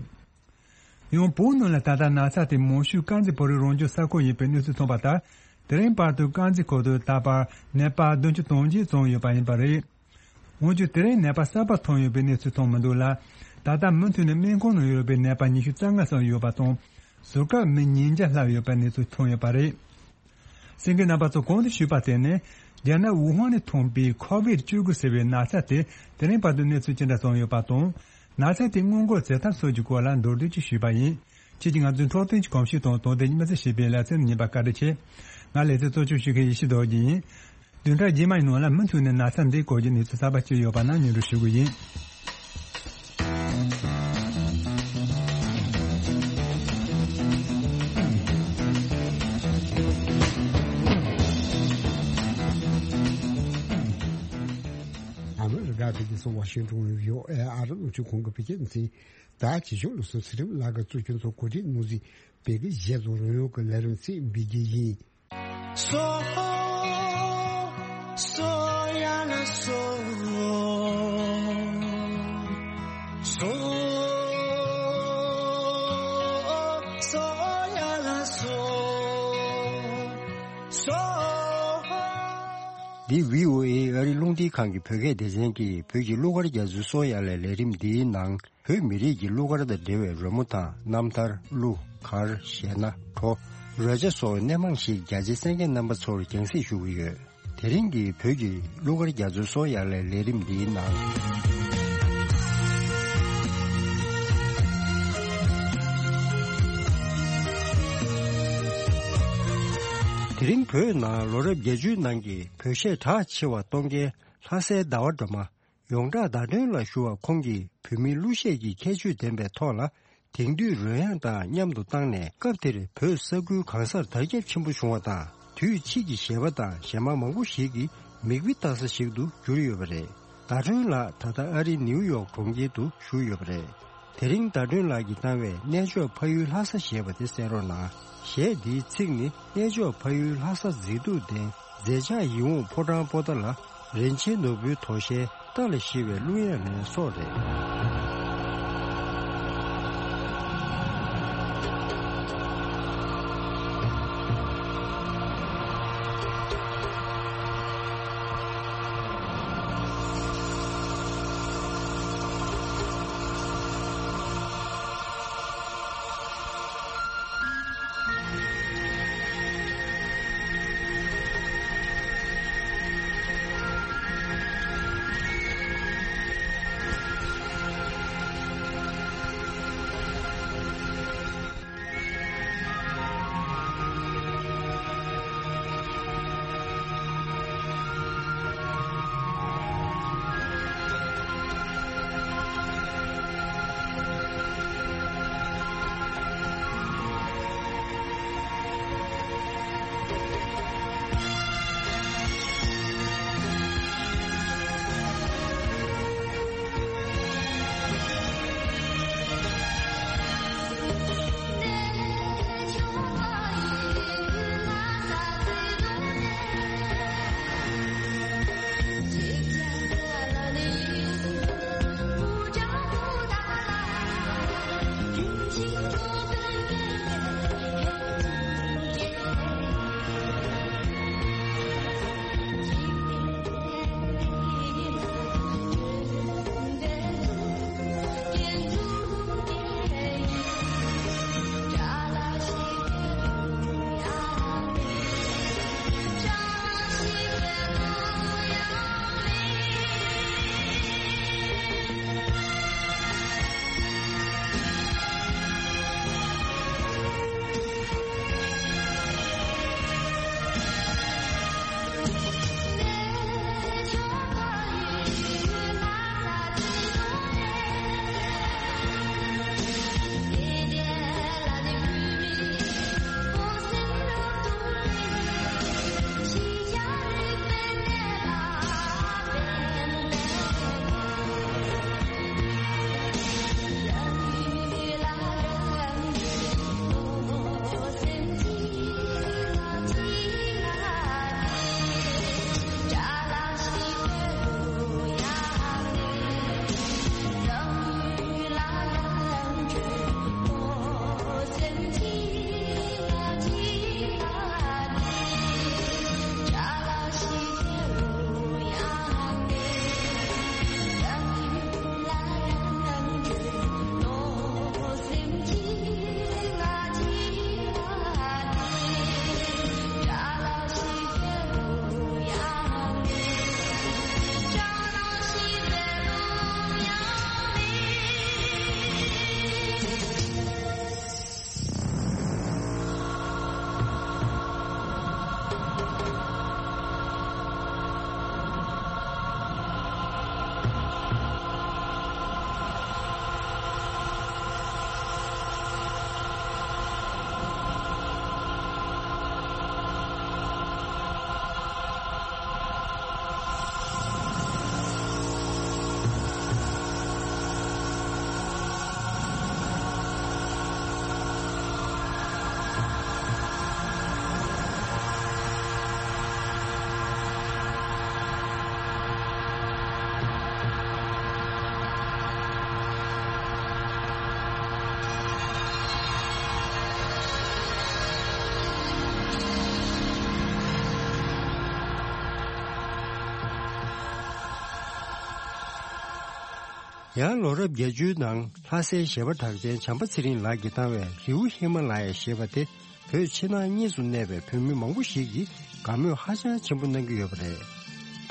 ཡང་བོད་ནང་ལ་ད་ལྟ་ན་ཚ་དེ་མང་ཤོས་དཀར་མཛེས་བོད་རིགས་རང་སྐྱོང་ས་ཁུལ་ཡིན་པའི་གནས་ཚུལ་ཐོན་པ་ལྟར། དེ་རིང་བར་དུ་དཀར་མཛེས་ཁུལ་དུ་ད་བར་ནད་པ་བདུན་ཅུ་དོན་གཅིག་ཙམ་ཡོད་པ་ཡིན་པ་རེད། འོན་ཀྱང་དེ་རིང་ནད་པ་གསར་པ་ཐོན་ཡོད་པའི་གནས་ཚུལ་ཐོན་མི་འདུག་ལ། ད་ལྟ་མུ་མཐུད་ནས་སྨན་ཁང་ནང་ཡོད་པའི་ནད་པ་ཉི་ཤུ་རྩ་ལྔ་ཙམ་ཡོད་པ་དང་། ཟུར་བཀག་མི་ཉིས་བརྒྱ་ལྷག་ཡོད་པའི་གནས་ཚུལ་ཐོན་ཡོད་པ་རེད། གསན་མཁན་རྣམ་པ་ཚོ་གོང་དུ་ཞུས་པ་དེ་ནི། རྒྱ་ནག་ཝུ་ཧན་ནས་ཐོན་པའི་ཁོ་ཝིད་བཅུ་དགུ་ཟེར་བའི་ན་ཚ་དེ་དེ་རིང་བར་དུ་གནས་ཚུལ་ཅི་འདྲ་ཙམ་ཡོད་པ་དང་། ན་ཚ་དེ་སྔོན་འགོག་བྱེད་ཐབས་སོགས་ཀྱི་སྐོར་ལ་མདོར་བསྡུས་ཀྱིས་ཞུས་པ་ཡིན། ཁྱེད་ཀྱིས་ང་ཚོའི་འཕྲོད་བསྟེན་གྱི་གོམས་གཤིས་དང་དོ་བདེ་མི་ཚེ་ཞེས་པའི་ལེ་ཚན་ཉན་པར་བཀའ་དྲིན་ཆེ། ང་ལེ་ཚན་གཙོ་སྐྱོང་ཞུ་མཁན་ཡེ་ཤེས་རྡོ་རྗེ་ཡིན། བདུན་ཕྲག་རྗེས་མའི་ནང་ལ་མུ་མཐུད་ནས་ན་ཚ་འདིའི་སྐོར་གྱི་གནས་ཚུལ་གསར་པ་ཅི་ཡོད་པ་ན་སྙན་སྒྲོན་ཞུ་གི་ཡིན། ཨ་མི་རི་ཀ་གི་རྒྱལ་ས་ཝ་ཤིང་ཏོན་ཡོད་ཨེ་ཨ་རི་རླུང་འཕྲིན་ཁང་གི་བོད་སྐད་སྡེ་ཚན། ད་ཇི་བཞིན་ལུགས་སྲོལ་ཚེ་རིང་ལགས་ཀྱིས་གཙོ་སྐྱོང་དང་གོ་སྒྲིག་གནང་བཞིན་བོད་སྐད་གཞས་དང་རོལ་དབྱངས་ཀྱི་ལས་རིམ་ཚིག་འབུལ་རྒྱུ་ཡིན། སོ། སོ་ཡ་ལ་སོ། སོ། སོ་ཡ་ལ་སོ། སོ། འདི་བྷི་ཨོ་ཨེ་ཨ་རི་རླུང་འཕྲིན་ཁང་གི་བོད་སྐད་སྡེ་ཚན་གྱིས་བོད་ཀྱི་གླུ་གར་རྒྱ་མཚོའི་སོ་ཡ་ལ་ལས་རིམ་འདིའི་ནང་། བོད་མི་རིགས་ཀྱི་གླུ་གར་དང་འབྲེལ་བའི་རོལ་མོ་དང་རྣམ་ཐར། གླུ། གར། གཞས་སྣ། བྲོ། རོལ་ཆ་སོགས་སྣེ་མང་ཞིག་རྒྱ་ཆེའི་གསན་མཁན་རྣམ་པ་ཚོར་རྒྱང་སྲིང་ཞུ་གི་ཡོད། དེ་རིང་གི་བོད་ཀྱི་གླུ་གར་རྒྱ་མཚོའི་སོ་ཡ་ལའི་ལས་རིམ་འདིའི་ནང་། དེ་རིང་བོད་ནང་ལོ་རབས་བརྒྱད་ཅུའི་ནང་གི་བོད་གཞས་གྲགས་ཆེ་བ་གཏོང་མཁན་ལྷ་སའི་ཟླ་བ་སྒྲོལ་མ། ཡོངས་གྲགས་ཟླ་སྒྲོན་ལགས་ཞུ་བ་ཁོང་གིས་བོད་མིའི་གླུ་གཞས་ཀྱི་ཁྱད་ཆོས་ལྡན་པའི་ཐོག་ལ། དེང་དུས་རོལ་དབྱངས་དང་མཉམ་དུ་བཏང་ནས། སྐབས་དེར་བོད་ས་ཁུལ་གང་སར་དར་ཁྱབ་ཆེན་པོ་བྱུང་བ་དང་། དུས་ཕྱིས་ཀྱི་གཞས་པ་དང་གཞས་མ་མང་པོ་ཞིག་གི་མིག་དཔེ་ལྟ་ས་ཞིག་ཏུ་གྱུར་ཡོད་པ་རེད། ཟླ་སྒྲོན་ལགས་ད་ལྟ་ཨ་རིའི་ནིའུ་ཡོག་གྲོང་ཁྱེར་དུ་བཞུགས་ཡོད་པ་རེད། དེ་རིང་ཟླ་སྒྲོན་ལགས་ཀྱིས་བཏང་བའི་གནས་མཆོག་ཕ་ཡུལ་ལྷ་ས་ཞེས་པ་དེ་གསན་རོགས་གནང་། གཞས་འདིའི་ཚིག་ནི། གནས་མཆོག་ཕ་ཡུལ་ལྷ་ས་མཛེས་སྡུག་ལྡན། མཛེས་ཆགས་ཡིད་འོང་ཕོ་བྲང་པོ་ཏཱ་ལ། རིན་ཆེན་ནོར་བུའི་དོ་ཤལ། རྟ་ལ་ཞིག་པའི་གླུ་དབྱངས་ལེན་སོགས་རེད། ཡང་ལོ་རབས་བརྒྱད་ཅུའི་ནང་ལྷ་སའི་གཞས་པ་གྲགས་ཅན་བྱམས་པ་ཚེ་རིང་ལགས་ཀྱིས་བཏང་བའི་རི་བོ་ཧི་མ་ལ་ཡ་ཞེས་པ་དེ། བོད་ཕྱི་ནང་གཉིས་སུ་གནས་པའི་བོད་མི་མང་པོ་ཞིག་གིས་དགའ་མོས་ཧ་ཅང་ཆེན་པོ་གནང་གི་ཡོད་པ་རེད།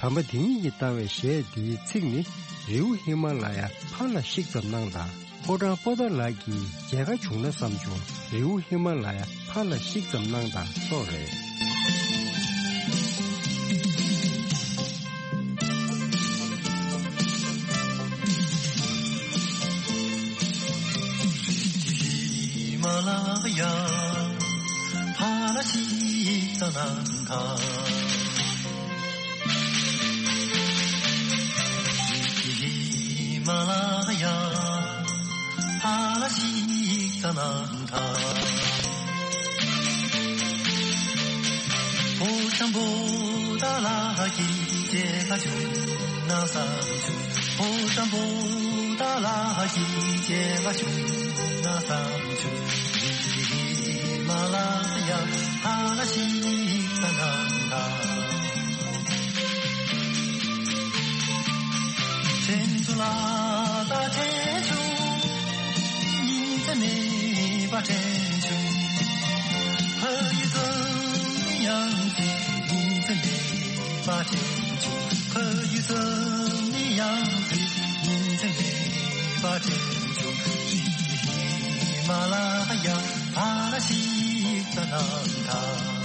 དམ་པ་དེ་ཉིད་ཀྱིས་བཏང་བའི་གཞས་འདིའི་ཚིག་ནི། རི་བོ་ཧི་མ་ལ་ཡ་ཕར་ལ་བཤིག་ཙམ་གནང་དང་། ཕོ་བྲང་པོ་ཏཱ་ལ་གི་མཇལ་ཁ་བྱུང་ན་བསམ་བྱུང་། རི་བོ་ཧི་མ་ལ་ཡ་ཕར་ལ་བཤིག་ཙམ་གནང་དང་སོགས་རེད། ཧི་མ་ལ་ཡ་ཕར་ལ་བཤིག་ཙམ་གནང་དང་། ཧི་མ་ལ་ཡ་ཕར་ལ་བཤིག་ཙམ་གནང་དང་། ཕོ་བྲང་པོ་ཏཱ་ལ་གི་མཇལ་ཁ་བྱུང་ན་བསམ་བྱུང་། ཕོ་བྲང་པོ་ཏཱ་ལ་གི་མཇལ་ཁ་བྱུང་ན་བསམ་བྱུང་། ཧི་མ་ལ་ཡ་ཕར་ལ་བཤིག་ཙམ་གནང་དང་། དྲན་ཚུལ་ལ་ད་དྲན་བྱུང་། ཉིན་མཚན་མེད་པར་དྲན་བྱུང་། ཕ་ཡུལ་ཙམ་ནི་ཡང་དེ་ཉིན་མཚན་མེད་པར་དྲན་བྱུང་། ཕ་ཡུལ་ཙམ་ནི་ཡང་དེ་ཉིན་མཚན་མེད་པར་དྲན་བྱུང་། ཧི་མ་ལ་ཡ་ཕར་ལ་བཤིག་ཙམ་གནང་དང་།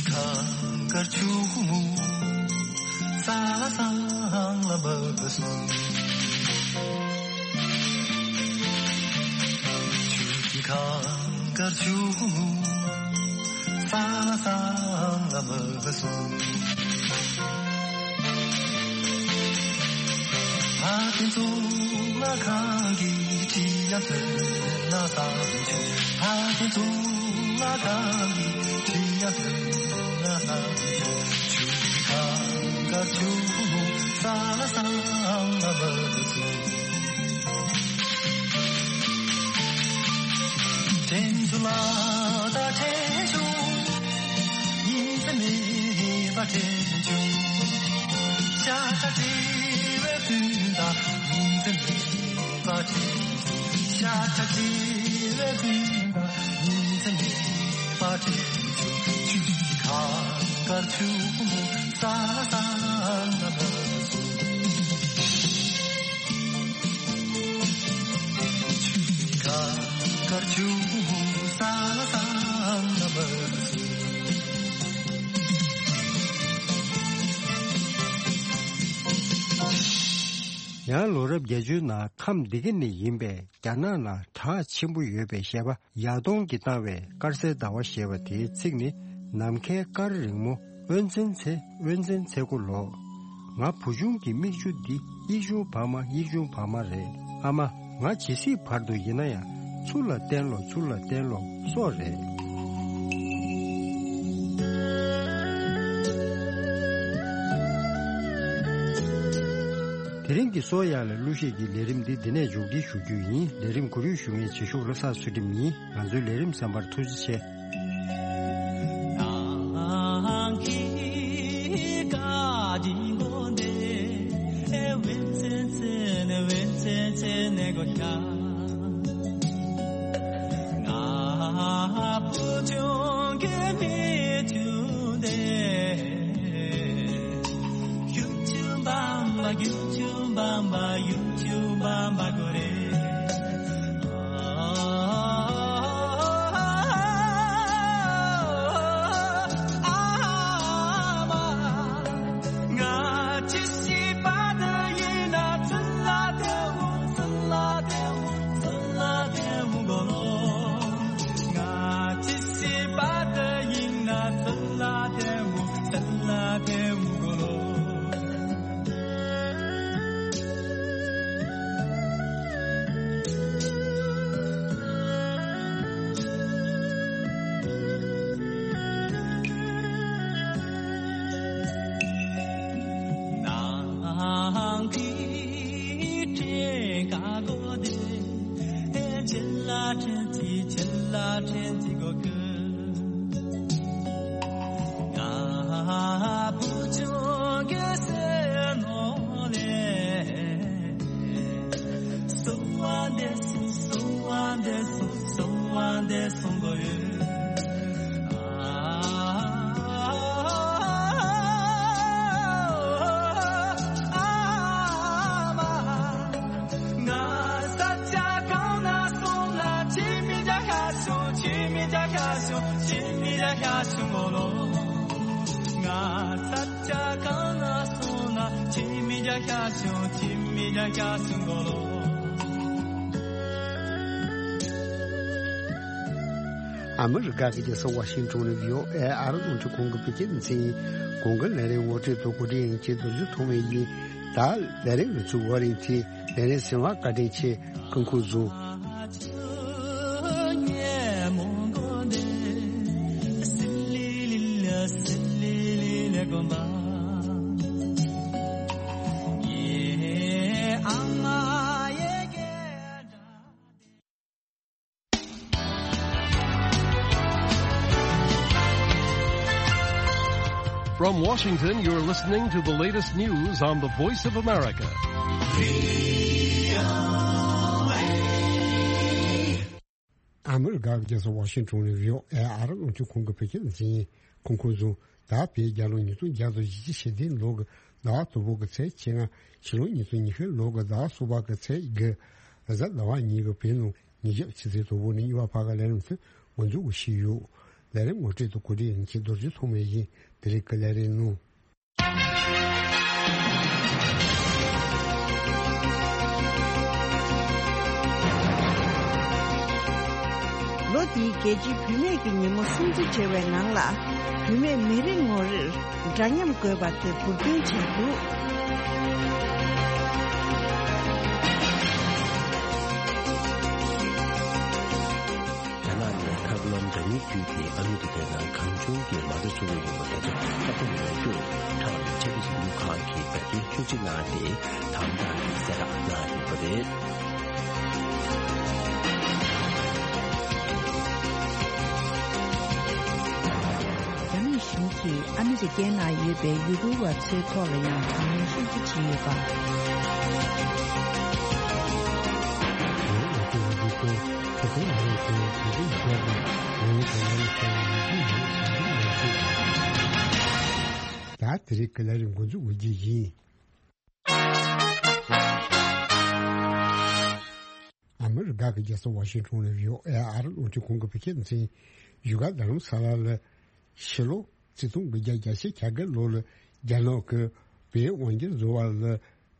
གངས་དཀར་ཆུ་བོ་མོ། ས་ལ་སྲང་ལམ་མ་བུད་སོང་། ཆུ་ཀི་གངས་དཀར་ཆུ་བོ་མོ། ས་ལ་སྲང་ལམ་མ་བུད་སོང་། ཕ་ཁྱིམ་ཚུགས་ལ་གངས་ཀྱི་འཁྲིས་ཡ་ཐོན་ན་བསམ་བྱུང་། ཕ་ཁྱིམ་ཚུགས་ལ་གངས་ཀྱི་འཁྲིས་ཡ་ཐོན་ན་བསམ་བྱུང་། ཆུ་ཀི་གངས་དཀར་ཆུ་བོ་མོ། ས་ལ་སྲང་ལམ་མ་བུད་སོང་། དྲན་ཚུལ་ལ་ད་དྲན་བྱུང་། ཉིན་མཚན་མེད་པར་དྲན་བྱུང་། ཤ་ཁྲག་བྲལ་བའི་སྤུན་ཟླ། ཉིན་མཚན་མེད་པར་དྲན་བྱུང་། ཤ་ཁྲག་བྲལ་བའི་སྤུན་ཟླ། ཉིན་མཚན་མེད་པར་དྲན་བྱུང་། ཆུ་ཀི་གངས་དཀར་ཆུ་བོ་མོ། ས་ལ་སྲང་ལམ་མ་བུད་སོང་། ཆུ་ཀི་གངས་དཀར་ཆུ་བོ་མོ། ས་ལ་སྲང་ལམ་མ་བུད་སོང་། ཡང་ལོ་རབས་བརྒྱད་ཅུའི་ནང་ཁམས་འདི་ག་ནས་ཡིན་པའི་རྒྱ་ནག་ནང་གྲགས་ཆེན་པོ་ཡོད་པའི་གཞས་པ་ཡ་ཏོང་གིས་བཏང་བའི་དཀར་གསལ་ཟླ་བ་ཞེས་པ་དེའི་ཚིག་ནི། ནམ་མཁའི་སྐར་རིང་མོ། དབོན་བཙན་ཚེ། དབོན་བཙན་ཚེ་སྒོ་ལོག། ང་བུ་ཆུང་གི་མིག་ཆུ་འདི། གཡིག་ཆུང་བག་མ། གཡིག་ཆུང་བག་མ་རེད། ཨ་མ། ང་ཇི་སྲིད་བར་དུ་ཡིན་ན་ཡང་། ཚུར་ལ་བསྟན་ལོ། ཚུར་ལ་བསྟན་ལོ། སོགས་རེད། དེ་རིང་གི་སོ་ཡ་ལ་གླུ་གཞས་ཀྱི་ལས་རིམ་འདི་འདི་ནས་མཇུག་སྒྲིལ་ཞུ་རྒྱུ་ཡིན། ལས་རིམ་གོ་རིམ་ཞུ་མཁན་བྱེད་ཤོག་བློ་བཟང་ཚུལ་ཁྲིམས་ཡིན། ང་ཚོའི་ལས་རིམ་གསན་པར་ཐུགས་རྗེ་ཆེ། ཨ་མི་རི་ཀ་གི་རྒྱལ་ས་ཝ་ཤིང་ཊོན་ནས་བྷི་ཨོ་ཨེ་ཨ་རི་རླུང་འཕྲིན་ཁང་གི་བོད་སྐད་སྡེ་ཚན་གྱི་གོང་གི་ལས་རིམ་ངོ་སྤྲོད་དུ་གོ་སྒྲིག་ཡིན་གྱི་རྡོ་རྗེ་ཐོགས་མེད་ཡིན། ད་ལས་རིམ་གྱི་ཚུགས་པ་རིང་ཐེངས་ལས་རིམ་གསན་པར་བཀའ་དྲིན་ཆེ། སྐུ་ཁམས་བཟང་། From Washington, you're listening to the latest news on the Voice of America. ཨ་མི་རི་ཀ་གི་རྒྱལ་ས་ཝ་ཤིང་ཊོན་ནས་བྷི་ཨོ་ཨེ་ཨ་རི་རླུང་འཕྲིན་ཁང་གི་བོད་སྐད་སྡེ་ཚན་ཡིན། སྐུ་ཁམས་བཟང་། ད་བོད་རྒྱལ་ལོ་ཉིས་སྟོང་བརྒྱ་དང་བཞི་བཅུ་ཞེ་བདུན་ལོ་གི་ཟླ་བ་དང་པོ་གི་ཚེས་བཅོ་ལྔ། ཕྱི་ལོ་ཉིས་སྟོང་ཉི་ཤུ་ལོ་གི་ཟླ་བ་གསུམ་པ་གི་ཚེས་དགུ། གཟའ་ཟླ་བ་ཉིན་གྱི་བོད་ནང་ཉིན་ཞག་ཕྱི་ཚེས་དང་པོ་ནས་གཉིས་པ་བར་གྱི་ལས་རིམ་དེ་འགོ་འཛུགས་ཞུས་ཡོད། ལས་རིམ་ངོ་སྤྲོད་དུ་གོ་སྒྲིག་ཡིན་གྱི་རྡོ་རྗེ་ཐོགས་མེད་ཡིན། དེ་རིང་གི་ལས་རིམ་ནང་། ལོ་འདིའི་རྒྱལ་སྤྱིའི་བུད་མེད་ཀྱི་ཉིན་མོ་སྲུང་བརྩི་བྱས་པའི་ནང་ལ། བུད་མེད་མི་རེ་ངོ་རེར་འདྲ་མཉམ་དགོས་པ་དེ་མགོ་སྐོར་བྱས་འདུག་རྒྱ་ནག་ནས་ཐབས་ལམ་འདྲ་མིན་བརྒྱུད་དེ་ཨ་མི་རི་ཀའི་ནང་གང་བྱུང་གིས་མ་རྩ་འཚོ་གི་ཡོད་པ་དེ་ཚོ་ཁ་གཏད་མ་བཅུག་ཁྲག་ལ་ཆབ་སྲིད་ལུགས་ཁག་གིས་བར་ཆད་ཤུགས་ཆེ་གནང་སྟེ་དམ་དྲག་གི་གསལ་བསྒྲགས་གནང་ཡོད་པ་རེད། རྒྱ་ནག་གཞུང་གིས་ཨ་མི་རི་ཀའི་ནང་ཡོད་པའི་ཡུ་གུར་བ་ཚོའི་ཐོག་ལ་ཡང་དྲག་གནོན་ཤུགས་ཆེ་བྱས་ཡོད་པ། ད་དེ་རིང་གི་ལས་རིམ་འགོ་འཛུགས་འོས་རྒྱུ་ཡིན། ཨ་མི་རི་ཀ་གི་རྒྱལ་ས་ཝ་ཤིང་ཊོན་ནས་བྷི་ཨོ་ཨེ་ཨ་རི་རླུང་འཕྲིན་ཁང་གི་བོད་སྐད་སྡེ་ཚན་གྱིས་བཞུགས་སྒར་རྡ་རམ་ས་ལ་ལ་ཕྱི་ལོ་ཆིག་སྟོང་དགུ་བརྒྱ་བརྒྱད་ཅུ་གྱ་བརྒྱད་ལོ་ལ་རྒྱ་ནག་གི་བལ་དབང་སྒྱུར་བཟོ་བ་ལ་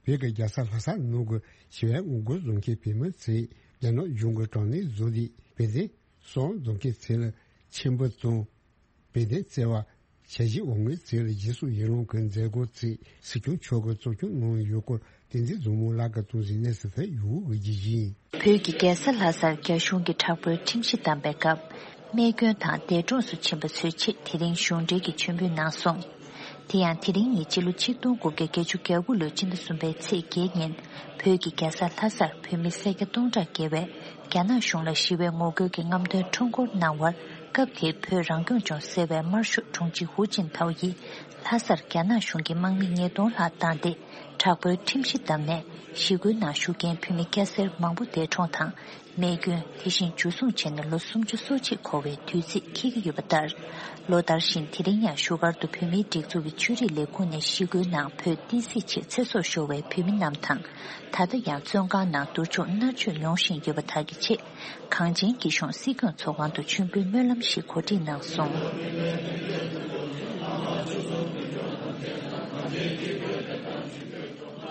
བོད་ཀྱི་རྒྱལ་ས་ལྷ་ས་ནང་གི་ཞི་བའི་ངོ་རྒོལ་བཟོ་མཁན་བོད་མི་ཚོས་རྒྱ་ནག་གཞུང་གི་དྲག་གནོན་བཟོས་ཏེ་བོད་དོན་སྲུང་བཟོ་མཁན་ཚོ་ལ་ཆིབས་འབུལ་དང་། བོད་དོན་བརྩེ་བ། ཞལ་བཞེས་འོག་མའི་ཚིག་ལ་རྗེས་སུ་ཡི་རང་གི་མཛད་སྒོ་ཚིག་སྲིད་སྐྱོང་མཆོག་གིས་གཙོ་སྐྱོང་གནང་ཡོད་སྐོར་བསྟན་འཛིན་བཟང་མོ་ལགས་ཀྱིས་གཏོང་གཟིགས་གནས་ཚུལ་དེ་ཡུ་གུ་འོས་རྒྱུ་ཡིན། བོད་ཀྱི་རྒྱལ་ས་ལྷ་སར་རྒྱ་གཞུང་གིས་དྲག་པོའི་ཁྲིམས་གཞི་བསྡམས་པའི་སྐབས། རྨས་སྐྱོན་དང་འདས་གྲོངས་སུ་ཕྱིན་པ་ཚོའི་ཆེད་དེ་རིང་གཞུང་འབྲེལ་གྱི་མཆོད་འབུལ་གནང་སོང་། དེ་ཡང་དེ་རིང་ཉིན་སྤྱི་ལོ་ཆིག་སྟོང་དགུ་བརྒྱ་བརྒྱད་ཅུ་གྱ་དགུ་ལོའི་ཕྱི་ཟླ་གསུམ་པའི་ཚེས་བརྒྱད་ཉིན་བོད་ཀྱི་རྒྱལ་ས་ལྷ་སར་བོད་མི་སེར་སྐྱ་སྟོང་ཕྲག་བརྒལ་བས་རྒྱ་ནག་གཞུང་ལ་ཞི་བའི་ངོ་རྒོལ་གྱི་རྔམ་སྟོན་ཁྲོམ་སྐོར་གནང་བར། སྐབས་དེའི་བོད་རང་སྐྱོང་ལྗོངས་ཟེར་བའི་དམར་ཤོག་དྲུང་ཆེ་ཧུའུ་ཅིན་ཐའོ་ཡིས་ལྷ་སར་རྒྱ་ནག་གཞུང་གི་དམག་མི་ཉིས་སྟོང་ལྷག་བཏང་སྟེ། དྲག་པོའི་ཁྲིམས་གཞི་བསྡམས་ནས་ཞི་རྒོལ་ནང་ཞུགས་མཁན་བོད་མི་སྐྱ་སེར་མང་པོ་འདས་གྲོངས་དང་རྨས་སྐྱོན། དེ་བཞིན་འཇུ་བཟུང་བྱས་ནས་ལོ་སུམ་ཅུ་སོ་གཅིག་འཁོར་བའི་དུས་ཚིགས་འཁེལ་གྱི་ཡོད་པ་ལྟར། ལོ་ལྟར་བཞིན་དེ་རིང་ཡང་བཞུགས་སྒར་དུ་བོད་མིའི་སྒྲིག་འཛུགས་ཀྱི་ཆོས་རིག་ལས་ཁུངས་ནས་ཞི་རྒོལ་ནང་བོད་བསྟན་སྲིད་ཆེད་ཚེ་སྲོག་ཤོར་བའི་བོད་མི་རྣམས་དང་། ད་ལྟ་ཡང་བཙོན་ཁང་ནང་སྡུག་སྦྱོང་མནར་གཅོད་མྱོང་བཞིན་ཡོད་པ་དག་གི་ཆེད། གངས་ཅན་སྐྱིད་གཤོངས་སྲིད་སྐྱོང་ཚོགས་ཁང་དུ་མཆོད་འབུལ་སྨོན་ལམ་ཞིག་གོ་སྒྲིག་གནང་སོང་།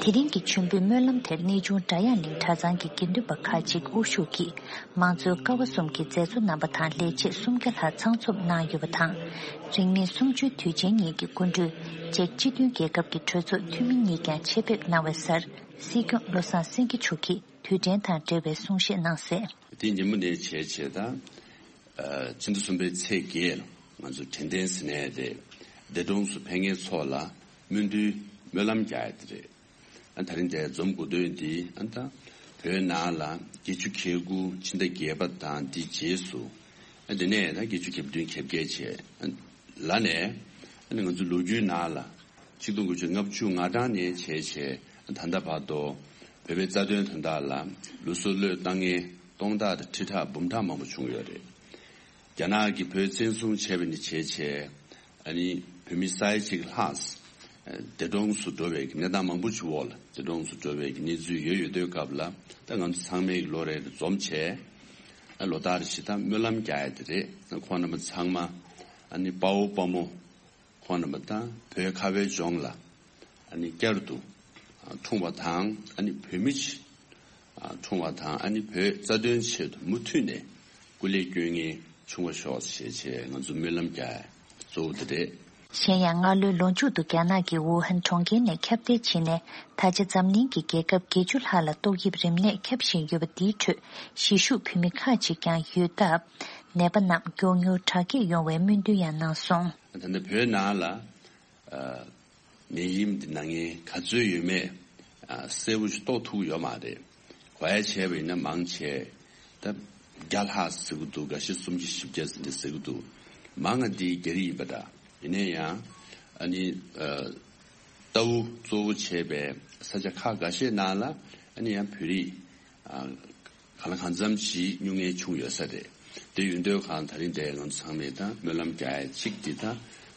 དེ་རིང་གི་མཆོད་འབུལ་སྨོན་ལམ་དེར་གནས་ཆུང་སྒྲ་དབྱངས་གླིང་གྲྭ་ཚང་གི་དགེ་འདུན་པ་ཁག་ཅིག་དབུ་བཞུགས་ཀྱིས་མང་གཙོའི་ཀ་བ་གསུམ་གྱི་མཛད་གཙོ་རྣམ་པ་དང་ལས་བྱེད་སུམ་བརྒྱ་ལྷག་ཚང་འཛོམས་གནང་ཡོད་པ་དང་། རིང་མིན་གསུམ་བཅུའི་དུས་ཆེན་ཉིན་གྱི་སྐུ་མགྲོན་ཅེཀ་སྤྱི་མཐུན་རྒྱལ་ཁབ་ཀྱི་གྲོས་ཚོགས་འཐུས་མི་གཉིས་ཀྱང་ཆེད་ཕེབས་གནང་བའི་སར་སྲིད་སྐྱོང་བློ་བཟང་སེང་གེ་མཆོག་གིས་དུས་དྲན་དང་འབྲེལ་བའི་གསུང་བཤད་གནང་གསལ། དེ་ཉིན་མོ་ནས་བྱས་བྱས་ད། ཨ། ཕྱི་ཟླ་གསུམ་པའི་ཚེས་བརྒྱད་ལ་ང་ཚོ་དྲན་རྟེན་ཟེར་ནའི་རེད། འདས་གྲོངས་སུ་ཕེབས་མཁན་ཚོ་ལ་སྨོན་འདུན་སྨོན་ལམ་རྒྱག་ཡ་དེ་རེད། ཨ། ད་རིང་འདིར་འཛོམས་དགོས་དོན་འདི་ཨ་ད་བོད་ནང་ལ་བརྒྱད་ཅུ་གྱ་དགུ་ཕྱི་ཟླ་བརྒྱད་པ་དང་འདི་རྗེས་སུ། ཨ། འདི་ནས་ད་བརྒྱད་ཅུ་གྱ་བདུན་གྱ་བརྒྱད་བྱས། ཨ། ལ་ནས་ཨ་ནི་ང་ཚོ་ལོ་རྒྱུས་ནང་ལ། ཆིག་སྟོང་དགུ་བརྒྱ་ལྔ་བཅུ་ང་གྲངས་ནས་བྱས་བྱས་ད་ལྟ་བར་དུ་བོད་པའི་རྩ་དོན་དོན་དག་ལ་ལུས་སྲོག་བློས་བཏང་མཁན་སྟོང་ཕྲག་དང་ཁྲི་ཕྲག་འབུམ་ཕྲག་མང་པོ་བྱུང་ཡོད་རེད། རྒྱ་ནག་གིས་བོད་བཙན་བཟུང་བྱས་པ་ནས་བྱས་བྱས་ཨ་ནི་བོད་མི་ས་ཡ་གཅིག་ལྷག་འདས་གྲོངས་སུ་འགྲོ་བའི་གནས་སྟངས་མང་པོ་ཞིག་འོག་ལ་འདས་གྲོངས་སུ་འགྲོ་བའི་གནས་ཚུལ་ཡོད་ཡོད་དུས་སྐབས་ལ་ད་ང་ཚོ་ཚང་མས་ལོ་རེ་རེ་འཛོམས་བྱས། ལོ་ལྟར་བཞིན་ད་སྨོན་ལམ་རྒྱག་ཡ་དེ་རེད། ཁོང་རྣམ་པ་ཚང་མ་ཨ་ནི་དཔའ་བོ་དཔའ་མོ་ཁོང་རྣམ་པ་དང་བོད་ཁ་བའི་ལྗོངས་ལ་ཨ་ནི་བསྐྱར་དུ་འཁྲུངས་པ་དང་ཨ་ནི་བོད་མི་ཆེད་འཁྲུངས་པ་དང་ཨ་ནི་བོད་རྩ་དོན་ཆེད་དུ་མུ་མཐུད་ནས་སྐུ་ལས་སྐྱོན་ངེས་བྱུང་བ་ཤོག་ཞེས་བྱས་ང་ཚོ་སྨོན་ལམ་རྒྱག་གཙོ་བོ་དེ་རེད། གཞན་ཡང་སྔ་ལོའི་ལོ་མཇུག་ཏུ་རྒྱ་ནག་གི་ཝུ་ཧན་གྲོང་ཁྱེར་ནས་ཁྱབ་གདལ་ཕྱིན་ནས་ད་ཆ་འཛམ་གླིང་གི་རྒྱལ་ཁབ་བརྒྱད་ཅུ་ལྷག་ལ་ཏོག་དབྱིབས་རིམས་ནད་ཁྱབ་བཞིན་ཡོད་པ་འདིའི་ཁྲོད་གཞིས་བཞུགས་བོད་མི་ཁག་ཅིག་ཀྱང་ཡོད་སྟབས་ནད་པ་རྣམས་མགྱོགས་མྱུར་དྲག་སྐྱེད་ཡོང་བའི་སྨོན་འདུན་ཡང་གནང་སོང་། ད་ལྟ་བོད་ནང་ལ་ནད་ཡམས་འདི་ན་མཁན་ག་ཚོད་ཡོད་མེད་གསལ་པོ་ཞིག་རྟོགས་ཐུབ་ཡོད་མ་རེད། གོ་ཡ་བྱས་པ་ཡིན་ན་མང་ཆེ་ད་བརྒྱ་ལྷག་ཟེར་གི་འདུག་འགའ་ཤས་སུམ་ཅུ་བཞི་བརྒྱ་ཟེར་འདི་ཟེར་གི་འདུག་མང་ང་འདི་རྒྱ་རིགས་ཡིན་པ་འདྲ། ཡིན་ན་ཡང་ཨ་ནི་ལྟ་བུ་གཙོ་བོ་བྱས་པའི་ས་ཆ་ཁག་འགའ་ཤས་ནང་ལ་ཨ་ནི་ཡང་བོད་རིགས་གང་ལ་གང་འཚམ་ཞིག་སྨྱུང་ངན་བྱུང་ཡོད་ས་རེད། དེ་ཡོད་དུས་གང་ད་རིང་འདིར་ང་ཚོ་ཚང་མས་ད་སྨོན་ལམ་རྒྱག་ཡ་གཅིག་འདི་ད་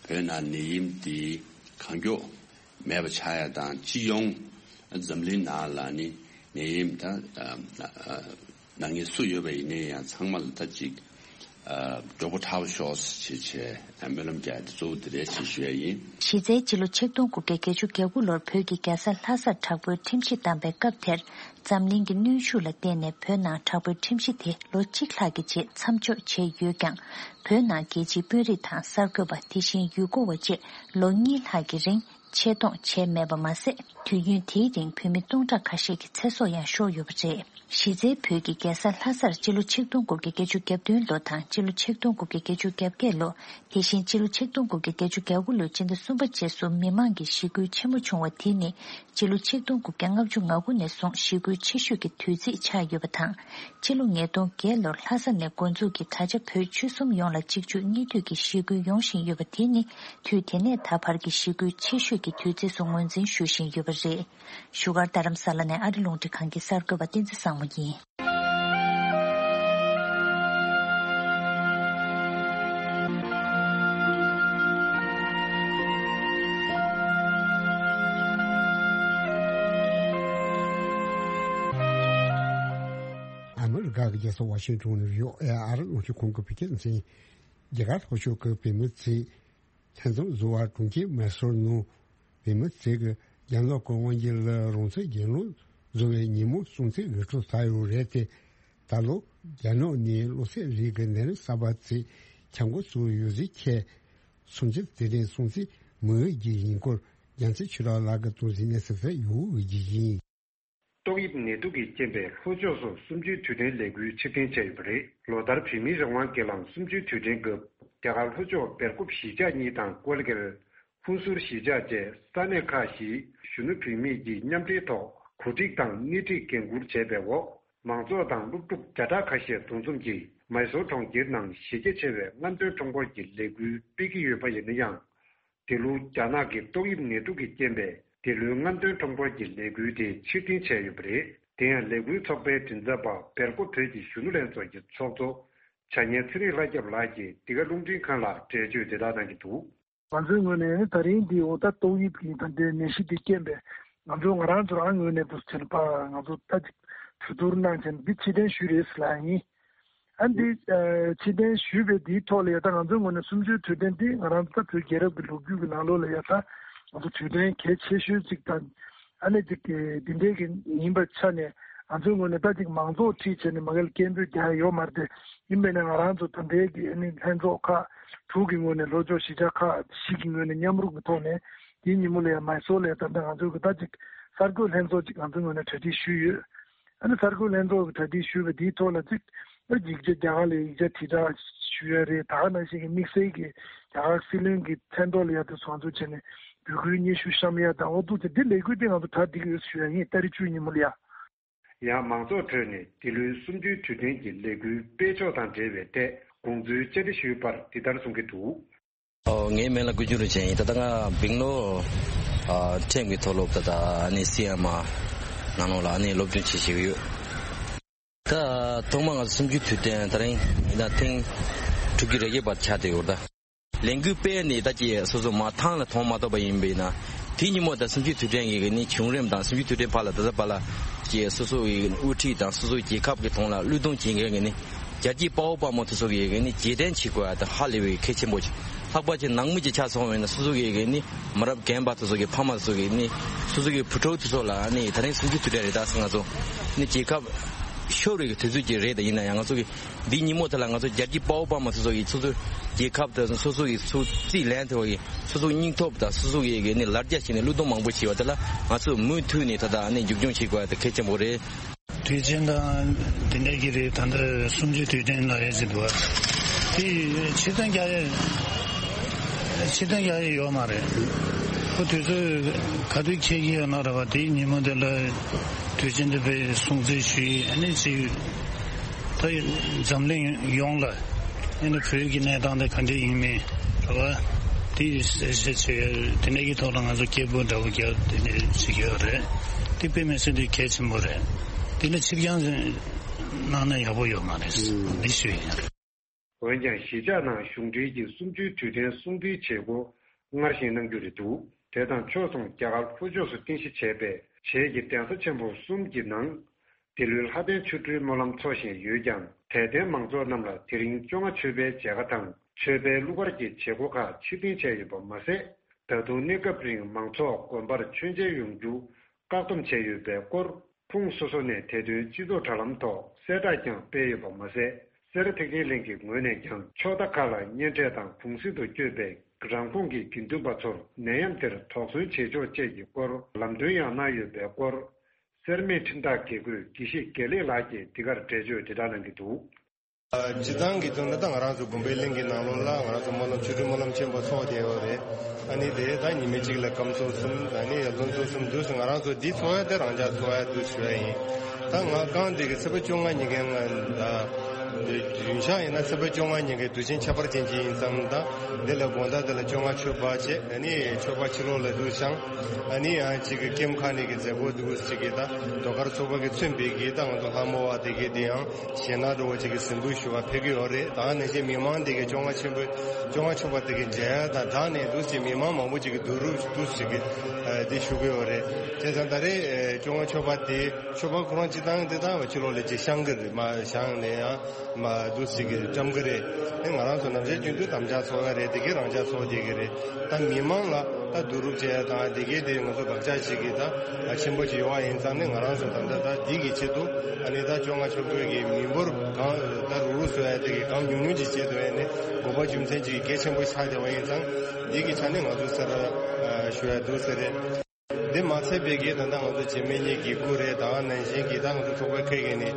བོད་ནང་ནད་ཡམས་འདི་གང་མགྱོགས་མེད་པ་ཆགས་ཡ་དང་སྤྱི་ཡོངས་འཛམ་གླིང་ནང་ལ་ནི་ནད་ཡམས་ད་ན་མཁན་སུ་ཡོད་པ་ཡིན་ན་ཡང་ཚང་མ་ལ་ད་ཅིག་མགྱོགས་པོ་དྲག་པོ་ཤོག་ཅེས་བྱས་སྨོན་ལམ་རྒྱག་ཡ་དེ་གཙོ་བོ་དེ་རེད་ཅེས་ཞུ་ཡ་ཡིན། གཞི་རྩའི་སྤྱི་ལོ་ཆིག་སྟོང་དགུ་བརྒྱ་བརྒྱད་ཅུ་གྱ་དགུ་ལོར་བོད་ཀྱི་རྒྱལ་ས་ལྷ་སར་དྲག་པོའི་ཁྲིམས་གཞི་བསྡམས་པའི་སྐབས་དེར། འཛམ་གླིང་གི་གནོན་ཤུགས་ལ་བརྟེན་ནས་བོད་ནང་དྲག་པོའི་ཁྲིམས་གཞི་དེ་ལོ་གཅིག་ལྷག་གི་རྗེས་མཚམས་འཇོག་བྱས་ཡོད་ཀྱང་། བོད་ནང་རྒྱལ་སྤྱིའི་དཔོན་རིགས་དང་གསར་འགོད་པ་དེ་བཞིན་ཡུལ་སྐོར་བ་བཅས་ལོ་གཉིས་ལྷག་གི་རིང་ཆེད་གཏོང་བྱས་མེད་པ་མ་ཟད། དུས་ཡུན་དེའི་རིང་བོད་མི་སྟོང་ཕྲག་ཁ་ཤས་ཀྱི་ཚེ་སྲོག་ཡང་ཤོར་ཡོད་པ་རེད། གཞི་རྩའི་བོད་ཀྱི་རྒྱལ་ས་ལྷ་སར་སྤྱི་ལོ་ཆིག་སྟོང་དགུ་བརྒྱ་བརྒྱད་ཅུ་གྱ་བདུན་ལོ་དང་སྤྱི་ལོ་ཆིག་སྟོང་དགུ་བརྒྱ་བརྒྱད་ཅུ་གྱ་བརྒྱད་ལོ། དེ་བཞིན་སྤྱི་ལོ་ཆིག་སྟོང་དགུ་བརྒྱ་བརྒྱད་ཅུ་གྱ་དགུ་ལོའི་སྤྱི་ཟླ་གསུམ་པ་རྗེས་སུ་མི་མང་གི་ཞི་རྒོལ་ཆེན་མོ་བྱུང་བ་དེ་ནི་སྤྱི་ལོ་ཆིག་སྟོང་དགུ་བརྒྱ་ལྔ་བཅུ་ང་དགུ་ནས་བཟུང་ཞི་རྒོལ་ཆེ་ཤོས་ཀྱི་དུས་ཚིགས་ཆགས་ཡོད་པ་དང་། ཕྱི་ལོ་ཉིས་སྟོང་བརྒྱད་ལོར་ལྷ་ས་ནས་འགོ་འཛུགས་ཀྱིས་ད་ཆ་བོད་ཆོལ་གསུམ་ཡོངས་ལ་གཅིག་མཇུག་གཉིས་མཐུད་ཀྱི་ཞི་རྒོལ་ཡོང་བཞིན་ཡོད་པ་དེ་ནི་དུས་དེ་ནས་ད་བར་གྱི་ཞི་རྒོལ་ཆེ་ཤོས་ཀྱི་དུས་ཚིགས་སུ་ངོས་འཛིན་ཞུ་བཞིན་ཡོད་པ་རེད། བཞུགས་སྒར་རྡ་རམ་ས་ལ་ནས་ཨ་རི་རླུང་འཕྲིན་ཁང་གི་གསར་འགོད་པ་བསྟན་འཛིན་བཟང་མོ་ཡིན། ཨ་མི་རི་ཀ་གི་རྒྱལ་ས་ཝ་ཤིང་ཏོན་ནས་ཡོད་ཨེ་ཨ་རི་རླུང་འཕྲིན་ཁང་གི་བོད་སྐད་སྡེ་ཚན། རྒྱ་གར་ལྷོ་ཕྱོགས་ཀྱི་བོད་མི་ཚོས་ལྷན་འཛོམས་བཟོ་བར་གྲོང་ཁྱེར་མེ་སོར་ནང་བོད་མི་ཚོས་ཀྱི་རྒྱ་ནག་གི་དབང་སྒྱུར་ལ་རང་བཙན་རྒྱལ་ལོ་བཟོ་བའི་ཉིན་མོ་སྲུང་བརྩི་འོས་སྤྲོད་བཏང་ཡོད་རེད་དེ། ད་ལོ་རྒྱ་ནག་ནས་བློ་སེམས་རིག་གི་ནད་རིམས་གསར་པ་ཚོས་ཁྱབ་འགོ་བཙུགས་ཡོད་ཟེར་ཁྱེད་སུམ་ཅུ་དེ་རིང་སྲུང་བརྩི་མི་འོས་ཀྱི་ཡིན་སྐོར་རྒྱལ་མཚན་ཆོས་གྲགས་ལགས་ཀྱིས་དོན་གཟིགས་ནས་གཟིགས་གསལ་ཡོད་འོས་ཀྱི་ཡིན། ཏོག་དབྱིབས་ནད་དུག་གི་རྐྱེན་པས་ལྷོ་ཕྱོགས་སུ་གསུམ་བཅུའི་དུས་དྲན་ལས་འགུལ་ཕྱིར་འཐེན་བྱས་ཡོད་པ་རེད། ལོ་ལྟར་བོད་མིའི་རང་དབང་སྒེར་ལངས་གསུམ་བཅུའི་དུས་དྲན་སྐབས་རྒྱ་གར་ལྷོ་ཕྱོགས་སྦེལ་ཀོབ་གཞིས་ཆགས་གཉིས་དང་ཀོལ་གྷལ། ཧུན་སུར་གཞིས་ཆགས་བཅས་ས་གནས་ཁག་བཞིའི་གཞོན་ནུ་བུད་མེད་ཀྱིས་མཉམ་འབྲེལ་ཐོག་གོ་སྒྲིག་དང་སྣེ་ཁྲིད་འགན་འཁུར་བྱས་པའི་འོག་མང་ཚོགས་དང་སློབ་ཕྲུག་བརྒྱ་ཕྲག་ཁ་ཤས་འདུ་འཛོམས་ཀྱིས་མའི་སོར་གྲོང་ཁྱེར་ནང་གཞི་རྒྱ་ཆེ་བའི་རྔམ་སྟོན་ཁྲོམ་སྐོར་གྱི་ལས་འགུལ་སྤེལ་གྱི་ཡོད་པ་ཡིན་ན་ཡང་། འདི་ལོ་རྒྱ་ནག་གི་ཏོག་དབྱིབས་ནད་དུག་གི་རྐྱེན་པས་འདི་ལོའི་རྔམ་སྟོན་ཁྲོམ་སྐོར་གྱི་ལས་འགུལ་དེ་ཕྱིར་འཐེན་བྱས་ཡོད་པ་རེད། དེ་ཡང་ལས་འགུལ་ཚོགས་པའི་མགྲིན་ཚབ་པ་སྦེལ་ཀོབ་བོད་ཀྱི་གཞོན་ནུ་ལྷན་ཚོགས་ཀྱི་ཚོགས་གཙོ་བྱ་ཉན་ཚེ་རིང་ལྷ་སྐྱབས་ལགས་ཀྱིས་འདི་ག་རླུང་འཕྲིན་ཁང་ལ་འགྲེལ་བརྗོད་དེ་དག་གནང་གི་འདུག་ང་ཚོའི་ངོས་ནས་ད་རིང་འདི་འོ་ད་ཏོག་དབྱིབས་ཀྱི་ད་ལྟའི་ནད་གཞི་འདི་རྐྱེན་པས་ང་ཚོ་ང་རང་ཚོ་རང་ངོས་ནས་འདུག་ཟེར་ན་ཕར་ང་ཚོ་ད་ཅིག་གྲོས་བསྡུར་གནང་བྱས་ནས་འདི་ཕྱིར་འཐེན་ཞུས་རེད་ཟེར་ལབ་ཡིན། ཨ་འདི་ཕྱིར་འཐེན་ཞུས་པའི་འདིའི་ཐོག་ལ་ཡ་ད་ང་ཚོའི་ངོས་ནས་གསུམ་བཅུའི་དུས་དྲན་འདི་ང་རང་ཚོ་ད་བོད་རྒྱལ་རབས་ཀྱི་ལོ་རྒྱུས་ཀྱི་ནང་ལོགས་ལ་ཡ་ད་ང་ཚོ་དུས་དྲན་གལ་ཆེ་ཤོས་ཅིག་དང་ཨ་ནི་ཅིག་འདི་འདྲའི་གི་ཡིན་པའི་ཆ་ནས་ང་ཚོའི་ངོས་ནས་ད་ཅིག་མང་ཚོགས་ཁྲིད་བྱས་ནས་མ་གལ་སྐད་འབོད་རྒྱག་ཡ་ཡོད་མ་རེད་དེ། ཡིན་པས་ན་ང་རང་ཚོ་ད་ལྟའི་གི་ཨ་ནི་ལྷན་ཚོགས་ཁག་དྲུག་གི་ངོས་ནས་ལྷོ་ཕྱོགས་གཞིས་ཆགས་ཁག་བཞི་གི་ངོས་ནས་མཉམ་རུབ་ཀྱི་ཐོག་ནས་དེའི་ཉིན་མོ་ལ་ཡ་མའི་སོར་ལ་ཡ་ད་ལྟ་ང་ཚོའི་གི་ད་ཅིག་གསར་འགོད་ལྷན་ཚོགས་ཅིག་ང་ཚོའི་ངོས་ནས་གྲ་སྒྲིག་ཞུས་ཡོད། ཨ་ནི་གསར་འགོད་ལྷན་ཚོགས་ཀྱི་གྲ་སྒྲིག་ཞུས་པ་དེའི་ཐོག་ལ་ཅིག་ཨ་ཡིག་ཆ་རྒྱ་གར་ལ་ཡིག་ཆ་དྲིལ་བསྒྲགས་ཞུ་ཡ་རེད། ད་ག་ནང་བཞིན་གྱི་དམིགས་བསལ་གྱི་རྒྱ་གར་སྲིད་བློན་གྱི་མཚན་ཐོག་ལ་ཡ་དེ་ཚོ་ང་ཚོ་བྱས་ནས་འབོད་སྐུལ་སྙན་ཞུ་བཤམས་ཡ་དང་འོ་འདུག་ཅེས་འདི་ལས་འགུལ་དེ་ང་ཚོ་གྲ་སྒྲིག་ཡོད་ཞུ་ཡ་ཡིན། ཏ་རིག་བཅུ་ཉིན་མོ་ལ་ཡ། ཡང་མང་ཚོགས་ཁྲོད་ནས་འདི་ལོའི་གསུམ་བཅུའི་དུས་དྲན་གྱི་ལས་འགུལ་སྤེལ་ཕྱོགས་དང་འབྲེལ་བའི་ཐད་དགོངས་ཚུལ་བཅར་འདྲི་ཞུས་པར་འདི་ལྟར་གསུང་གི་འདུག་ཨོ་ངའི་མིང་ལ་ཀུ་ཅུ་རིན་ཆེན་ཡིན། ད་ལྟ་ང་སྦིང་ལོར་ཨ་ཁྲིམས་ཀྱི་མཐོ་སློབ་ད་ལྟ་ཨ་ནི་སི་ཨེམ་ཨར་ནང་ལོགས་ལ་ཨ་ནི་སློབ་སྦྱོང་བྱེད་བཞིན་ཡོད། ད་ཐོག་མར་ང་ཚོ་གསུམ་བཅུའི་དུས་དྲན་ད་རིང་ཡིན་ན་ཐེངས་དྲུག་ཅུ་རེ་བརྒྱད་པ་ཆགས་བསྡད་ཡོད་ད། ལས་འགུལ་སྤེལ་ནས་ད་ཀྱི་སོ་སོ་མ་ཐང་ལ་མཐོང་མ་ཐུབ་པ་ཡིན་པས་ན། དེ་ཉིན་མོ་ད་གསུམ་བཅུའི་དུས་དྲན་གྱི་ནི་བྱུང་རིམ་དང་གསུམ་བཅུའི་དུས་དྲན་བར་ལ་ད་ལྟ་བར་ལ་ཀྱི་སོ་སོ་ཡི་དབུ་ཁྲིད་དང་སོ་སོའི་རྒྱལ་ཁབ་ཀྱི་ཐོག་ལ་བློས་གཏོང་བྱེད་མཁན་གྱི་ནི་ རྒྱལ་གཅེས་དཔའ་བོ་དཔའ་མོ་དེ་ཚོ་གི་ཡི་གེ་ནི་རྗེས་དྲན་བྱེད་དགོས་ཡ་དང་ཧ་ལས་པའི་གལ་ཆེན་པོ་ཆེ། ལྷག་པར་གྱི་ནང་མི་གྱི་ཆ་སོང་བས་ན་སོ་སོ་གི་ཡི་གེ་ནི་མི་རབས་རྒན་པ་དེ་ཚོ་གི་ཕ་མ་དེ་ཚོ་གི་ནི་སོ་སོ་གི་བུ་ཕྲུག་དེ་ཚོ་ལ་ནི་ད་རིང་གསུམ་བཅུའི་དུས་དྲན་རེད་ད་ཟེར། ང་ཚོ་ནི་རྒྱལ་ཁབ་ཤོར་བའི་དུས་ཚོད་ཅིག་རེད། ད་ཡིན་ན་ཡང་ང་ཚོ་གི་འདིའི་ཉིན་མོ་དེ་ལ་ང་ཚོ་རྒྱལ་གཅེས་དཔའ་བོ་དཔའ་མོ་དེ་ཚོ་གི་སོ་སོ་རྒྱལ་ཁབ་དེ་སོ་སོ་གི་སུ་རྩིས་ལེན་ཐུབ་པ་གི་སོ་སོ་སྙིང་སྟོབས་དང་སོ་སོ་གི་ཡི་གེ་ནི་ལ་རྒྱ་བྱས་ནས་བློས་གཏོང་མང་པོ་བྱས་པ་དེ་ལ་ང་ཚོ་མུ་མཐུད་ནས་ད་ལྟ་ནི་མཇུག་སྐྱོང་བྱེད་དགོས་ཡ་དེ་གལ་ཆེན་པོ་རེད། དུས་ཆེན་དང་དེ་འདྲ་གི་རེད། ད་ལྟ་གསུམ་བཅུའི་དུས་དྲན་ལ་ཡོད་ཟེར་འདུག་བ། དེ་ཕྱིར་འཐེན་རྒྱག་ཡས་ཕྱིར་འཐེན་རྒྱག་ཡས་ཡོད་མ་རེད། ཁོ་དུས་ཚོད་ག་དུས་འཁེལ་གྱི་ཡོད་ན་ར་བ། དེའི་ཉིན་མོ་དེ་ལ་དུས་ཆེན་དེ་དཔེ་སྲུང་བརྩི་ཞུ་ཡས། ཨ་ནི་ཅིག་ད་འཛམ་གླིང་ཡོངས་ལ་ཨ་ནི་བོད་ཀྱི་གནས་སྟངས་དེ་ག་འདྲ་ཡིན་མིན་ར་བ། དེ་གསལ་བཤད་བྱེད་ཡས་དེ་འདྲ་གི་ཐོག་ལ་ང་ཚོ་སྐད་འབོད་འདྲ་བོ་རྒྱག་དེ་འདྲ་བྱེད་ཀྱི་ཡོད་རེད། དེ་དཔེ་མི་སྲིད་དེ་གལ་ཆེན་པོ་རེད། དེ་ལ་ཕྱིར་འགྱངས་གནང་ན་ཡག་པོ་ཡོད་མ་རེད། འདི་ཞུ་ཡིན། འོན་ཀྱང་གཞིས་ཆགས་ནང་གཞུང་འབྲེལ་གྱི་གསུམ་བཅུའི་དུས་དྲན་སྲུང་བརྩིའི་བྱེད་སྒོ་སྔར་བཞིན་གནང་རྒྱུ་རེད་འདུག་དེ་དང་ཕྱོགས་མཚུངས་རྒྱ་གར་ལྷོ་ཕྱོགས་སུ་རྟེན་གཞི་བྱས་པའི་བྱེས་ཀྱི་གདན་ས་ཆེན་པོ་གསུམ་གྱི་ནང་འདི་ལོའི་ལྷ་ལྡན་ཆོ་འཕྲུལ་སྨོན་ལམ་འཚོགས་བཞིན་ཡོད་ཀྱང་། དད་ལྡན་མང་ཚོགས་རྣམས་ལ་དེ་རིང་བཅོ་ལྔ་མཆོད་པའི་མཇལ་ཁ་དང་མཆོད་པའི་གླུ་གར་གྱི་བྱེད་སྒོ་ཁག་ཕྱིར་འཐེན་བྱས་ཡོད་པ་མ་ཟད། ད་དུང་གནས་སྐབས་རིང་མང་ཚོགས་དགོན་པར་མཆོད་མཇལ་ཡོང་རྒྱུ་བཀག་སྡོམ་བྱས་ཡོད་པའི་སྐོར། ཁོངས་སོ་སོ་ནས་དེ་དོན་སྤྱི་ཚོགས་དྲ་ལམ་ཐོག་གསལ་བསྒྲགས་ཀྱང་སྤེལ་ཡོད་པ་མ་ཟད། སེ་ར་ཐེག་ཆེན་གླིང་གི་ངོས་ནས་ཀྱང་ཕྱོགས་མཐའ་ཁག་ལ་གཉེན་འཕྲད་དང་གུང་གསེང་དུ་བསྐྱོད་པའི་རང་ཁོངས་ཀྱི་དགེ་འདུན་པ་ཚོར་ནད་ཡམས་དེར་དོགས་ཟོན་བྱེད་ཕྱོགས་བཅས་ཀྱི་སྐོར་ལམ་སྟོན་ཡང་གནང་ཡོད་པའི་སྐོར། སེར་སྨད་ཁྲིམས་བདག་དགེ་བསྐོས་དགེ་བཤེས་དགེ་ལེགས་ལགས་ཀྱིས་འདི་གར་འགྲེལ་བརྗོད་དེ་ལྟར་གནང་གི་འདུག། སྤྱིར་བཏང་གི་དོན་ལ་ད་ང་རང་ཚོ་དགོན་པའི་གླིང་གི་ནང་ལོགས་ལ་ང་རང་ཚོ་སྨོན་ལམ་ཆོ་འཕྲུལ་སྨོན་ལམ་ཆེན་པོ་ཚོགས་བསྡད་ཡོད་རེད། ཨ་ནི་དེ་ད་ཉི་མ་གཅིག་ལ་སྐབས་ཚོགས་གསུམ། ཨ་ནི་ཡར་ལངས་ཚོགས་གསུམ་དུས་སུ་ང་རང་ཚོ་འདི་ཚོགས་ཡ་དེ་རང་འཇགས་ཚོགས་ཡ་དུས་ཞུ་ཡ་ཡིན། ད་ང་རྐང་འདི་གི་ཚེས་པ་བཅོ་ལྔ་ཉིན་གན་ང་ད་རྒྱུན་ཆགས་ཡིན་ན་ཚེས་པ་བཅོ་ལྔ་ཉིན་གན་དུས་ཆེན་ཁྱད་པར་ཅན་ཅིག་ཡིན་ཙང་། ད་འདི་ལ་དགོང་དག་འདི་ལ་བཅོ་ལྔ་མཆོད་པ་བྱས། ཨ་ནི་མཆོད་པ་ཕྱི་ལོགས་ལ་འདུག་བཞེངས། ཨ་ནི་ཡང་གཅིག་གི་ཀེམ་ཁ་ནས་གི་མཛད་སྒོ་འདུག་ཅིག་གི་ད་ཟློས་གར་ཚོགས་པ་གི་མཚོན་པའི་གི་ད་ང་ཚོ་ལྷ་མོ་བ་དེ་གི་དེ་ཡང་གཞས་སྣ་འགྲོ་བ་ཅིག་གི་གཟིགས་འབུལ་ཞུ་བ་ཕེབས་ཀྱི་ཡོད་རེད། ད་ནང་བཞིན་མི་མང་དེ་གི་བཅོ་ལྔ་ཆེན་པོ་བཅོ་ལྔ་མཆོད་པ་དེ་གི་མཇལ་ཡ་དང་སྦྲགས་ནས་འདུག་ཅིག་མི་མང་མང་པོ་ཅིག་གི་བསྡུ་རུབ་འདུག་ཅིག་གི་དེ་ཞུ་གི་ཡོད་རེད། བྱས་ཙང་ད་རེས་བཅོ་ལྔ་མཆོད་པ་དེ་མཆོད་པ་ཁོ་རང་སྤྱི་བཏང་དེ་ད་ཕྱི་ལོགས་ལ་ཅིག་བཞེངས་གི་རེད། མ་བཞེངས་ནས་ཡང་མ་འདུག་ཅིག་གི་བཀྲམ་གི་རེད། དེ་ང་རང་ཚོ་ནམ་རྒྱུན་རྒྱུན་དུ་དམ་བཅའ་ཚོགས་ཡ་རེད། དེ་གའི་རང་འཇགས་ཚོགས་བསྡད་གི་རེད། ད་མི་མང་ལ་ད་བསྡུ་རུབ་བྱས་ཡ་དང་དེ་གའི་དེ་ང་ཚོ་དགག་བྱ་ཞིག་གི་ད་ཆེན་པོ་ཅིག་ཡོད་པ་ཡིན་ཙང་ནི། ང་རང་ཚོ་ད་ལྟ་ད་འདི་གི་ཆེད་དུ་ཨ་ནི་ད་བཅོ་ལྔ་མཆོད་འབུལ་གི་མི་འབོར་གང་ད་རུག་རུག་བཟོ་ཡ་དེ་གི་གང་ཉུང་ཉུང་ཅིག་བྱེད་ཐུབ་ཡ་ནི་དགོས་པ་རྒྱུ་མཚན་ཅིག་གལ་ཆེན་པོ་ཆགས་བསྡད་པ་ཡིན་ཙང་། འདི་གི་ཆ་ནས་ང་ཚོ་སེ་ར་ཞུ་ཡ་འདུག་ཟེར་རེད། འདི་མ་ཚད་པའི་གི་ད་ལྟ་ང་ཚོ་བྱེས་སྨད་གཉིས་དགེ་བསྐོས་རེད། ད་ག་ནང་བཞིན་གི་ད་ང་ཚོ་ཚོགས་པའི་ཁ་གི་ནི་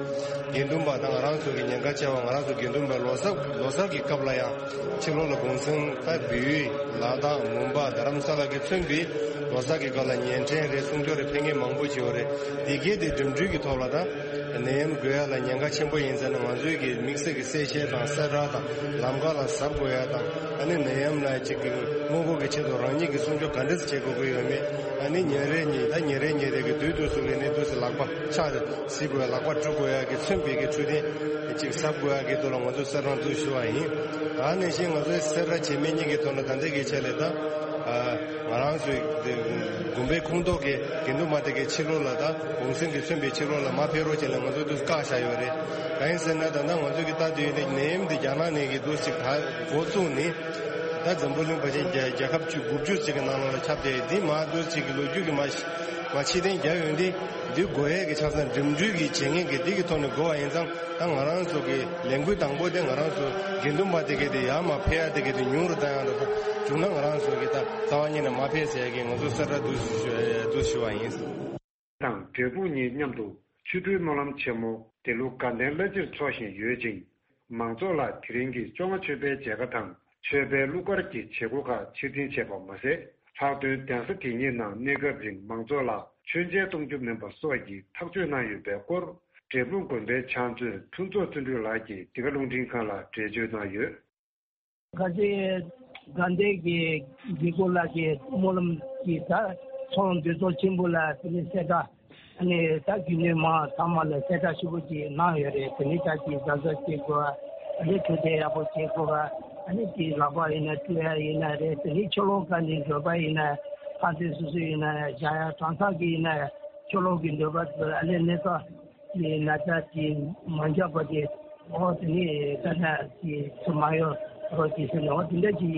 དགེ་འདུན་པ་དང་ང་རང་ཚོ་གི་ཉེན་ཁ་ཆེ་བ་ང་རང་ཚོ་དགེ་འདུན་པ་ལོ་གསར་ལོ་གསར་གི་སྐབས་ལ་ཡང་ཕྱི་ལོགས་ལ་གུང་སེང་ད་བལ་ཡུལ་ལ་དྭགས་མོན་པ་རྡ་རམ་ས་ལ་གི་མཚོན་པའི་ལོ་གསར་གི་སྐབས་ལ་གཉེན་འཕྲད་རེད། གསུང་ཆོས་རེད། ཕེབས་མཁན་མང་པོ་ཅིག་ཡོད་རེད། དེ་གའི་དེ་འགྲིམ་འགྲུལ་གྱི་ཐོག་ལ་ད་ནད་ཡམས་འགོས་ཡ་ལ་ཉེན་ཁ་ཆེན་པོ་ཡིན་ཟེར་ན། ང་ཚོའི་གི་དམིགས་བསལ་གྱི་གསལ་བཤད་དང་གསལ་བསྒྲགས་དང་ལམ་ཁ་ལ་གཟབ་དགོས་ཡ་དང་། ཨ་ནི་ནད་ཡམས་ལ་ཅིག་གི་སྔོན་འགོག་གི་ཆེད་དུ་རང་ཉིད་ཀྱི་སྲུང་སྐྱོབ་ག་འདྲས་བྱེད་དགོས་ཀྱི་ཡོད་མེད། ཨ་ནི་ཉིན་རེ་ཉིན་ད་ཉིན་རེ་ཉིན་རེ་གི་དུས་དུས་སུ་གི་ནི་དུས་སུ་ལག་པ་ཕྱག་བསིལ་དགོས་ཡ། ལག་པ་བཀྲུ་དགོས་ཡ་གི་མཚོན་པའི་གི་འཕྲོད་བསྟེན་ཅིག་གཟབ་དགོས་ཡ་གི་ཐོག་ལ་ང་ཚོས་གསལ་བསྒྲགས་འདུག་ཞུ་བ་ཡིན། ད་ནང་བཞིན་ང་ཚོའི་སེ་ར་བྱེས་སྨད་གཉིས་ཀྱི་ཐོག་ལ་ད་ལྟའི་གི་ཆ་ལས་ད་ང་རང་ཚོའི་དགོན་པའི་ཁོངས་གཏོགས་ཀྱི་དགེ་འདུན་པ་དེ་གའི་ཕྱི་ལོགས་ལ་ད་གུང་སེང་གི་མཚོན་པའི་ཕྱི་ལོགས་ལ་མ་ཕེབས་རོགས་བྱས་ལ་ང་ཚོ་དུས་བཀག་བཞག་ཡོད་རེད། གང་ཡིན་ཟེར་ན་ད་ལྟ་ང་ཚོ་གི་ལྟ་དུས་ཡིན་ན་ནད་ཡམས་འདི་རྒྱ་ནག་ནས་གི་འདུག་ཅིག་ད་འགོ་བཙུགས་ནས་ད་འཛམ་བུ་གླིང་ཕལ་ཆེར་རྒྱ་རྒྱལ་ཁབ་བཅུ་དགུ་བཅུ་ཅིག་གི་ནང་ལོགས་ལ་ཁྱབ་བསྡད་ཡོད། འདི་མ་འདུག་ཅིག་གི་ལོ་རྒྱུས་ཀྱི་མ་མ་ཕྱིར་འཐེན་རྒྱག་ཡོང་དུས་འདི་དགོས་ཡས་ཀྱི་ཆ་ཚང་འགྲིམ་འགྲུལ་གྱི་བྱེད་མཁན་གྱི་འདི་གི་ཐོག་ནས་དགོས་པ་ཡིན་ཙང་། ད་ང་རང་ཚོ་གི་ལས་འགུལ་དང་པོ་དེ་ང་རང་ཚོ་དགེ་འདུན་པ་དེ་གའི་དེ་ཡར་མར་ཕེབས་ཡ་དེ་གའི་དེ་ཉུང་རུ་བཏང་ཡ་འདྲ་པོ་བྱུང་ན། ང་རང་ཚོ་གི་ད་རྩ་བ་ཉིད་ནས་མ་ཕེབས་ཟེར་ཡ་གི་ང་ཚོ་གསལ་བསྒྲགས་འདུག་ཞུ་འདུག་ཞུ་བ་ཡིན། དང་འབྲས་སྤུངས་གཉིས་མཉམ་དུ་ཆོ་འཕྲུལ་སྨོན་ལམ་ཆེན་མོ་དེ་ལོ་དགའ་ལྡན་བླ་སྤྱིར་འཚོགས་བཞིན་ཡོད་ཅིང་། མང་ཚོགས་ལ་དེ་རིང་གི་བཅོ་ལྔ་མཆོད་པའི་མཇལ་ཁ་དང་མཆོད་པའི་གླུ་གར་གྱི་བྱེད་སྒོ་ཁག་ཕྱིར་འཐེན་བྱས་པ་མ་ཟད། ལྷག་དོན་གདན་ས་དེ་གཉིས་ནང་གནས་སྐབས་རིང་མང་ཚོགས་ལ་མཆོད་མཇལ་གཏོང་རྒྱུ་མིན་པ་སོགས་ཀྱི་ཐག་གཅོད་གནང་ཡོད་པའི་སྐོར། འབྲས་སྤུངས་དགོན་པའི་ཕྱག་མཛོད་ཕུན་ཚོགས་བརྩོན་འགྲུས་ལགས་ཀྱིས་འདི་ག་རླུང་འཕྲིན་ཁང་ལ་འགྲེལ་བརྗོད་གནང་ཡོད། ཁ་ཆེ་དགའ་ལྡན་གྱི་དགེ་སྐོས་ལགས་ཀྱིས་སྨོན་ལམ་གྱི་ད་ཚོགས་འདུ་ཚོགས་ཆེན་པོ་ལ་དེ་ནས་གསལ་བསྒྲགས། ཨ་ནི་ད་རྒྱུན་ལས་མང་ཚང་མ་ལ་གསལ་བསྒྲགས་ཞུ་བ་ཅིག་གནང་ཡོད་རེད། དེ་ནི་ད་ཅིག་གཟབ་གཟབ་བྱེད་དགོས། ཨ་ནི་འཕྲོད་བསྟེན་ཡག་པོ་བྱེད་དགོས། ཨ་ནི་ཅིག་ལག་པ་ཡིན་ན་བཀྲུ་ཡ་ཡིན་ན་རེད། དེ་ནི་ཕྱི་ལོགས་ག་ནས་འགྲོ་པ་ཡིན་ན་ཕར་ཚུར་སོ་སོ་ཡིན་ན་བཞག་ཡ་གྲང་ཐག་གི་ཡིན་ན་ཕྱི་ལོགས་ཀྱི་འགྲོ་པ་ཚོ་ཨ་ནི་གནས་ཚང་གི་ན་ཚ་ཅིག་མ་འཇགས་པ་ཅིག་ཨོ་དེ་ནི་ས་ཆ་གི་ཚུར་མ་ཡོང་རོགས་གྱིས་ཟེར་ནས། ཨོ་དེ་འདྲ་གྱི་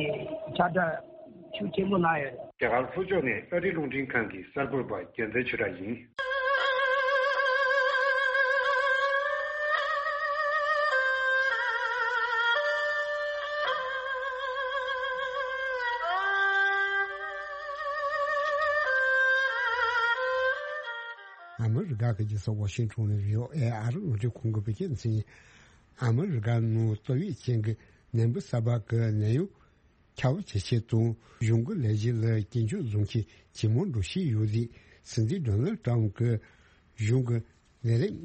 ཁྱབ་བསྒྲགས་ཤུགས་ཆེན་པོ་གནང་ཡོད། རྒྱ་གར་ལྷོ་ཕྱོགས་ནས་ཨ་རི་རླུང་འཕྲིན་ཁང་གི་གསར་འགོད་པ་རྒྱལ་མཚན་ཆོས་གྲགས་ཡིན། ཨ་མི་རི་ཀ་གི་རྒྱལ་ས་ཝ་ཤིང་ཊོན་ནས་བྷི་ཨོ་ཨེ་ཨ་རི་རླུང་འཕྲིན་ཁང་གི་བོད་སྐད་སྡེ་ཚན། ཨ་མི་རི་ཀ་ནང་ཏོག་དབྱིབས་ཅན་གྱི་ནད་འབུ་གསར་པ་གི་ནད་ཡམས་ཁྱབ་ཆེ་ཆེད་དང་གཞུང་གི་ལས་གཞི་ལ་སྐྱིན་འཇུག་བཟོ་མཁན་ཇེ་མང་འགྲོ་བཞིན་ཡོད་དུས། སྲིད་འཛིན་ཌོ་ནལ་ཊམ་གྱི་གཞུང་གི་ལས་རིམ་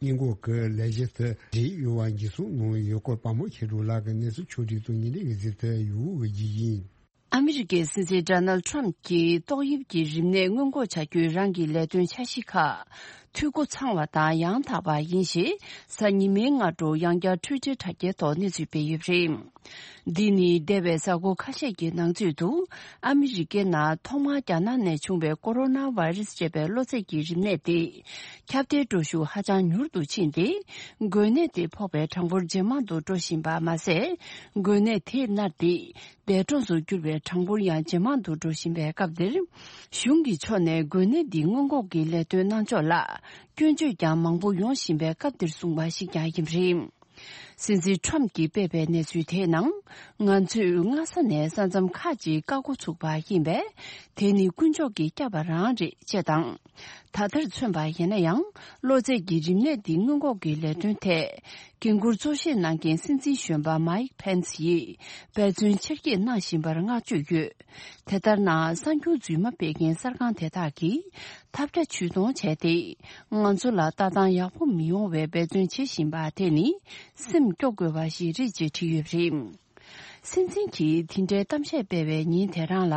སྔོན་འགོག་གི་ལས་གཞི་དེ་འབྲེལ་ཡོད་པ་འགྱུར་སོང་གནང་ཡོད་སྐོར་དཔའ་མོ་མཁྱེན་གྲོལ་ལགས་ཀྱི་གནས་ཚུལ་ཕྱོགས་སྒྲིག་དང་ཉིན་རེ་གི་གཟིགས་ཏེ་ཡུ་གུ་བརྒྱུད་ཡིན། ཨ་མི་རི་ཀའི་སྲིད་འཛིན་ཌོ་ནལ་ཊམ་གྱིས་ཏོག་དབྱིབས་ཀྱི་རིམས་ནད་སྔོན་འགོག་བྱ་རྒྱུའི་རང་གི་ལས་དོན་འཆར་གཞི་ཁག་འཐུས་སྒོ་ཚང་བ་དང་ཡང་དག་པ་ཡིན་ཞེས་གཟའ་ཉི་མའི་སྔ་དྲོ་ཡང་བསྐྱར་ཊུའི་ཊར་དྲ་རྒྱའི་ཐོག་གནས་ཚུལ་སྤེལ་ཡོད་པ་རེད། འདི་ནི་འདས་པའི་གཟའ་འཁོར་ཁ་ཤས་ཀྱི་ནང་ཚུད་དུ་ཨ་མི་རི་ཀའི་ནང་ཐོག་མར་རྒྱ་ནག་ནས་བྱུང་བའི་ཀོ་རོ་ན་བྷའི་རེ་སི་ཅེས་པའི་གློ་ཚད་ཀྱི་རིམས་ནད་དེ་ཁྱབ་གདལ་འགྲོ་ཤུགས་ཧ་ཅང་མྱུར་དུ་ཕྱིན་ཏེ། འགོས་ནད་དེ་ཕོག་པའི་གྲངས་འབོར་ཇེ་མང་དུ་འགྲོ་བཞིན་པ་མ་ཟད། འགོས་ནད་དེས་མནར་ཏེ་འདས་གྲོངས་སུ་གྱུར་པའི་གྲངས་འབོར་ཡང་ཇེ་མང་དུ་འགྲོ་བཞིན་པའི་སྐབས་འདིར། གཞུང་གི་ཕྱོགས་ནས་འགོས་ནད་འདི་སྔོན་འགོག་གི་ལས་དོན་གནང་ཕྱོགས་ལ་སྐྱོན་བརྗོད་ཀྱང་མང་པོ་ཡོང་བཞིན་པའི་སྐབས་འདིར་གསུངས་པ་ཞིག་ཀྱང་ཡིན་པ་རེད། སྲིད་འཛིན་ཊམ་གྱིས་སྤེལ་བའི་གནས་ཚུལ་དེའི་ནང་། ང་ཚོས་སྔ་ས་ནས་ས་མཚམས་ཁག་ཅིག་བཀག་འགོ་ཚུགས་པ་ཡིན་པས། དེ་ནི་དཀོན་མཆོག་གིས་བསྐྱབས་པ་རང་རེད་ཅེས་དང་། ད་ལྟར་མཚོན་པ་ཡིན་ན་ཡང་། གློ་ཚད་ཀྱི་རིམས་ནད་འདི་སྔོན་འགོག་གི་ལས་དོན་ཐད། འགན་འཁུར་གཙོ་བཞེས་གནང་མཁན་སྲིད་འཛིན་གཞོན་པ་མའིག་ཕེན་སི་ཡིས་འབད་བརྩོན་ཆེར་སྐྱེད་གནང་བཞིན་པར་བསྔགས་བརྗོད་ཡོད། དེ་ལྟར་ན། གསར་འགྱུར་རྫུན་མ་སྤེལ་མཁན་གསར་ཁང་དེ་དག་གིས་ཐབས་བརྒྱ་ཇུས་སྟོང་བྱས་ཏེ། ང་ཚོ་ལ་ལྟ་སྟངས་ཡག་པོ་མི་ཡོང་བའི་འབད་བརྩོན་བྱེད་བཞིན་པ་དེ་ནི་སེམས་སྐྱོ་དགོས་པ་ཞིག་རེད་ཅེས་བྲིས་ཡོད་པ་རེད། སྲིད་འཛིན་གྱིས་དེ་འདྲའི་གཏམ་བཤད་སྤེལ་བའི་ཉིན་དེ་རང་ལ།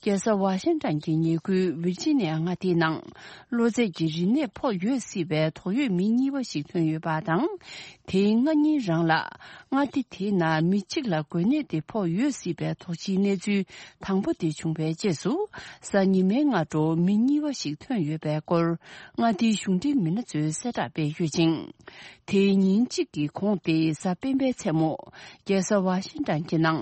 རྒྱལ་ས་ཝ་ཤིང་ཊོན་གྱི་ཉེ་ཁུལ་ཝིར་ཇི་ནི་ཡ་མངའ་སྡེའི་ནང་། གློ་ཚད་ཀྱི་རིམས་ནད་ཕོག་ཡོད་སྲིད་པའི་དོགས་ཡོད་མི་གཉིས་པ་ཞིག་ཐོན་ཡོད་པ་དང་། དེའི་སྔ་ཉིན་རང་ལ། མངའ་སྡེ་དེའི་ནང་མི་གཅིག་ལ་འགོས་ནད་དེ་ཕོག་ཡོད་སྲིད་པའི་དོགས་གཞིའི་གནས་ཚུལ་དང་པོ་དེ་བྱུང་བའི་རྗེས་སུ། གཟའ་ཉི་མའི་སྔ་དྲོ་མི་གཉིས་པ་ཞིག་ཐོན་ཡོད་པའི་སྐོར། མངའ་སྡེའི་གཞུང་འབྲེལ་མི་སྣ་ཚོས་གསལ་བསྒྲགས་སྤེལ་ཡོད་ཅིང་། དེའི་ཉིན་གཅིག་གི་གོང་སྟེ་གཟའ་སྤེན་པའི་མཚན་མོ། རྒྱལ་ས་ཝ་ཤིང་ཊོན་གྱི་ནང་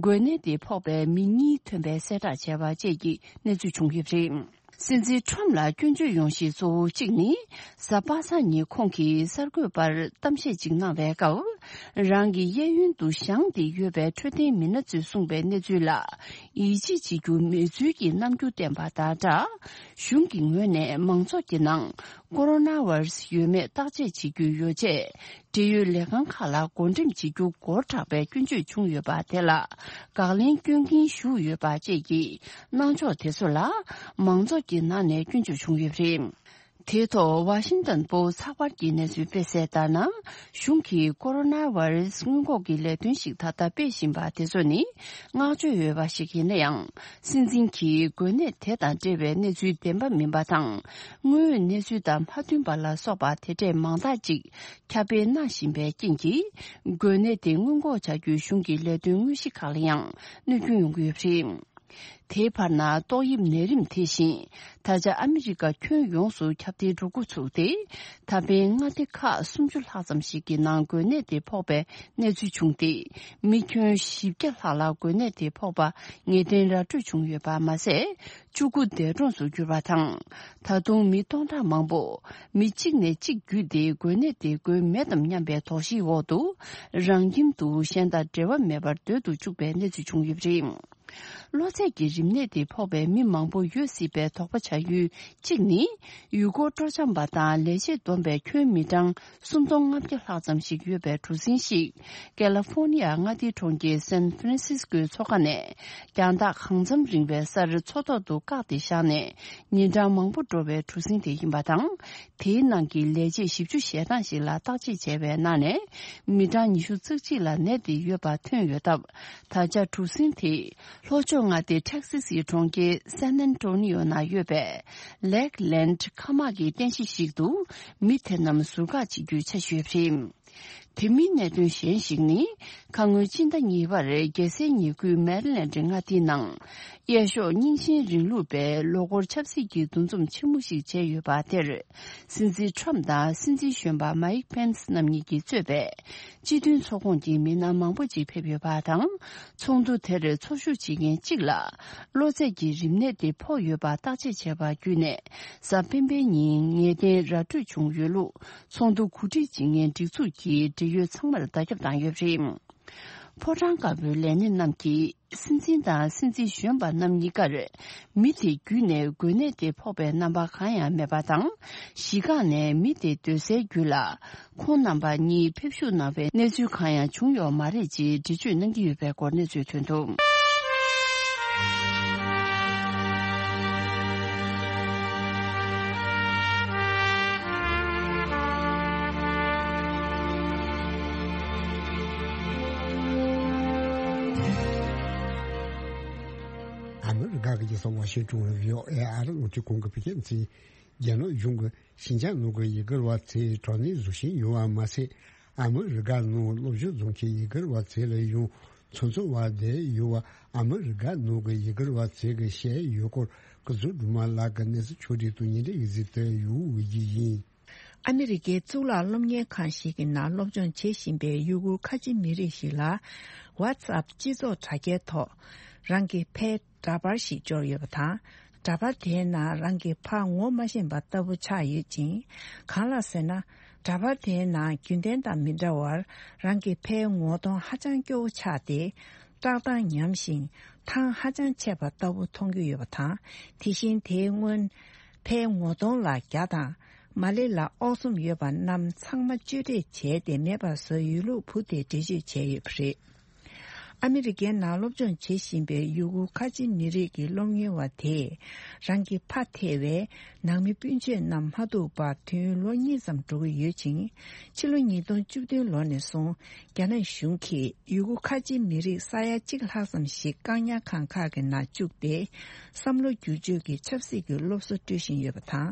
འགོས་ནད་དེ་ཕོག་པའི་མི་གཉིས་ཐོན་པའི་གསལ་བསྒྲགས་བྱས་པ་བཅས་ཀྱི་གནས་ཚུལ་བྱུང་ཡོད་པ་རེད། སྲིད་འཛིན་ཁྲོམ་ལ་སྐྱོན་བརྗོད་ཡོང་གཞི་གཙོ་བོ་གཅིག་ནི། གཟའ་པ་སངས་ཉིན་ཁོང་གིས་གསར་འགོད་པར་གཏམ་བཤད་ཅིག་གནང་བའི་སྐབས། རང་གི་གཡས་གཡོན་དུ་བཞེངས་ཏེ་ཡོད་པའི་འཕྲོད་བསྟེན་མི་སྣ་ཚོས་གསུངས་པའི་གནས་ཚུལ་ལ། ཡིད་ཆེས་བྱེད་རྒྱུ་མེད་ཚུལ་གྱི་རྣམ་འགྱུར་བསྟན་པ་དང་སྦྲགས། གཞུང་གི་ངོས་ནས་མང་ཚོགས་ཀྱི་ནང་ཀོ་རོ་ན་བྷ་ར་སི་ཡོད་མེད་བརྟག་དཔྱད་བྱེད་རྒྱུའི་ཡོ་བྱད། འབྲེལ་ཡོད་ལས་ཁང་ཁག་ལ་བགོ་འགྲེམས་བྱེད་རྒྱུ་འགོར་དྲགས་པའི་སྐྱོན་བརྗོད་བྱུང་ཡོད་པ་དེ་ལ་དགག་ལན་སྐྱོན་གྱིན་ཞུགས་ཡོད་པ་བཅས་ཀྱི་གནང་ཕྱོགས་དེ་ཚོ་ལ་མང་ཚོགས་ཀྱི་ནང་ནས་སྐྱོན་བརྗོད་བྱུང་ཡོད་པ་རེད། དེའི་ཐོག་ཝ་ཤིང་ཏོན་པོ་སི་ཚགས་པར་གྱི་གནས་ཚུལ་སྤེལ་གསལ་ལྟར་ན། གཞུང་གིས་ཀོ་རོ་ན་བྷ་ར་སི་སྔོན་འགོག་གི་ལས་དོན་ཞིག་ད་ལྟ་སྤེལ་བཞིན་པ་དེ་ཚོ་ནི་བསྔགས་བརྗོད་ཡོད་པ་ཞིག་ཡིན་ན་ཡང་། སྲིད་འཛིན་གྱིས་འགོས་ནད་དེ་དང་འབྲེལ་བའི་གནས་ཚུལ་བདེན་པ་མིན་པ་དང་། དངོས་ཡོད་གནས་ཚུལ་དང་མ་མཐུན་པ་ལ་སོགས་པ་དེ་འདྲས་མང་དག་ཅིག་ཁྱབ་སྤེལ་གནང་བཞིན་པའི་རྐྱེན་གྱིས། འགོས་ནད་དེ་སྔོན་འགོག་བྱ་རྒྱུའི་གཞུང་གི་ལས་དོན་དངོས་གཞི་ཁག་ལ་ཡང་གནོད་སྐྱོན་ཡོང་གི་ཡོད་པ་རེད། དེའི་བར་ན་ཏོག་དབྱིབས་ནད་རིམས་དེ་བཞིན་ད་ཆ་ཨ་མི་རི་ཀ་ཁྱོན་ཡོངས་སུ་ཁྱབ་གདལ་འགྲོ་འགོ་ཚུགས་ཏེ། ད་ཕན་མངའ་སྡེ་ཁག་སུམ་ཅུ་ལྷག་ཙམ་ཞིག་གི་ནང་འགོས་ནད་དེ་ཕོག་པའི་གནས་ཚུལ་བྱུང་སྟེ། མི་ཁྱོན་བཞི་བརྒྱ་ལྷག་ལ་འགོས་ནད་དེ་ཕོག་པ་ངེས་གཏན་ར་སྤྲོད་བྱུང་ཡོད་པ་མ་ཟད། བཅུ་དགུ་འདས་གྲོངས་སུ་གྱུར་པ་དང་། ད་དུང་མི་སྟོང་ཕྲག་མང་པོ་མི་གཅིག་ནས་གཅིག་བརྒྱུད་དེ་འགོས་ནད་དེ་འགོས་མེད་དམ་སྙམ་པའི་དོགས་གཞིའི་འོག་ཏུ་རང་ཁྱིམ་དུ་གཞན་དང་འབྲེལ་བ་མེད་པར་སྡོད་དུ་བཅུག་པའི་གནས་ཚུལ་བྱུང་ཡོད་པ་རེད། གློ་ཚད་ཀྱི་རིམས་ནད་དེ་ཕོག་པའི་མི་མང་པོ་ཡོད་སྲིད་པའི་དོགས་པ་བྱ་ཡུལ་གཅིག་ནི། ཡུལ་སྐོར་སྤྲོ་འཆམ་པ་དང་ལས་བྱེད་བསྡོམས་པའི་ཁྱོན་མི་གྲངས་སུམ་སྟོང་ལྔ་བརྒྱ་ལྷག་ཙམ་ཞིག་ཡོད་པའི་གྲུ་གཟིངས་ཤིག་ཀེ་ལི་ཧྥོར་ནི་ཡ་མངའ་སྡེའི་གྲོང་ཁྱེར་སན་ཧྥ་རན་སིས་ཀོའི་མཚོ་ཁ་ནས་རྒྱང་ཐག་གང་འཚམ་རིང་བའི་སར་མཚོ་ཐོག་ཏུ་བཀག་སྟེ་བཞག་ནས་ཉིན་གྲངས་མང་པོ་འགྲོ་བའི་གྲུ་གཟིངས་དེ་ཡིན་པ་དང་། དེའི་ནང་གི་ལས་བྱེད་བཞི་བཅུ་ཞེ་གྲངས་ཤིག་ལ་བརྟག་དཔྱད་བྱས་པའི་ནང་ནས་མི་གྲངས་ཉི་ཤུ་རྩ་གཅིག་ལ་ནད་དེ་ཡོད་པ་ཐོན་ཡོད་སྟབས། ད་ཆ་གྲུ་གཟིངས་དེ་ལྷོ་ཕྱོགས་མངའ་སྡེ་ཊེག་སི་སིའི་གྲོང་ཁྱེར་སན་ཨན་ཏོ་ནི་ཡོ་ན་ཡོད་པའི་ལེག་ལེན་ཁ་མག་གི་རྟེན་གཞི་ཞིག་ཏུ་མི་དེ་རྣམས་ཟུར་བཀག་བྱེད་རྒྱུའི་འཆར་གཞི་ཡོད་པ་རེད། དེ་མིན་གནད་དོན་གཞན་ཞིག་ནི། ཁ་སྔོན་སྤྱི་ཟླ་གཉིས་པར་རྒྱལ་སའི་ཉེ་ཁུལ་མེ་རི་ལེན་ཌི་མངའ་སྡེའི་ནང་། གཡས་ཕྱོགས་རྙིང་ཞེན་རིང་ལུགས་པའི་ལོ་འཁོར་ཆབ་སྲིད་ཀྱི་འདུ་འཛོམས་ཆེན་མོ་ཞིག་བྱས་ཡོད་པ་དེར། སྲིད་འཛིན་ཊྲམ་དང་སྲིད་འཛིན་གཞོན་པ་མའིག་པེན་སི་རྣམ་གཉིས་ཀྱིས་གཙོས་པའི་སྤྱི་མཐུན་ཚོགས་ཁོངས་ཀྱི་མི་སྣ་མང་པོ་ཅིག་ཕེབས་ཡོད་པ་དང་། ཚོགས་འདུ་དེར་ཚོགས་ཞུགས་བྱེད་མཁན་གཅིག་ལ་གློ་ཚད་ཀྱི་རིམས་ནད་དེ་ཕོག་ཡོད་པ་བརྟག་དཔྱད་བྱས་པ་བརྒྱུད་ནས། གཟའ་སྤེན་པའི་ཉིན་ངེས་གཏན་ར་འཕྲོད་བྱུང་ཡོད་ལུགས། ཚོགས་འདུ་གོ་སྒྲིག་བྱེད་མཁན་སྒྲིག་འཛུགས་ཀྱིས་འབྲེལ་ཡོད་ཚང་མར་བརྡ་ཁྱབ་བཏང་ཡོད་པ་རེད། ཕོ་བྲང་དཀར་པོའི་ལས་སྣེ་རྣམས་ཀྱིས་སྲིད་འཛིན་དང་སྲིད་འཛིན་གཞོན་པ་རྣམ་གཉིས་ཀར་མི་དེ་བརྒྱུད་ནས་འགོས་ནད་དེ་ཕོག་པའི་རྣམ་པ་གང་ཡང་མེད་པ་དང་། གཞིས་ཁག་ནས་མི་དེ་སྡོད་སའི་རྒྱུད་ལ་ཁོང་རྣམ་པ་གཉིས་ཕེབས་ཞུགས་གནང་བའི་གནས་ཚུལ་གང་ཡང་བྱུང་ཡོད་མ་རེད་ཅེས་འགྲེལ་བརྗོད་གནང་གི་ཡོད་པའི་སྐོར་གནས་ཚུལ་ཐོན་འདུག། ཨ་མི་རི་ཀ་གི་རྒྱལ་ས་ཝ་ཤིང་ཏོན་ནས་བྷི་ཨོ་ཨེ་ཨ་རི་རླུང་འཕྲིན་ཁང་གི་བོད་སྐད་སྡེ་ཚན། རྒྱ་ནག་གཞུང་གིས་ཞིན་ཅང་ནང་གི་ཡུ་གུར་བ་ཚོས་དྲག་གནོན་བཟོ་བཞིན་ཡོད་པ་མ་ཟད། ཨ་མི་རི་ཀ་ནང་སློབ་སྦྱོང་བྱེད་མཁན་ཡུ་གུར་བ་ཚོ་ལ་ཡང་ཚོང་ཚོང་བ་བསྡད་ཡོད་པ། ཨ་མི་རི་ཀ་ནང་གི་ཡུ་གུར་བ་ཚོས་ཀྱིས་བཤད་ཡོད་སྐོར། སྐུ་ཚབ་སྒྲོལ་མ་ལགས་ཀྱིས་གནས་ཚུལ་ཕྱོགས་སྒྲིག་དང་ཉིན་རེའི་གཟིགས་དེབ་ཡོད་ཡིན། ཨ་མི་རི་ཀའི་གཙུག་ལག་སློབ་གཉེར་ཁང་ཞིག་གི་ནང་སློབ་སྦྱོང་བྱེད་བཞིན་པའི་ཡུ་གུར་ཁ་ཆེ་མི་རིགས་ཤིག་ལ། ཝ་ཚབ་སྤྱི་ཚོགས་དྲ་རྒྱའི་ཐོག་རང་གི་ཕའི་འདྲ་པར་ཞིག་འབྱོར་ཡོད་པ་དང་། འདྲ་པར་དེའི་ནང་རང་གི་ཕ་ངོ་མ་ཤེས་པ་ལྟ་བུ་ཆགས་ཡོད་ཅིང་། གང་ལགས་ཟེར་ན། འདྲ་པར་དེའི་ནང་རྒྱུན་ལྡན་དང་མི་འདྲ་བར་རང་གི་ཕའི་ངོ་གདོང་ཧ་ཅང་སྐྱོ་བོ་ཆགས་ཏེ། བཀྲག་མདངས་ཉམས་ཤིང་ཐང་ཧ་ཅང་ཆད་པ་ལྟ་བུ་མཐོང་རྒྱུ་ཡོད་པ་དང་། དེ་བཞིན་དེའི་སྔོན་ཕའི་ངོ་གདོང་ལ་རྒྱ་དང་མ་ལེ་ལ་ཨོག་ཚོམ་ཡོད་པ་རྣམས་ཚང་མ་གཅོད་འབྲེག་བྱས་ཏེ་མེད་པར་བཟོས་ཡོད་ལུགས་བུ་དེས་འགྲེལ་བརྗོད་བྱས་ཡོད་པ་རེད། ཨ་མི་རི་ཀའི་ནང་སློབ་སྦྱོང་བྱེད་བཞིན་པའི་ཡུ་གུར་ཁ་ཆེ་མི་རིགས་ཀྱི་སློབ་གཉེར་བ་དེས་རང་གི་ཕ་ཐེ་བའི་ནང་མི་སྤུན་མཆེད་རྣམས་མ་ཐུག་པར་དུས་ཡུན་ལོ་གཉིས་ཙམ་འགྲོ་གི་ཡོད་ཅིང་། ཕྱི་ལོ་ཉིས་སྟོང་བཅུ་བདུན་ལོ་ནས་བཟུང་རྒྱ་ནག་གཞུང་གིས་ཡུ་གུར་ཁ་ཆེ་མི་རིགས་ས་ཡ་གཅིག་ལྷག་ཙམ་ཞིག་བཀག་ཉར་ཁང་ཁག་གི་ནང་བཅུག་སྟེ། བསམ་བློ་བསྒྱུར་བཅོས་ཀྱི་ཆབ་སྲིད་ཀྱི་སློབ་གསོ་སྤྲོད་བཞིན་ཡོད་པ་དང་།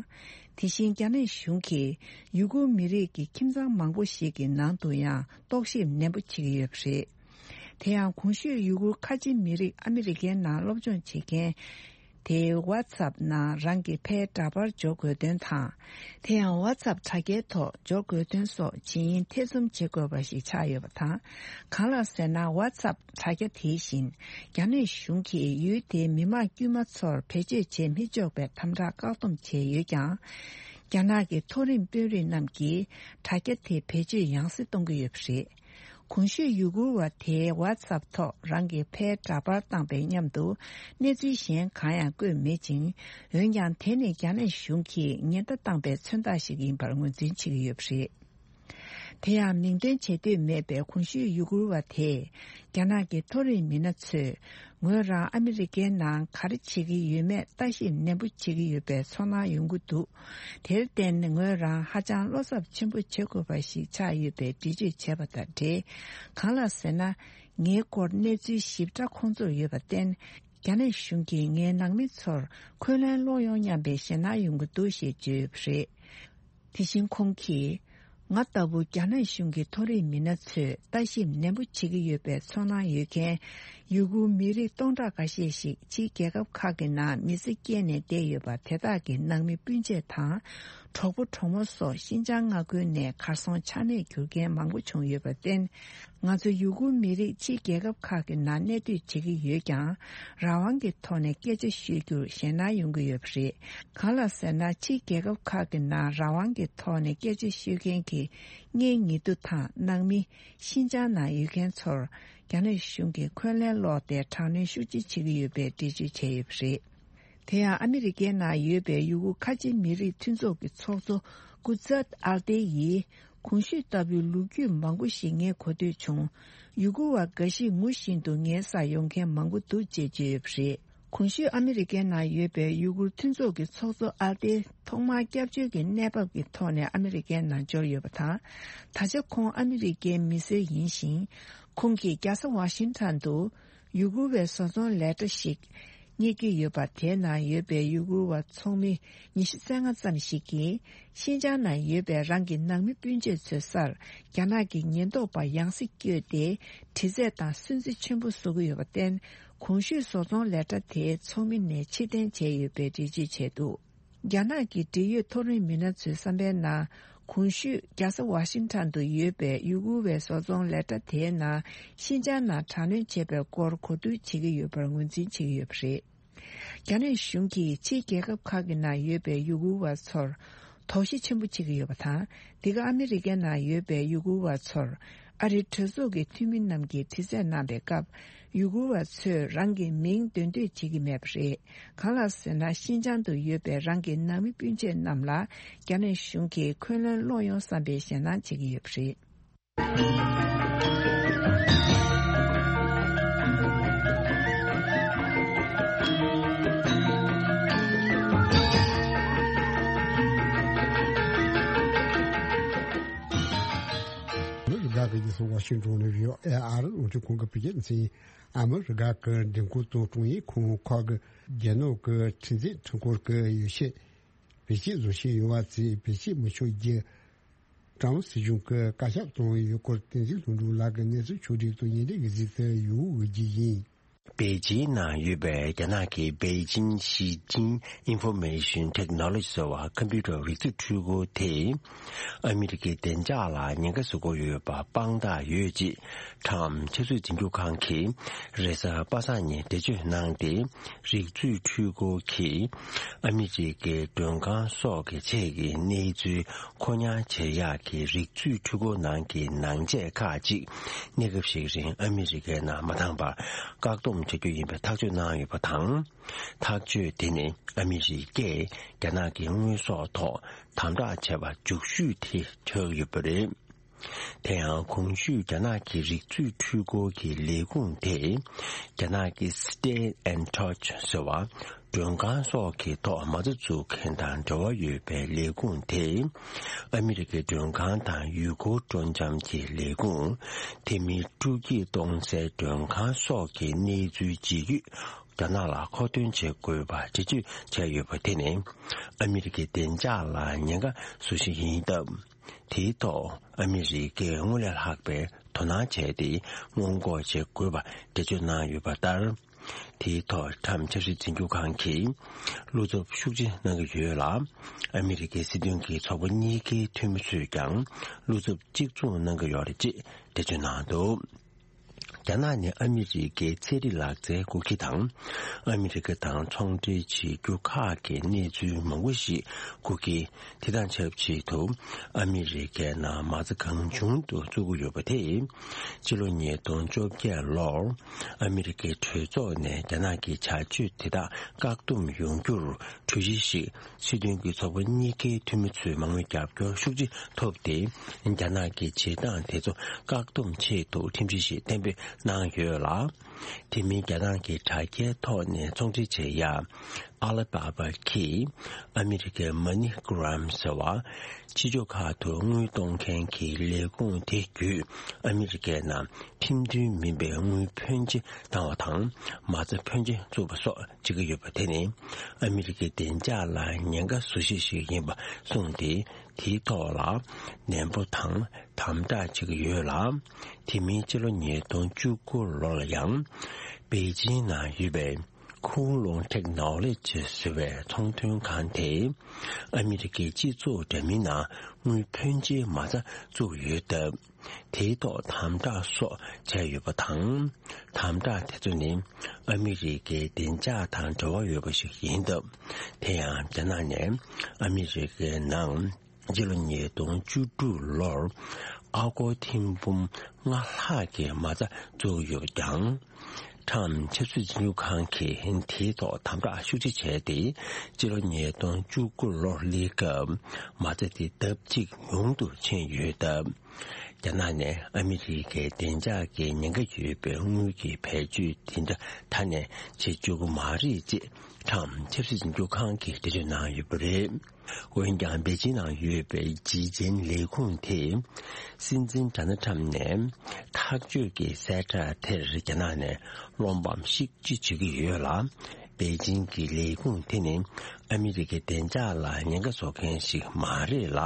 དེ་བཞིན་རྒྱ་ནག་གཞུང་གིས་ཡུ་གུར་མི་རིགས་ཀྱི་ཁྱིམ་ཚང་མང་པོ་ཞིག་གི་ནང་དུ་ཡང་རྟོག་ཞིབ་ནན་པོ་བྱེད་ཀྱི་ཡོད་པ་རེད། དེ་ཡང་གོང་ཞུས་ཡུ་གུར་ཁ་ཆེ་མི་རིགས་ཨ་མི་རི་ཀའི་ནང་སློབ་སྦྱོང་བྱེད་མཁན་དེའི་ཝ་ཚབ་ནང་རང་གི་ཕའི་འདྲ་པར་འབྱོར་དགོས་དོན་དང་། དེ་ཡང་ཝ་ཚབ་དྲ་རྒྱའི་ཐོག་འབྱོར་དགོས་དོན་སོགས་ཇི་ཡིན་ཐེ་ཚོམ་བྱེད་དགོས་པ་ཞིག་ཆགས་ཡོད་པ་དང་། གང་ལགས་ཟེར་ན། ཝ་ཚབ་དྲ་རྒྱ་དེ་བཞིན་རྒྱ་ནག་གཞུང་གིས་ཡུལ་དེའི་མི་མང་དཀྱུས་མ་ཚོར་བེད་སྤྱོད་བྱེད་མི་ཆོག་པའི་དམ་དྲག་བཀག་སྡོམ་བྱས་ཡོད་ཀྱང་། རྒྱ་ནག་གི་མཐོ་རིམ་དཔོན་རིགས་རྣམས་ཀྱིས་དྲ་རྒྱ་དེ་བེད་སྤྱོད་ཡང་སེ་གཏོང་གི་ཡོད་པ་རེད། གོང་ཞུས་ཡུ་གུར་བ་དེས་ཝ་ཚབ་ཐོག་རང་གི་ཕའི་འདྲ་པར་བཏང་པའི་མཉམ་དུ་གནས་ཚུལ་གཞན་གང་ཡང་བཀོད་མེད་ཅིང་། འོན་ཀྱང་དེ་ནི་རྒྱ་ནག་གཞུང་གིས་ཉེན་བརྡ་བཏང་པའི་མཚོན་རྟགས་ཤིག་ཡིན་པར་ངོས་འཛིན་བྱེད་ཀྱི་ཡོད་པ་རེད། དེ་ཡང་མིང་འདོན་བྱེད་འདོད་མེད་པའི་གོང་ཞུས་ཡུ་གུར་བ་དེས་རྒྱ་ནག་གི་མཐོ་རིམ་མི་སྣ་ཚོས་ངོས་རང་ཨ་མི་རི་ཀའི་ནང་ག་རེ་བྱེད་ཀྱི་ཡོད་མེད་ལྟ་ཞིབ་ནན་པོ་བྱེད་ཀྱི་ཡོད་པའི་ཚོར་སྣང་ཡོང་གི་འདུག། དེར་བརྟེན་ངོས་རང་ཧ་ཅང་བློ་འཚབ་ཆེན་པོ་བྱེད་དགོས་པ་ཞིག་ཆགས་ཡོད་པའི་འགྲེལ་བརྗོད་བྱས་པ་དང་འབྲེལ། གང་ལགས་ཟེར་ན། ངའི་སྐོར་གནས་ཚུལ་ཞིབ་ཕྲ་ཁོང་ཚོར་ཡོད་པར་བརྟེན། རྒྱ་ནག་གཞུང་གིས་ངའི་ནང་མི་ཚོར་འཁོན་ལན་སློག་ཡོང་སྙམ་པའི་ཞེད་སྣང་ཡོང་གི་འདུག་ཞེས་བརྗོད་ཡོད་པ་རེད། དེ་བཞིན་ཁོང་གིས། ང་ལྟ་བུ་རྒྱ་ནག་གཞུང་གི་མཐོ་རིམ་མི་སྣ་ཚོས་ལྟ་ཞིབ་ནན་པོ་བྱེད་ཀྱི་ཡོད་པའི་ཚོར་སྣང་ཡོད་མཁན་ཡུ་གུར་མི་རིགས་སྟོང་ཕྲག་འགའ་ཤས་ཤིག་ཕྱིའི་རྒྱལ་ཁབ་ཁག་གི་ནང་མི་ཚེ་སྐྱེལ་ནས་བསྡད་ཡོད་པ་དེ་དག་གི་ནང་མི་སྤུན་མཆེད་དང་། གྲོགས་པོ་གྲོགས་མོ་སོགས་ཤིན་ཅང་མངའ་ཁུལ་ནས་གར་སོང་ཆ་མེད་གྱུར་མཁན་མང་པོ་བྱུང་ཡོད་པར་བརྟེན། ང་ཚོ་ཡུ་གུར་མི་རིགས་ཕྱིའི་རྒྱལ་ཁབ་ཁག་གི་ནང་གནས་སྡོད་བྱེད་ཀྱི་ཡོད་ཀྱང་། རང་དབང་གི་ཐོག་ནས་སྐད་ཆ་ཤོད་རྒྱུར་ཞེད་སྣང་ཡོང་གི་ཡོད་པ་རེད། གང་ལགས་ཟེར་ན། ཕྱིའི་རྒྱལ་ཁབ་ཁག་གི་ནང་རང་དབང་གི་ཐོག་ནས་སྐད་ཆ་ཤོད་མཁན་གྱི་གཉེན་ཉེ་དུ་དང་ནང་མི། ཤིན་ཅང་ནང་ཡོད་མཁན་ཚོར་རྒྱ་ནག་གཞུང་གིས་འཁོན་ལན་སློག་སྟེ་དྲག་གནོན་ཤུགས་ཆེ་བྱེད་ཀྱི་ཡོད་པའི་འགྲེལ་བརྗོད་བྱས་ཡོད་པ་རེད། དེ་ཡང་ཨ་མི་རི་ཀའི་ནང་ཡོད་པའི་ཡུ་གུར་ཁ་ཆེ་མི་རིགས་མཐུན་ཚོགས་ཀྱི་ཚོགས་གཙོ་ཀུ་ཛད་ཨལ་ཏེ་ཡིས། གོང་ཞུས་ལྟ་བུའི་ལོ་རྒྱུས་མང་པོ་ཞིག་ངས་གོ་ཐོས་བྱུང་། ཡུ་གུར་བ་འགའ་ཞིག་ངུ་བཞིན་དུ་ངའི་སར་ཡོང་མཁན་མང་པོ་འདུག་ཅེས་བརྗོད་ཡོད་པ་རེད། གོང་ཞུས་ཨ་མི་རི་ཀའི་ནང་ཡོད་པའི་ཡུ་གུར་མཐུན་ཚོགས་ཀྱི་ཚོགས་གཙོ་ཨལ་ཏེ་ཐོག་མར་སྐྱབས་བཅོལ་གྱི་གནས་བབ་ཀྱི་ཐོག་ནས་ཨ་མི་རི་ཀའི་ནང་འབྱོར་ཡོད་པ་དང་། ད་ཆ་ཁོང་ཨ་མི་རི་ཀའི་མི་སེར་ཡིན་ཞིང་། ཁོང་གིས་རྒྱལ་ས་ཝ་ཤིང་ཊོན་དུ་ཡུ་གུར་བའི་བཟོ་ཚོང་ལས་གྲྭ་ཞིག་ གཉེར་གྱི་ཡོད་པ། དེའི་ནང་ཡོད་པའི་ཡུ་གུར་བ་ཚོགས་མི་ཉི་ཤུ་རྩ་ལྔ་ཙམ་ཞིག་གིས་ཤིན་ཅང་ནང་ཡོད་པའི་རང་གི་ནང་མི་སྤུན་མཆེད་ཚོའི་སར་རྒྱ་ནག་གི་ཉེན་རྟོག་པ་ཡང་སྲིད་བསྐྱོད་དེ་དྲི་རྩད་དང་སུན་གཙེར་ཆེན་པོ་བཟོ་གི་ཡོད་པར་བརྟེན། གོང་ཞུས་བཟོ་ཚོང་ལས་གྲྭ་དེའི་ཚོགས་མི་ནས་ཕྱིར་འཐེན་བྱས་ཡོད་པའི་འགྲེལ་བརྗོད་བྱས་འདུག་རྒྱ་ནག་གི་འབྲེལ་ཡོད་མཐོ་རིམ་མི་སྣ་ཚོའི་བསམ་པའི་ནང་། གོང་ཞུས་རྒྱལ་ས་ཝ་ཤིང་ཊོན་དུ་ཡོད་པའི་ཡུ་གུར་བའི་བཟོ་ཚོང་ལས་གྲྭ་དེའི་ནང་ཤིན་ཅང་ནང་དྲག་གནོན་བྱས་པའི་སྐོར་གོ་བསྡུར་བྱེད་ཀྱི་ཡོད་པར་ངོས་འཛིན་བྱེད་ཀྱི་ཡོད་པ་རེད། རྒྱ་ནག་གཞུང་གིས་ཕྱིའི་རྒྱལ་ཁབ་ཁག་གི་ནང་ཡོད་པའི་ཡུ་གུར་བ་ཚོར་དོགས་གཞི་ཆེན་པོ་བྱེད་ཀྱི་ཡོད་པ་དང་། འདི་ག་ཨ་མི་རི་ཀའི་ནང་ཡོད་པའི་ཡུ་གུར་བ་ཚོར་ཨ་རིའི་གྲོས་ཚོགས་ཀྱི་འཐུས་མི་རྣམས་ཀྱིས་དྲི་རྩད་གནང་པའི་སྐབས། ཡུ་གུར་བ་ཚོས་རང་གི་མིང་འདོན་འདོད་བྱེད་ཀྱི་མེད་པ་རེད། གང་ལགས་ཟེར་ན། ཤིན་ཅང་དུ་ཡོད་པའི་རང་གི་ནང་མི་སྤུན་མཆེད་རྣམས་ལ་རྒྱ་ནག་གཞུང་གིས་འཁོན་ལན་སློག་ཡོང་བསམ་པའི་ཞེད་སྣང་བྱེད་ཀྱི་ཡོད་པ་རེད། མི་རིགས་ཁག་གི་ཉེ་སྲིང་ཝ་ཤིང་ཏོན་ནས་ཡོད་ཨེ་ཨར་རླུང་འཕྲིན་ཁང་གི་བོད་སྐད་སྡེ་ཚན། ཨ་མི་རི་ཀ་གི་མགྲོན་ཁང་དང་ཀྲུང་དབྱང་ཁང་ཁག་གི་རྒྱལ་ནང་གི་ཁྲིམས་འཛིན་ཁྲིམས་ཁང་གི་ཡོ་བྱད་བེད་སྤྱོད་བཟོ་བཞིན་ཡོད་པ་ཚོས་བེད་སྤྱོད་མི་ཆོག་རྒྱུ། ཀྲུང་སྲིད་གཞུང་གི་བཀའ་ཁྱབ་བཏང་ཡོད་སྐོར་བསྟན་འཛིན་ལྷུན་གྲུབ་ལགས་ཀྱིས་གནས་ཚུལ་ཕྱོགས་སྒྲིག་དང་ཉེ་འབྲེལ་གྱི་གཟིགས་ཚུལ་ཡོད་འོས་ཀྱི་ཡིན། པེ་ཅིན་ནང་ཡོད་པའི་རྒྱ་ནག་གི་པེ་ཅིན་ཞི་ཅིན་ཨིན་ཧྥོ་མེ་ཤིན་ཊེག་ནོ་ལོ་ཇི་ཟེར་བ་ཁམ་པུ་ཊར་རིག་མཛོད་འཕྲུལ་འཁོར་དེས་ཨ་མི་རི་ཀའི་བདེ་འཇགས་ལ་ཉེན་ཁ་བཟོ་གི་ཡོད་པ་དཔང་རྟགས་ཡོད་ཅེས་ཁྲམ་ཆབ་སྲིད་འཛིན་སྐྱོང་ཁང་གིས་རེས་གཟའ་པ་སངས་ཉིན་འགྲེལ་བརྗོད་གནང་སྟེ། རིག་མཛོད་འཕྲུལ་འཁོར་གྱིས་ཨ་མི་རི་ཀའི་མགྲོན་ཁང་སོགས་ཀྱི་ཆེད་ཀྱི་གནས་ཚུལ་མཁོ་མྱང་བྱེད་ཡག་གི་རིག་མཛོད་འཕྲུལ་འཁོར་ནང་གི་ནང་ཆས་ཁག་ཅིག་གནས་སྐབས་ཤིག་རིང་ཨ་མི་རི་ཀའི་ནང་མ་འདང་བར་བཀག་སྡོམ་བྱ་རྒྱུ་ཡིན་པའི་ཐག་གཅོད་གནང་ཡོད་པ་དང་། ཐག་གཅོད་དེ་ནི་ཨ་མི་རི་ཀས་རྒྱ་ནག་གི་དངོས་ཟོག་ཐོག་དམ་དྲག་བྱས་པ་མཇུག་ཤོས་དེ་ཆགས་ཡོད་པ་རེད། དེ་ཡང་གོང་ཞུས་རྒྱ་ནག་གི་རིག་མཛོད་འཕྲུལ་འཁོར་གྱི་ལས་ཁུངས་དེ། རྒྱ་ནག་གི་Stay in Touch ཟེར་བ། མགྲོན་ཁང་སོགས་ཀྱི་ཐོག་མ་རྩ་འཛུགས་མཁན་དང་འབྲེལ་བ་ཡོད་པའི་ལས་ཁུངས་དེས། ཨ་མི་རི་ཀའི་མགྲོན་ཁང་དང་ཡུལ་སྐོར་སྤྲོ་འཆམ་གྱི་ལས་ཁུངས། དེ་མིན་སྤྲོ་སྐྱིད་གཏོང་སའི་མགྲོན་ཁང་སོགས་ཀྱི་གནས་ཚུལ་ཇི་ཡོད་རྒྱ་ནག་ལ་མཁོ་འདོན་བྱེད་དགོས་པ་འགྲེལ་བརྗོད་བྱས་ཡོད་པ་དེ་ནི། ཨ་མི་རི་ཀའི་བདེ་འཇགས་ལ་ཉེན་ཁ་བཟོ་གཞི་ཡིན་སྟབས། དེའི་ཐོག་ཨ་མི་རི་ཀས་སྔོན་ལས་ལྷག་པའི་དོ་སྣང་བྱས་ཏེ་སྔོན་འགོག་བྱེད་དགོས་པ་འགྲེལ་བརྗོད་གནང་ཡོད་པ་ལྟར། དེའི་ཐོག་ཁྲམ་ཆབ་སྲིད་འཛིན་སྐྱོང་ཁང་གིས་བློ་འཚབ་ཤུགས་ཆེ་གནང་གི་ཡོད་ལ། ཨ་མི་རི་ཀའི་སྲིད་དོན་གྱི་ཚོགས་པ་གཉིས་ཀའི་འཐུས་མི་ཚོས་ཀྱང་བློ་འཚབ་གཅིག་མཚུངས་གནང་གི་ཡོད་རེད་ཅེས་འགྲེལ་བརྗོད་གནང་འདུག་རྒྱ་ནག་ནི་ཨ་མི་རི་ཀའི་ཚན་རིག་ལག་རྩལ་འགོག་ཁྱི་དང་། ཨ་མི་རི་ཀ་དང་ཚོང་འབྲེལ་བྱེད་རྒྱུ་ཁག་གི་གནས་ཚུལ་མང་པོ་ཞིག་འགོག་ཁྱི། དེ་དང་ཆབས་ཅིག་ཏུ་ཨ་མི་རི་ཀའི་ནང་མ་རྩ་གང་བྱུང་དུ་བཙུགས་ཀྱི་ཡོད་པ་དེས། ཕྱི་ལོ་ཉིས་སྟོང་བཅོ་བརྒྱད་ལོར་ཨ་མི་རི་ཀའི་གྲོས་ཚོགས་ནས་རྒྱ་ནག་གི་བྱ་སྤྱོད་དེ་དག་བཀག་སྡོམ་ཡོང་རྒྱུར་གྲོས་གཞི་ཞིག་སྲིད་དོན་གྱི་ཚོགས་པ་གཉིས་ཀའི་འཐུས་མི་ཚོའི་མང་མོས་རྒྱབ་སྐྱོར་ཤུགས་ཆེ་ཐོབ་སྟེ། རྒྱ་ནག་གི་བྱེད་སྟངས་དེ་ཚོ་བཀག་སྡོམ་ཆེད་དུ་ཁྲིམས་གཞི་ཞིག་གཏན་འབེབས་གནང་ཡོད་ལ། དེ་མིན་རྒྱ་ནག་གི་དྲ་རྒྱའི་ཐོག་ནས་ཚོང་འབྲེལ་བྱེད་ཡ། ཨ་ལི་བྷ་བྷ་གིས་ཨ་མི་རི་ཀའི་མ་ནི་གྷི་རམ་ཟེར་བ། ཕྱི་ཕྱོགས་ཁག་ཏུ་དངུལ་གཏོང་མཁན་གྱི་ལས་ཁུངས་དེ་བརྒྱུད་ཨ་མི་རི་ཀའི་ནང་ཁྲིམས་མཐུན་མིན་པའི་དངུལ་ཕོན་ཆེ་བཏང་བ་དང་མ་རྩ་ཕོན་ཆེ་བཙུགས་པ་སོགས་བྱེད་ཀྱི་ཡོད་པ་དེ་ནི་ཨ་མི་རི་ཀའི་བདེ་འཇགས་ལ་ཉེན་ཁ་བཟོ་གཞི་ཞིག་ཡིན་པ་གསུངས་ཏེ། དེའི་ཐོག་ལ་ནན་པོ་དང་དམ་དྲག་བྱེད་ཀྱི་ཡོད་ལ། དེ་མིན་ཕྱི་ལོ་ཉིས་སྟོང་བཅུ་དགུ་ལོ་ལ་ཡང་པེ་ཅིན་ནང་ཡོད་པའི་ཁུང་ལུང་ཊེག་ནོ་ལོ་ཇི་ཟེར་བའི་ཚོང་དོན་ཁང་དེས་ཨ་མི་རི་ཀའི་སྤྱི་ཚོགས་འདྲ་མིན་ནང་དངུལ་ཕོན་ཆེའི་མ་རྩ་བཙུགས་ཡོད་སྟབས། དེའི་ཐོག་དམ་དྲག་སོགས་བྱས་ཡོད་པ་དང་། དམ་དྲག་དེ་ཚོ་ནི་ཨ་མི་རི་ཀའི་བདེ་འཇགས་དང་འབྲེལ་བ་ཡོད་པ་ཞིག་ཡིན་སྟབས། དེ་ཡང་རྒྱ་ནག་ནས་ཨ་མི་རི་ཀའི་ནང་། སྤྱི་ལོ་ཉིས་སྟོང་བཅུ་དྲུག་ལོར་ཨ་སྒོར་ཐེར་འབུམ་ལྔ་ལྷག་གི་མ་རྩ་བཙུགས་ཡོད་ཀྱང་། ཁྲམ་ཆབ་སྲིད་འཛིན་སྐྱོང་ཁང་གིས་དེའི་ཐོག་དམ་དྲག་ཤུགས་ཆེ་བྱས་ཏེ། སྤྱི་ལོ་ཉིས་སྟོང་བཅུ་དགུ་ལོར་སླེབས་སྐབས་མ་རྩ་དེ་ལྡབ་གཅིག་ཉུང་དུ་ཕྱིན་ཡོད་སྟབས། རྒྱ་ནག་ནས་ཨ་མི་རི་ཀའི་བདེ་འཇགས་ཀྱི་ཉེན་ཁ་ཡོད་པའི་དངུལ་གྱི་བེད་སྤྱོད་དེ་འདྲ་ད་ནས་བྱེད་བཅུག་གི་མ་རེད་ཅེས་ཁྲམ་ཆབ་སྲིད་འཛིན་སྐྱོང་ཁང་གིས་འགྲེལ་བརྗོད་གནང་ཡོད་པ་རེད། འོན་ཀྱང་པེ་ཅིན་ནང་ཡོད་པའི་ཇི་ཅན་ལས་ཁུངས་དེས། སྲིད་འཛིན་ཌོ་ནལ་ཊམ་ནས་ཐག་གཅོད་ཀྱི་གསལ་བསྒྲགས་དེར་རྒྱ་ནག་ནས་བློ་ཕམ་ཤུགས་ཆེ་བྱེད་ཀྱི་ཡོད་ལ། པེ་ཅིང་གི་ལས་ཁུངས་དེ་ནི་ཨ་མི་རི་ཀའི་བདེ་འཇགས་ལ་ཉེན་ཁ་བཟོ་མཁན་ཞིག་མ་རེད་ལ།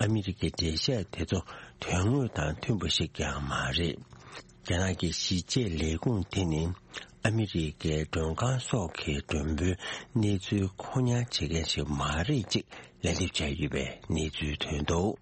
ཨ་མི་རི་ཀའི་འགྲེལ་བཤད་དེ་ཚོ་དོན་དངོས་དང་མཐུན་པ་ཞིག་ཀྱང་མ་རེད། རྒྱ་ནག་གི་གཞིས་བྱེས་ལས་ཁུངས་དེ་ནི་ཨ་མི་རི་ཀའི་མགྲོན་ཁང་སོགས་ཀྱི་མགྲོན་པོའི་གནས་ཚུལ་ཁོ་ཉར་བྱེད་མཁན་ཞིག་མ་རེད་ཅེས་ལན་འདེབས་བྱས་ཡོད་པའི་གནས་ཚུལ་ཐོན་འདུག།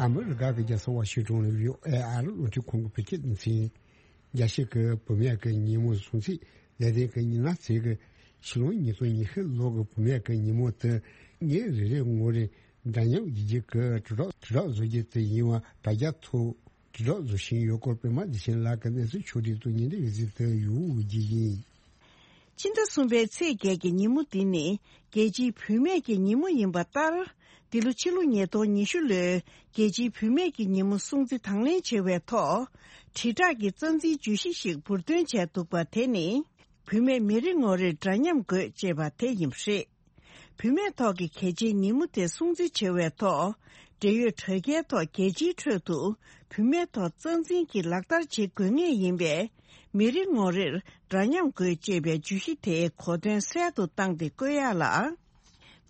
ཨ་མི་རི་ཀ་གི་རྒྱལ་ས་ཝ་ཤིང་ཏོན་ནས་བྷི་ཨོ་ཨེ་ཨ་རི་རླུང་འཕྲིན་ཁང་གི་བོད་སྐད་སྡེ་ཚན། རྒྱལ་སྤྱི་གི་བུད་མེད་ཀྱི་ཉིན་མོ་སྲུང་བརྩི་ལས་དོན་གྱི་ཉིན་ལ་ཚེས་ཀྱི་ཕྱི་ལོ་ཉིས་སྟོང་ཉི་ཤུ་ལོ་གི་བུད་མེད་ཀྱི་ཉིན་མོ་དེ་ཉིན་རེ་རེའི་ངོ་རེར་འདྲ་མཉམ་ཡིན་རྒྱུ་གི་དྲིལ་སྒྲོག་དྲིལ་སྒྲོག་བཟོ་རྒྱུ་དེ་ཡིན་པ་དྲ་རྒྱ་ཐོག་དྲིལ་སྒྲོག་བཟོ་བཞིན་ཡོད་སྐོར་པད་མ་བདེ་ཆེན་ལགས་ཀྱི་གནས་ཚུལ་ཕྱོགས་སྒྲིག་ཏུ་ཉིན་རེའི་གཟིགས་དེ་ཡོང་རྒྱུ་ཡིན། ཕྱི་ཟླ་གསུམ་པའི་ཚེས་བརྒྱད་ཀྱི་ཉིན་མོ་འདི་ནི་རྒྱལ་སྤྱིའི་བུད་མེད་ཀྱི་ཉིན་མོ་ཡིན་པ་ལྟར། འདི་ལོ་ཕྱི་ལོ་ཉིས་སྟོང་ཉི་ཤུ་ལོའི་རྒྱལ་སྤྱིའི་བུད་མེད་ཀྱི་ཉིན་མོ་སྲུང་བརྩི་དང་ལེན་བྱེད་པའི་ཐོག་དྲིལ་བསྒྲགས་ཀྱི་རྩ་འཛིན་བརྗོད་གཞི་ཞིག་འབུར་འདོན་བྱས་འདུག་པ་དེ་ནི། བུད་མེད་མི་རེ་ངོ་རེར་འདྲ་མཉམ་དགོས་ཅེས་པ་དེ་ཡིན་པ་རེད། བུད་མེད་ཐོག་གི་གལ་ཆེའི་ཉིན་མོ་དེ་སྲུང་བརྩི་བྱེད་པའི་ཐོག་འབྲེལ་ཡོད་དྲ་རྒྱའི་ཐོག་རྒྱལ་སྤྱིའི་ཁྲོད་དུ་བུད་མེད་ཐོག་རྩ་འཛིན་གྱིས་ལག་བསྟར་བྱེད་དགོས་ངེས་ཡིན་པས། མི་རེ་ངོ་རེར་འདྲ་མཉམ་དགོས་ཅེས་པའི་བརྗོད་གཞི་དེའི་གོ་དོན་གསལ་དུ་བཏང་སྟེ་བཀོད་ཡག་ལ།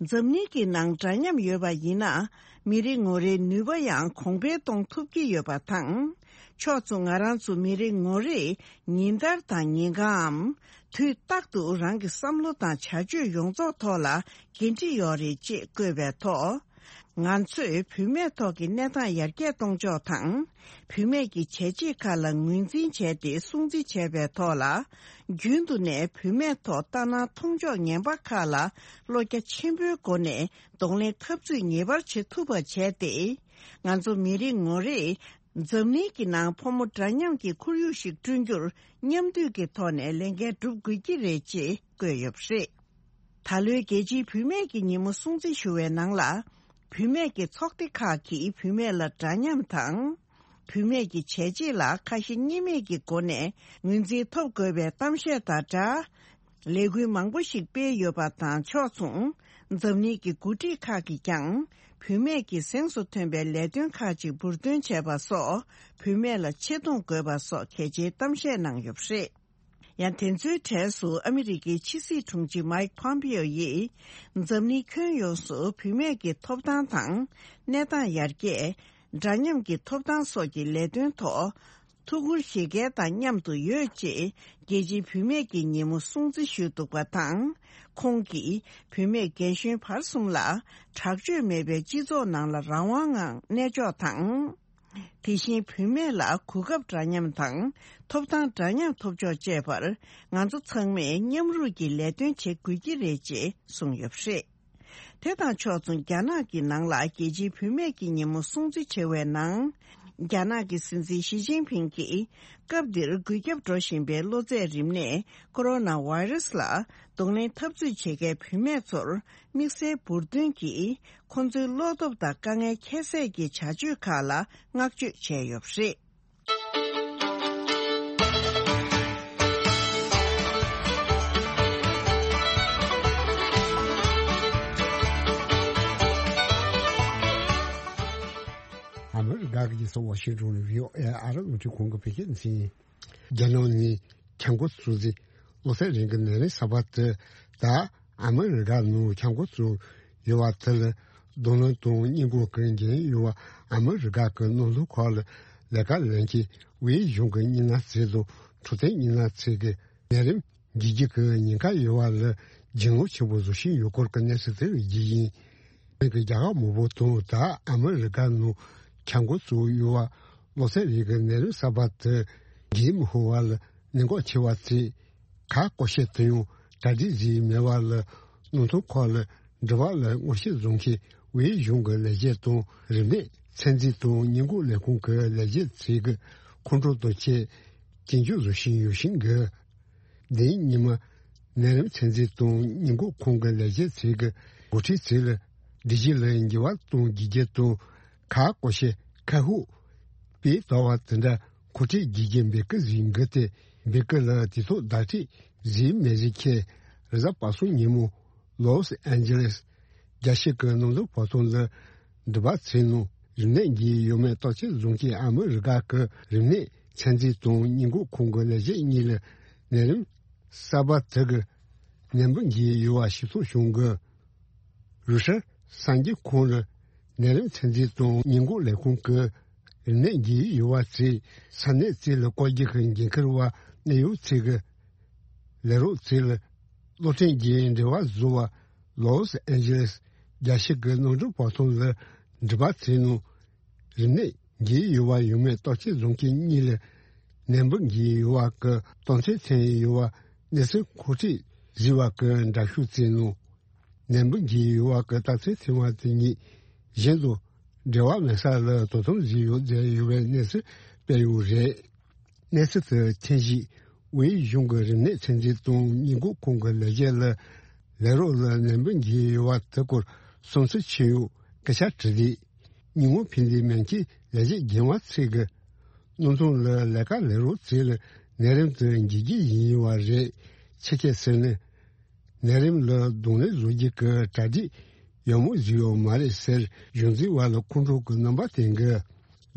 འཛམ་གླིང་གི་ནང་འདྲ་མཉམ་ཡོད་པ་ཡིན་ན། མི་རེ་ངོ་རེའི་ནུས་པ་ཡང་གོང་འཕེལ་གཏོང་ཐུབ་ཀྱི་ཡོད་པ་དང་། ཕྱོགས་མཚུངས་ང་རང་ཚོ་མི་རེ་ངོ་རེས་ཉིན་ལྟར་དང་ཉིན་གང་འམ། དུས་རྟག་ཏུ་རང་གི་བསམ་བློ་དང་བྱ་སྤྱོད་ཡོངས་རྫོགས་ཐོག་ལ་འགན་འཁྲི་ཡོད་རེད་ཅེས་བཀོད་པའི་ཐོག་ང་ཚོས་བུད་མེད་ཐོག་གི་གནས་སྟངས་ཡར་རྒྱས་གཏོང་ཕྱོགས་དང་། བུད་མེད་ཀྱི་བྱས་རྗེས་ཁག་ལ་ངོས་འཛིན་བྱས་ཏེ་སྲུང་བརྩི་བྱས་པའི་ཐོག་ལ། རྒྱུན་དུ་ནས་བུད་མེད་ཐོག་ལྟ་སྣང་མཐོང་ཕྱོགས་ངན་པ་ཁག་ལ་བློ་རྒྱ་ཆེན་པོའི་སྒོ་ནས་གདོང་ལེན་འཐབ་རྩོད་ངེས་པར་བྱེད་ཐུབ་པ་བྱས་ཏེ། ང་ཚོ་མི་རེ་ངོ་རེས་འཛམ་གླིང་གི་ནང་ཕོ་མོ་འདྲ་མཉམ་གྱི་ཁོར་ཡུག་ཞིག་བསྐྲུན་རྒྱུར་མཉམ་འདུས་ཀྱི་ཐོག་ནས་ལས་འགན་སྒྲུབ་དགོས་ཀྱི་རེད་ཅེས་བཀོད་ཡོད་པ་རེད། ད་ལོའི་རྒྱལ་སྤྱིའི་བུད་མེད་ཀྱི་ཉིན་མོ་སྲུང་བརྩི་ཞུ་བའི་ནང་ལ། བུད་མེད་ཀྱི་ཚོགས་སྡེ་ཁག་གིས་བུད་མེད་ལ་འདྲ་མཉམ་དང་། བུད་མེད་ཀྱི་བྱས་རྗེས་ལ་ཁ་ཞེ་གཉིས་མེད་ཀྱི་སྒོ་ནས་ངོས་འཛིན་ཐོབ་དགོས་པའི་གཏམ་བཤད་དང་སྦྲགས། ལས་འགུལ་མང་པོ་ཞིག་སྤེལ་ཡོད་པ་དང་ཕྱོགས་མཚུངས། འཛམ་གླིང་གི་འགོ་ཁྲིད་ཁག་གིས་ཀྱང་། བུད་མེད་ཀྱི་གཟེངས་སུ་ཐོན་པའི་ལས་དོན་ཁག་ཅིག་འབུར་འདོན་བྱས་པ་སོགས། བུད་མེད་ལ་ཆེ་མཐོང་དགོས་པ་སོགས་གལ་ཆེའི་གཏམ་བཤད་གནང་ཡོད་པ་རེད། ཡང་དེ་ཚོའི་གྲས་སུ་ཨ་མི་རི་ཀའི་ཕྱི་སྲིད་དྲུང་ཆེ་མའིག་ཕོམ་པིའོ་ཡིས། འཛམ་གླིང་ཁྱོན་ཡོངས་སུ་བུད་མེད་ཀྱི་ཐོབ་ཐང་དང་། གནས་སྟངས་ཡར་རྒྱས། འདྲ་མཉམ་གྱི་ཐོབ་ཐང་སོགས་ཀྱི་ལས་དོན་ཐོག་ཐུགས་ཁུར་བཞེས་མཁན་དང་མཉམ་དུ་ཡོད་ཅེས། རྒྱལ་སྤྱིའི་བུད་མེད་ཀྱི་ཉིན་མོ་སྲུང་བརྩི་ཞུས་འདུག་པ་དང་། ཁོང་གིས་བུད་མེད་རྒན་གཞོན་བར་གསུམ་ལ། དྲག་སྤྱོད་མེད་པའི་སྤྱི་ཚོགས་ནང་ལ་རང་དབང་ངང་གནས་ཕྱོགས་དང་། དེ་བཞིན་བུད་མེད་ལ་གོ་སྐབས་འདྲ་མཉམ་དང་། ཐོབ་ཐང་འདྲ་མཉམ་ཐོབ་ཕྱོགས་བཅས་པར། ང་ཚོ་ཚང་མས་མཉམ་རུབ་ཀྱིས་ལས་དོན་བྱེད་དགོས་ཀྱི་རེད་ཅེས་གསུངས་ཡོད་པ་རེད། དེ་དང་ཕྱོགས་མཚུངས། རྒྱ་ནག་གི་ནང་ལ་རྒྱལ་སྤྱིའི་བུད་མེད་ཀྱི་ཉིན་མོ་སྲུང་བརྩི་བྱེད་པའི་ནང་། རྒྱ་ནག་གི་སྲིད་འཛིན་ཞི་ཅིན་ཕིང་གིས། སྐབས་འདིར་འགོས་ཁྱབ་འགྲོ་བཞིན་པའི་གློ་ཚད་རིམས་ནད་ཀོ་རོ་ན་བྷའི་རུ་སི་ལ་གདོང་ལེན་འཐབ་རྩོད་བྱེད་མཁན་བུད་མེད་ཚོར་དམིགས་བསལ་འབུར་འདོན་གྱིས། ཁོང་ཚོའི་བློ་སྟོབས་དང་དཀའ་ངལ་ཁྱད་བསད་ཀྱི་བྱ་སྤྱོད་ཁག་ལ་བསྔགས་བརྗོད་བྱས་ཡོད་པ་རེད། ཨ་མི་རི་ཀ་གི་རྒྱལ་ས་ཝ་ཤིང་ཏོན་ནས་བྷི་ཨོ་ཨེ་ཨ་རི་རླུང་འཕྲིན་ཁང་གི་བོད་སྐད་སྡེ་ཚན། རྒྱ་ནག་ནས་ཁྱབ་ཁོངས་སྲུང་བརྩི་གློ་ཚད་རིམས་ཀྱི་ནད་རིམས་གསར་པ་དེ་དང་ཨ་མི་རི་ཀ་ནང་ཁྱབ་ཁོངས་སུ་ཡོད་པ་དེ་ལ་རྡུང་ལེན་དང་སྔོན་འགོག་གི་འགན་ཡོད་པ། ཨ་མི་རི་ཀ་གི་ནང་དོན་སྐོར་ལ་ལས་ཀ་ལས་མཁན་དབུས་གཞུང་གི་མི་སྣ་ཚོས་དང་འཕྲོད་བསྟེན་མི་སྣ་ཚོས་ཀྱི་ནད་རིམས་འགོས་རྒྱུ་གི་ཉེན་ཁ་ཡོད་པ་ལ་འཇིགས་སྣང་ཆེན་པོ་བཟོ་བཞིན་ཡོད་སྐོར་གྱི་གནས་ཚུལ་དེ་རྒྱུ་ཡིན། ཨ་མི་རི་ཀའི་རྒྱལ་ཁབ་མང་པོ་དང་ད་ཨ་མི་རི་ཀ་ནང་ཁྱབ་ཁོངས་སུ་ཡོད་པ་གློ་ཚད་རིམས་ཀྱི་ནད་རིམས་གསར་པ་དེ་འགོས་མི་ཤོར་བ་ལ་གནད་འགག་ཆེ་བ་བརྩིས། གར་སྐོར་བྱེད་དུ་ཡང་གྲ་སྒྲིག་བཟོས་མེད་པ་ལ་ནང་དོན་སྐོར་ལ་འབྲེལ་བ་ལ་ངོ་ཤེས་བཟུང་མཁན་དབུས་གཞུང་གི་ལས་བྱེད་དང་རིམས་ནད་ཚད་འཛིན་དང་སྔོན་འགོག་ལས་ཁུངས་ཀྱི་ལས་བྱེད་ཚོས་ཀྱི་ཁོང་ཁྲོ་དང་བཅས་སྐྱོན་བརྗོད་བཟོ་བཞིན་ཡོད་བཞིན་གི། དེའི་ཉི་མ། ནད་རིམས་ཚད་འཛིན་དང་སྔོན་འགོག་ཁང་གི་ལས་བྱེད་ཚོས་ཀྱི་འགོ་ཁྲིད་ཚོས་ལ་སྒྲིག་གཞི་ལ་འགྱུར་བ་གཏོང་དགོས་རྒྱུ་དང་། གར་སྐོར་བྱེད་ཁ་ཤས་སྤོས་དོར་བ་དེ་འདྲ་མཁོ་སྤྲོད་དགོས་རྒྱུ་འབོད་སྐུལ་བཟོས་འགོ་དེ་འབོད་སྐུལ་ལ་དུས་ཐོག་བརྡ་སྤྲོད་བཟོས་མེད་ཟེར་མཁན་རེས་གཟའ་པ་སངས་ཉིན་མོ། ལོས་ཨན་ཇི་ལེས་རྒྱལ་སྤྱི་གི་གནམ་གྲུ་བར་སྟོང་ལ་འགྲུལ་པ་བྱས་ནང་རིམས་ནད་འགོས་ཡོད་མེད་བརྟག་དཔྱད་བཟོ་མཁན་ཨ་མི་རི་ཀ་གི་རིམས་ནད་ཚན་རྩལ་དང་སྔོན་འགོག་ཁང་གི་ལས་བྱེད་གཉིས་ལ་ནད་རིམས་གསར་པ་དེ་གི་ནད་འབུ་འགོས་ཡོད་པ་ཤེས་རྟོགས་བྱུང་གི། རུ་ཤར་གསར་འགྱུར་ཁང་ལ་ནད་རིམས་ཚན་རྩལ་དང་སྔོན་འགོག་ལས་ཁུངས་ཀྱི་རིམས་ནད་འགོས་ཡོད་པ་ཚོའི་ས་གནས་བཅས་ལ་བཀོད་རྒྱ་གི་འགན་འཁུར་བ་གནད་ཡོད་ཚོས་ཀྱི་ལས་རོགས་ཚོས་ལ་གློག་འཕྲིན་གྱི་འབྲེལ་བ་བཟོ་བ་ལོས་ཨན་ཇི་ལེས་རྒྱལ་སྤྱི་གི་གནམ་གྲུ་བར་སྟོང་ལ་འགྲུལ་པ་བྱས་ནང་རིམས་ནད་འགོས་ཡོད་པ་ཡོད་མེད་བརྟག་དཔྱད་བཟོ་མཁན་གཉིས་ལ་ནད་འབུ་འགོས་ཡོད་པ་གི་རྟགས་མཚན་ཐོན་ཡོད་པ་གནས་ཚུལ་མཁོ་སྤྲོད་བཟོས་པ་གི་འདྲ་བཤུས་བྱས་ནང་། ནད་འབུ་འགོས་ཡོད་པ་གི་རྟགས་མཚན་ཐོན་པ་དེ་གཉིས་གཞན་དང་འབྲེལ་བ་མེད་ས་ལ་དོ་དམ་བཟོས་ཡོད་ཟེར་ཡོད་པའི་གནས་ཚུལ་སྤེལ་ཡོད་རེད། གནས་ཚུལ་དེ་ཐོན་རྗེས་དབུས་གཞུང་གི་རིམས་ནད་ཚན་རྩལ་དང་སྔོན་འགོག་ཁང་གི་ལས་བྱེད་ལ་ལས་རོགས་ལ་ནད་འབུ་འགོས་ཡོད་པ་དེ་སྐོར་བསམ་ཚུལ་ཆེ་ཡོད་སྐད་ཆ་དྲིས་ཏེ། ཉིན་གུང་ཕན་བདེ་སྨན་ཁྱིའི་ལས་བྱེད་རྒན་པ་ཚོས་ཀྱི་གནམ་ཐང་ལ་ལས་ཀ་ལས་རོགས་ཚོས་ལ་ནད་རིམས་དེ་འགོས་རྒྱུ་ཡིན་པ་རེད། ཕྱི་རྒྱལ་ཟེར་ནས། ནད་རིམས་ལ་གདོང་ལེན་བཟོ་རྒྱུ་གི་གྲ་སྒྲིག་ཡག་མོ་བཟོས་ཡོད་མ་རེད་ཟེར་གཞུང་འཛིན་པ་ལ་ཁོང་ཁྲོ་གི་རྣམ་པ་བསྟན་གི།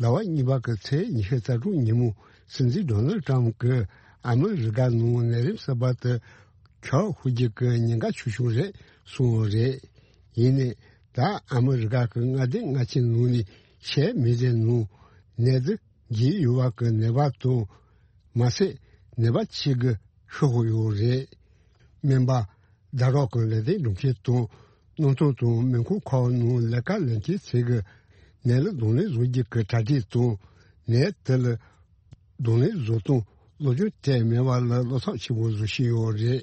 ཟླ་བ་གཉིས་པ་གི་ཚེས་ཉི་ཤུ་རྩ་དྲུག་ཉིན་མོ་སྲིད་འཛིན་ཌོ་ནལ་ཊམ་གྱིས་ཨ་མི་རི་ཀ་ནང་ནད་རིམས་གསར་པ་དེ་ཁྱབ་ཤོར་རྒྱུ་གི་ཉེན་ཁ་ཆེ་ཤོས་རེད་གསུངས་པ་རེད། ཡིན་ནའི་ད་ཨ་མི་རི་ཀ་གི་མངའ་སྡེ་ལྔ་ཆའི་ནང་ནས་ཤར་མི་ཟེར་ནང་ནད་དེ་འགོས་ཡོད་པ་གི་ནད་པ་དང་མ་ཟད་ནད་པ་གཅིག་གི་ཤི་ཤོར་ཡོད་རེད། སྨན་པ། ཟླ་གྲོགས་ཀྱི་ལས་དོན་སྒྲུབ་མཁན་དང་གནམ་ཐང་དང་མེ་འཁོར་ཁག་ནང་ལས་ཀ་ལས་མཁན་ཚོས་ཀྱི་ནད་ལ་གདོང་ལེན་བཟོ་རྒྱུ་གི་གྲ་སྒྲིག་དང་ནད་དེ་ལ་གདོང་ལེན་བཟོ་སྟངས་སློབ་སྦྱོང་སྤྲད་མེད་པ་ལ་བློ་འཚབ་ཆེན་པོ་བཟོ་བཞིན་ཡོད་རེད།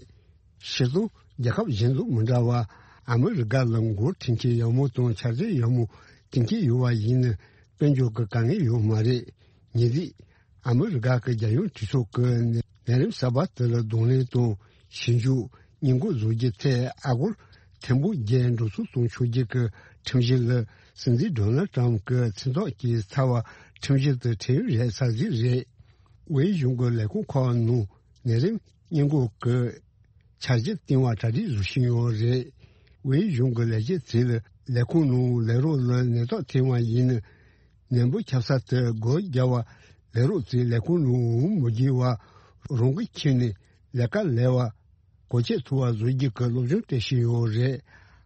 སྤྱིར་བཏང་རྒྱལ་ཁབ་གཞན་དང་མི་འདྲ་བར་ཨ་མི་རི་ཀ་ལ་མགོ་ཁྲིད་མཁན་ཡག་མོ་དང་འཆར་གཞི་ཡག་མོ་བཏིང་མཁན་ཡོད་པ་ཡིན་ན་དཔལ་འབྱོར་གྱི་དཀའ་ངལ་ཡོད་མ་རེད། ཉེ་དུས། ཨ་མི་རི་ཀ་གི་རྒྱལ་ཡོངས་གྲོས་ཚོགས་ཀྱི་ནད་རིམས་གསར་པ་དེ་ལ་གདོང་ལེན་དང་ཞིབ་འཇུག་སྔོན་འགོག་བཟོ་རྒྱུ་ཐད་ཨ་སྒོར་ཐེར་འབུམ་བརྒྱད་འགྲོ་སོང་གཏོང་ཆོག་རྒྱུ་གི་ཁྲིམས་གཞི་ལ་སྲིད་འཛིན་ཌོ་ནལ་ཊམ་གྱི་མཚན་རྟགས་ཀྱི་ཚབ་པ་ཁྲིམས་གཞི་དེ་ཁྲིམས་རེད་ས་ཟིག་རེད། དབུས་གཞུང་གི་ལས་ཁུངས་ཁག་ནང་ནད་རིམས་སྔོན་འགོག་གི་འཆར་གཞི་བཏིང་བ་གྲ་སྒྲིག་བཟོ་བཞིན་ཡོད་རེད། དབུས་གཞུང་གི་ལས་བྱེད་ཚོས་ལས་ཁུངས་ནང་ལས་རོགས་ལ་ནད་རྟགས་ཐོན་པ་ཡིན་ན། ནད་འབུ་ཁྱབ་ས་དེ་སྒོ་རྒྱག་པ་ལས་རོགས་ཚོས་ལས་ཁུངས་ནང་འོང་མི་དགོས་པ་རང་གི་ཁྱིམ་ནས་ལས་ཀ་ལས་པ་གོ་ཆོད་ཐུབ་པ་བཟོ་རྒྱུ་གི་སློབ་སྦྱོང་སྤྲད་བཞིན་ཡོད་རེད།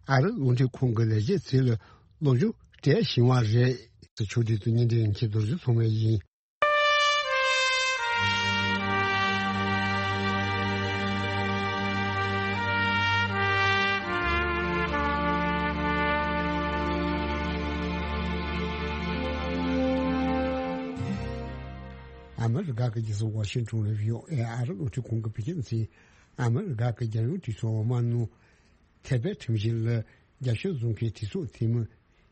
ཨ་རི་རླུང་འཕྲིན་ཁང་གི་ལས་བྱེད་ཚོས་ལ་སློབ་སྦྱོང་སྤྲད་བཞིན་པ་རེད། ཆོས་སྒྲོན་དང་བརྙན་འཕྲིན་མཁན་རྡོ་རྗེ་ཚང་མས་ཡིན། ཨ་མི་རི་ཀ་གི་རྒྱལ་ས་ཝ་ཤིང་ཊོན་ལ་བྷི་ཨོ་ཨེ་ཨ་རི་རླུང་འཕྲིན་ཁང་གི་བོད་སྐད་སྡེ་ཚན། ཨ་མི་རི་ཀ་གི་རྒྱལ་ཡོངས་གྲོས་ཚོགས་འོག་མ་ནང་ཐེ་བའི་ཁྲིམས་གཞི་ལ་རྒྱབ་སྐྱོར་བཟོ་མཁན་གྲོས་ཚོགས་འཐུས་མི་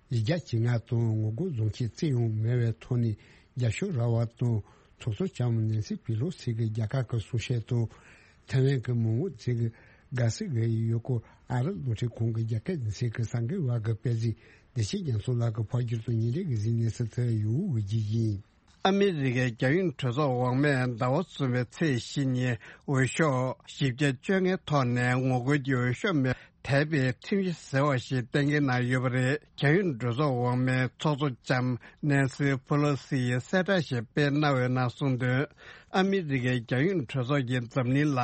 ཉིས་བརྒྱ་བཅོ་ལྔ་དང་ངོ་རྒོལ་བཟོ་མཁན་རྩིས་ཡང་མེད་པའི་ཐོག་ནས་རྒྱབ་སྐྱོར་རག་པ་དང་ཐོག་ཚོགས་ལྕམ་ནན་སི་པི་ལོ་སི་གི་རྒྱལ་ཁབ་ཀྱི་གསུང་བཤད་དང་། ཐའེ་ཝན་གྱི་མི་དམངས་ཚོས་ཀྱི་དགའ་བསུ་གི་ཡོད་སྐོར་ཨ་རི་རླུང་འཕྲིན་ཁང་གི་རྒྱ་སྐད་སྡེ་ཚན་གྱི་གསར་འགོད་པ་གིས་སྤེལ་གཟིགས་བདེ་ཆེན་རྒྱ་མཚོ་ལགས་ཀྱིས་ཕབ་བསྒྱུར་དང་བརྙན་འཕྲིན་གྱི་གཟིགས་གནས་ཚུལ་དེ་ཡོད་འོས་ཀྱི་ཡིན། ཨ་མི་རི་ཀའི་རྒྱལ་ཡོངས་གྲོས་ཚོགས་འོག་མས་ཟླ་བ་གསུམ་པའི་ཚེས་བཞི་ཉིན་འོས་ཤོག་བཞི་བརྒྱ་བཅོ་ལྔའི་ཐོག་ནས་ངོ་རྒོལ་གྱི་འོས་ཤོག་མེད་པར་དེད་པའི་ཁྲིམས་གཞི་ཟེར་བ་ཞིག་གཏན་འཁེལ་གནང་ཡོད་པ་རེད། རྒྱལ་ཡོངས་གྲོས་ཚོགས་འོག་མའི་ཚོགས་གཙོ་ལྕམ་ནན་སི་ཕུ་ལོ་སི་ཡིས་གསལ་བསྒྲགས་ཤིག་སྤེལ་གནང་བའི་ནང་གསུངས་དོན། ཨ་མི་རི་ཀའི་རྒྱལ་ཡོངས་གྲོས་ཚོགས་ཀྱིས་འཛམ་གླིང་ལ་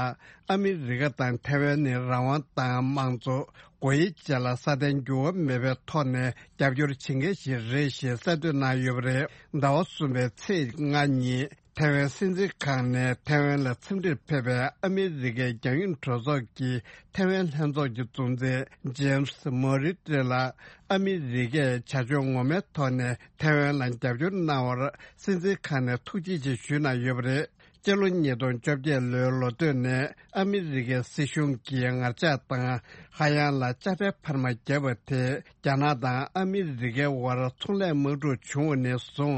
ཨ་མི་རི་ཀ་དང་ཐའེ་ཝན་ནི་རང་དབང་དང་དམངས་གཙོ། སྒོ་དབྱེ་བཅས་ལ་སྲ་བརྟན་འགྱུར་བ་མེད་པའི་ཐོག་ནས་རྒྱབ་སྐྱོར་བྱེད་མཁན་ཞིག་རེད་ཞེས་གསལ་འདོན་གནང་ཡོད་པ་རེད། ཟླ་བ་གསུམ་པའི་ཚེས་ལྔ་ཉིན་ཐའེ་ཝན་སྲིད་འཛིན་ཁང་ནས་ཐའེ་ཝན་ལ་འཚམས་འདྲིར་ཕེབས་པའི་ཨ་མི་རི་ཀའི་རྒྱལ་ཡོངས་གྲོས་ཚོགས་ཀྱི་ཐའེ་ཝན་ལྷན་ཚོགས་ཀྱི་གཙོ་འཛིན་ཇེམ་སི་མོ་རི་ཏྲེ་ལ་ཨ་མི་རི་ཀས་བྱ་སྤྱོད་ངོ་མའི་ཐོག་ནས་ཐའེ་ཝན་ལ་རྒྱབ་སྐྱོར་གནང་བར་སྲིད་འཛིན་ཁང་ནས་ཐུགས་རྗེ་ཆེ་ཞུས་གནང་ཡོད་པ་རེད། སྤྱི་ལོ་ཉིས་སྟོང་བཅོ་བརྒྱད་ལོའི་ལོ་སྟོད་ནས་ཨ་མི་རི་ཀའི་སྲིད་གཞུང་གིས་ངར་ལྕགས་དང་ཧ་ཡང་ལ་དཔྱ་ཁྲལ་འཕར་མ་བརྒྱབ་པ་དེས་རྒྱ་ནག་དང་ཨ་མི་རི་ཀའི་དབར་ཚོང་ལས་དམག་འཁྲུག་བྱུང་བ་ནས་བཟུང་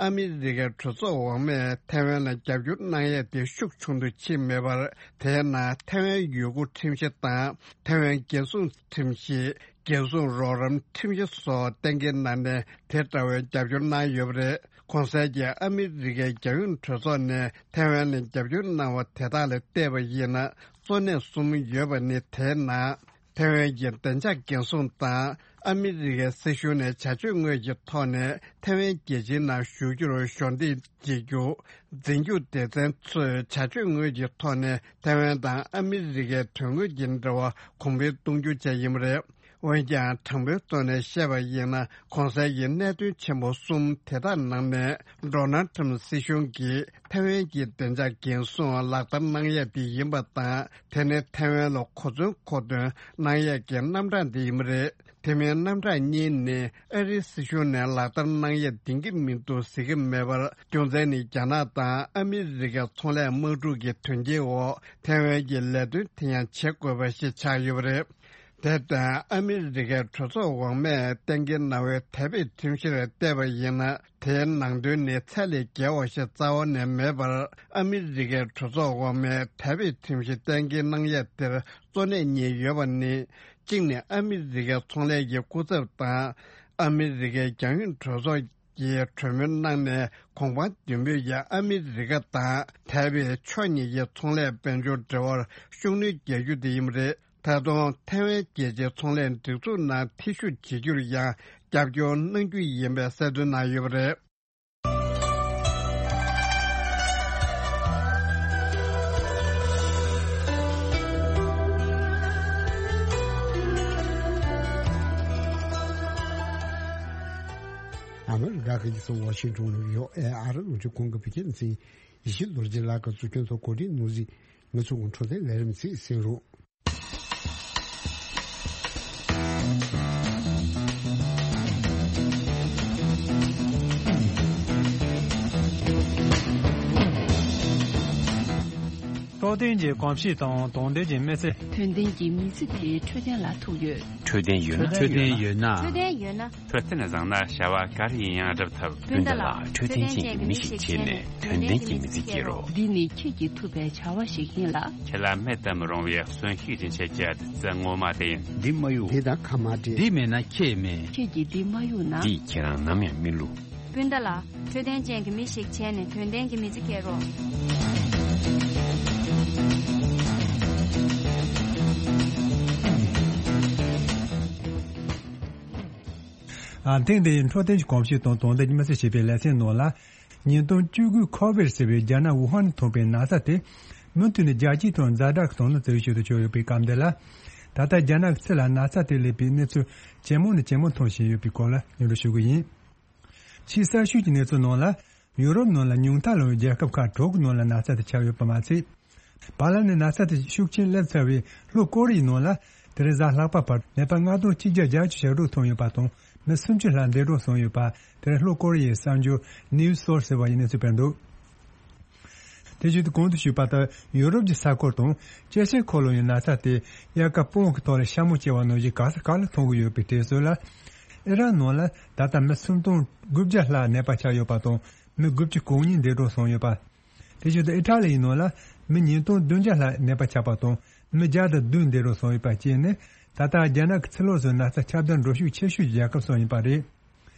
ཨ་མི་རི་ཀའི་གྲོས་ཚོགས་འོག་མས་ཐའེ་ཝན་ལ་རྒྱབ་སྐྱོར་གནང་ཡས་དེ་ཤུགས་ཆུང་དུ་ཕྱིན་མེད་པར། དེས་ན་ཐའེ་ཝན་ཡུལ་སྐོར་ཁྲིམས་གཞི་དང་ཐའེ་ཝན་རྒྱལ་སྲུང་ཁྲིམས་གཞི། རྒྱལ་སྲུང་རོགས་རམ་ཁྲིམས་གཞི་སོགས་གཏན་འཁེལ་གནང་ནས་དེ་འདྲ་བའི་རྒྱབ་སྐྱོར་གནང་ཡོད་པ་རེད། གོང་གསལ་གྱི་ཨ་མི་རི་ཀའི་རྒྱལ་ཡོངས་གྲོས་ཚོགས་ནས་ཐའེ་ཝན་ལ་རྒྱབ་སྐྱོར་གནང་བ་དེ་དག་ལ་བལྟས་པ་ཡིན་ན་གཙོ་གནད་གསུམ་ཡོད་པ་ནི། དེའི་ནང་ ཐའེ་ཝན་གྱི་བདེ་འཇགས་འགན་སྲུང་དང་ཨ་མི་རི་ཀའི་སྲིད་གཞུང་ནས་བྱ་སྤྱོད་དངོས་ཀྱི་ཐོག་ནས་ཐའེ་ཝན་རྒྱལ་སྤྱིའི་ནང་བཞུགས་རྒྱུར་གཞོགས་འདེགས་བྱེད་རྒྱུ། འཛིན་སྐྱོང་སྡེ་ཚན་ཚོས་བྱ་སྤྱོད་དངོས་ཀྱི་ཐོག་ནས་ཐའེ་ཝན་དང་ཨ་མི་རི་ཀའི་དོན་དངོས་ཀྱི་འབྲེལ་བ་གོང་འཕེལ་གཏོང་རྒྱུ་བཅས་ཡིན་པ་རེད། འོན་ཀྱང་དྲང་པོའི་ཐོག་ནས་བཤད་པ་ཡིན་ན། གོང་གསལ་གྱི་གནད་དོན་ཆེན་པོ་གསུམ་དེ་དག་ནང་ནས། ཌོ་ནལ་ཊམ་སྲིད་གཞུང་གིས་ཐའེ་ཝན་གྱི་བདེ་འཇགས་འགན་སྲུང་ལག་བསྟར་གནང་ཡས་དེ་ཡིན་པ་དང་། དེ་ནི་ཐའེ་ཝན་ལ་གོ་མཚོན་མཁོ་འདོན་གནང་ཡས་ཀྱི་རྣམ་གྲངས་དེ་ཡིན་པ་རེད། དེ་མིན་རྣམ་གྲངས་གཉིས་ནི་ཨ་རིའི་སྲིད་གཞུང་ནས་ལག་བསྟར་གནང་ཡས་འདིང་གི་མི་འདུག་ཟེར་གྱི་མེད་པར། རྒྱུ་མཚན་ནི་རྒྱ་ནག་དང་ཨ་མི་རི་ཀའི་ཚོང་ལས་དམག་འཁྲུག་གི་དོན་རྐྱེན་འོག་ཐའེ་ཝན་གྱིས་ལས་དོན་དེ་ཡང་བྱེད་དགོས་པ་ཞིག་ཆགས་ཡོད་པ་རེད། དེར་བརྟེན། ཨ་མི་རི་ཀའི་གྲོས་ཚོགས་འོག་མས་གཏན་འཁེལ་གནང་བའི་ཐའེ་པེ་ཁྲིམས་གཞིར་བལྟས་པ་ཡིན་ན། དེའི་ནང་དོན་ནི་ཚད་ལས་བརྒལ་བ་ཞིག་རྩ་བ་ནས་མེད་པར། ཨ་མི་རི་ཀའི་གྲོས་ཚོགས་འོག་མས་ཐའེ་པེ་ཁྲིམས་གཞི་གཏན་འཁེལ་གནང་ཡས་དེར་གཙོ་གནད་རྙེད་ཡོད་པ་ནི། གཅིག་ནི་ཨ་མི་རི་ཀའི་ཚོང་ལས་ཀྱི་སྐུ་ཚབ་དང་། ཨ་མི་རི་ཀའི་རྒྱང་ཡོད་གྲོས་ཚོགས་ཀྱིས་གྲོས་མོལ་གནང་ནས། གོང་དཔང་བདུན་པོས་ཀྱང་ཨ་མི་རི་ཀ་དང་ཐའེ་པེ་ཕྱོགས་གཉིས་ཀྱི་ཚོང་ལས་དཔལ་འབྱོར་འབྲེལ་བར་ཤུགས་སྣོན་རྒྱག་རྒྱུ་དེ་ཡིན་པ་རེད། ད་དུང་ཐའེ་ཝན་རྒྱལ་སྤྱིའི་ཚོང་ལས་སྒྲིག་འཛུགས་ནང་ཐེ་ཞུགས་བྱེད་རྒྱུར་ཡང་རྒྱབ་སྐྱོར་གནང་རྒྱུ་ཡིན་པའི་གསལ་སྟོན་གནང་ཡོད་པ་རེད། ཨ་མི་རི་ཀ་གི་རྒྱལ་ས་ཝ་ཤིང་ཊོན་ནང་ཡོད་ཨེ་ཨ་རི་རླུང་འཕྲིན་ཁང་གི་བོད་སྐད་སྡེ་ཚན་ཡིན། ཡེ་ཤེས་རྡོ་རྗེ་ལགས་ཀྱིས་གཙོ་སྐྱོང་དང་གོ་སྒྲིག་གནང་གཟིགས། ང་ཚོ་གི་འཕྲོད་བསྟེན་ལས་རིམ་ཚིག་གསན་རོགས། འཕྲོད་བསྟེན་གྱི་གོམས་གཤིས་དང་དོན་ལྡན་གྱི་མི་ཚེ། དོན་ལྡན་གྱི་མི་ཚེ་དེ་འཕྲོད་བསྟེན་ལ་ཐུག་ཡོད། འཕྲོད་བསྟེན་ཡོད་ན། འཕྲོད་བསྟེན་ཡོད་ན། འཕྲོད་བསྟེན་ཡོད་ན། འཕྲོད་བསྟེན་བཟང་ན་བྱ་བ་ག་རེ་ཡིན་ཡང་འགྲུབ་ཐུབ། སྤུན་ཟླ་ལགས། འཕྲོད་བསྟེན་ཅན་གྱི་མི་ཞིག་བྱས་ནས་དོན་ལྡན་གྱི་མི་ཚེ་སྐྱེལ་རོགས། འདི་ནི་ཁྱེད་ཀྱིས་ཐུབ་པའི་བྱ་བ་ཞིག་ཡིན་ལ། ཁྱེད་ལ་མེད་དུ་མི་རུང་བའི་གསོན་ཤུགས་སྦྱིན་བྱེད་ཀྱི་བདུད་རྩི་ངོ་མ་དེ་ཡིན། འདི་མ་གཡུག་འདི་དང་ཁ་མ་བྲལ། འདི་མེད་ན་ཁྱེད་མེད། ཁྱེད་ཀྱིས་འདི་མ་གཡུག་ན། འདིས་ཁྱེད་རང་ནམ་ཡང་མི་བསླུ། སྤུན་ཟླ་ལགས། འཕྲོད་བསྟེན་ཅན་གྱི་མི་ཞིག་བྱས་ནས་དོན་ལྡན་གྱི་མི་ཚེ་སྐྱེལ་རོགས། ཨ། ཐེངས་འདིའི་འཕྲོད་བསྟེན་གྱི་གོམས་གཤིས་དང་དོན་ལྡན་གྱི་མི་ཚེ་ཞེས་པའི་ལེ་ཚན་ནང་ལ། ཉིས་སྟོང་བཅུ་དགུའི་ཁོ་བིད་ཟེར་བའི་རྒྱ་ནག་ཝུ་ཧན་ནས་ཐོན་པའི་ན་ཚ་དེ། མུ་མཐུད་ནས་རྒྱལ་སྤྱིའི་ཐོག་ཛ་དྲག་གི་དོ་སྣང་བྱེད་ཤུགས་དུ་ཕྱིན་ཡོད་པའི་སྐབས་འདི་ལ། ད་ལྟ་རྒྱ་ནག་གི་ཕྱི་ལ་ན་ཚ་དེ་སླེབས་པའི་གནས་ཚུལ་ཇེ་མང་ནས་ཇེ་མང་ཐོན་བཞིན་ཡོད་པའི་སྐོར་ལ་སྙན་སྒྲོན་ཞུ་གི་ཡིན། ཕྱིའི་གསར་ཤོས་ཀྱི་གནས་ཚུལ་ནང་ལ། ཡུ་རོབ་ནང་ལ་ཉུང་མཐའ་ལོངས་པའི་རྒྱལ་ཁབ་ཁག་དྲུག་གི་ནང་ལ་ན་ཚ་དེ་ཁྱབ་ཡོད་པ་མ་ཚད། བར་ལམ་ནས་ན་ཚ་དེ་ཤུགས་ཆེན་སླེབས་ཚར་བའི་ལྷོ་ཀོ་རི་ཡའི་ནང་ལ། དེ་རིང་གཟའ་ལྷག་པ་བར་ནད་པ་ལྔ་སྟོང་གཅིག་བརྒྱ་བརྒྱད་ཅུ་ཞེ་དྲུག་ཐོན་ཡོད་པ་དང་། མི་སུམ་ཅུ་ལྷག་འདས་གྲོངས་སོང་ཡོད་པ། དེ་རིང་ལྷོ་ཀོ་རི་ཡའི་གསར་འགྱུར་News Source ཟེར་བ་ཡི་གནས་ཚུལ་སྤེལ་འདུག་དེ་བཞིན་དུ་གོང་དུ་ཞུས་པ་ལྟར། ཡུ་རོབ་ཀྱི་ས་ཁུལ་དང་། ཅི་ཆེན་ཁོ་ལོ་ཡི་ན་ཚ་དེ། དབྱར་ཁ་སྤོང་གི་ཐོག་ལ་ཤ་མོ་སྐྱེ་བ་ནང་བཞིན་ག་ས་ག་ལ་མཐོང་གི་ཡོད་པའི་དུས་ཚོད་ལ། ཨི་རན་ནང་ལ་ད་ལྟ་མི་སུམ་སྟོང་དགུ་བརྒྱ་ལྷག་ནད་པ་ཆགས་ཡོད་པ་དང་། མི་དགུ་བཅུ་གོ་གཉིས་འདས་གྲོངས་སོང་ཡོད་པ། དེ་བཞིན་དུ་ཨི་ཊ་ལི་ཡི་ནང་ལ་མི་ཉིས་སྟོང་བདུན་བརྒྱ་ལྷག་ནད་པ་ཆགས་པ་དང་། མི་བརྒྱ་དང་བདུན་འདས་གྲོངས་སོང་ཡོད་པ་བཅས་ནི། ད་ལྟ་རྒྱ་ནག་གི་ཕྱི་ལོགས་སུ་ན་ཚ་ཁྱབ་གདལ་འགྲོ་ཤུགས་ཆེ་ཤོས་ཀྱི་རྒྱལ་ཁབ་སུ་ཡིན་པ་རེད།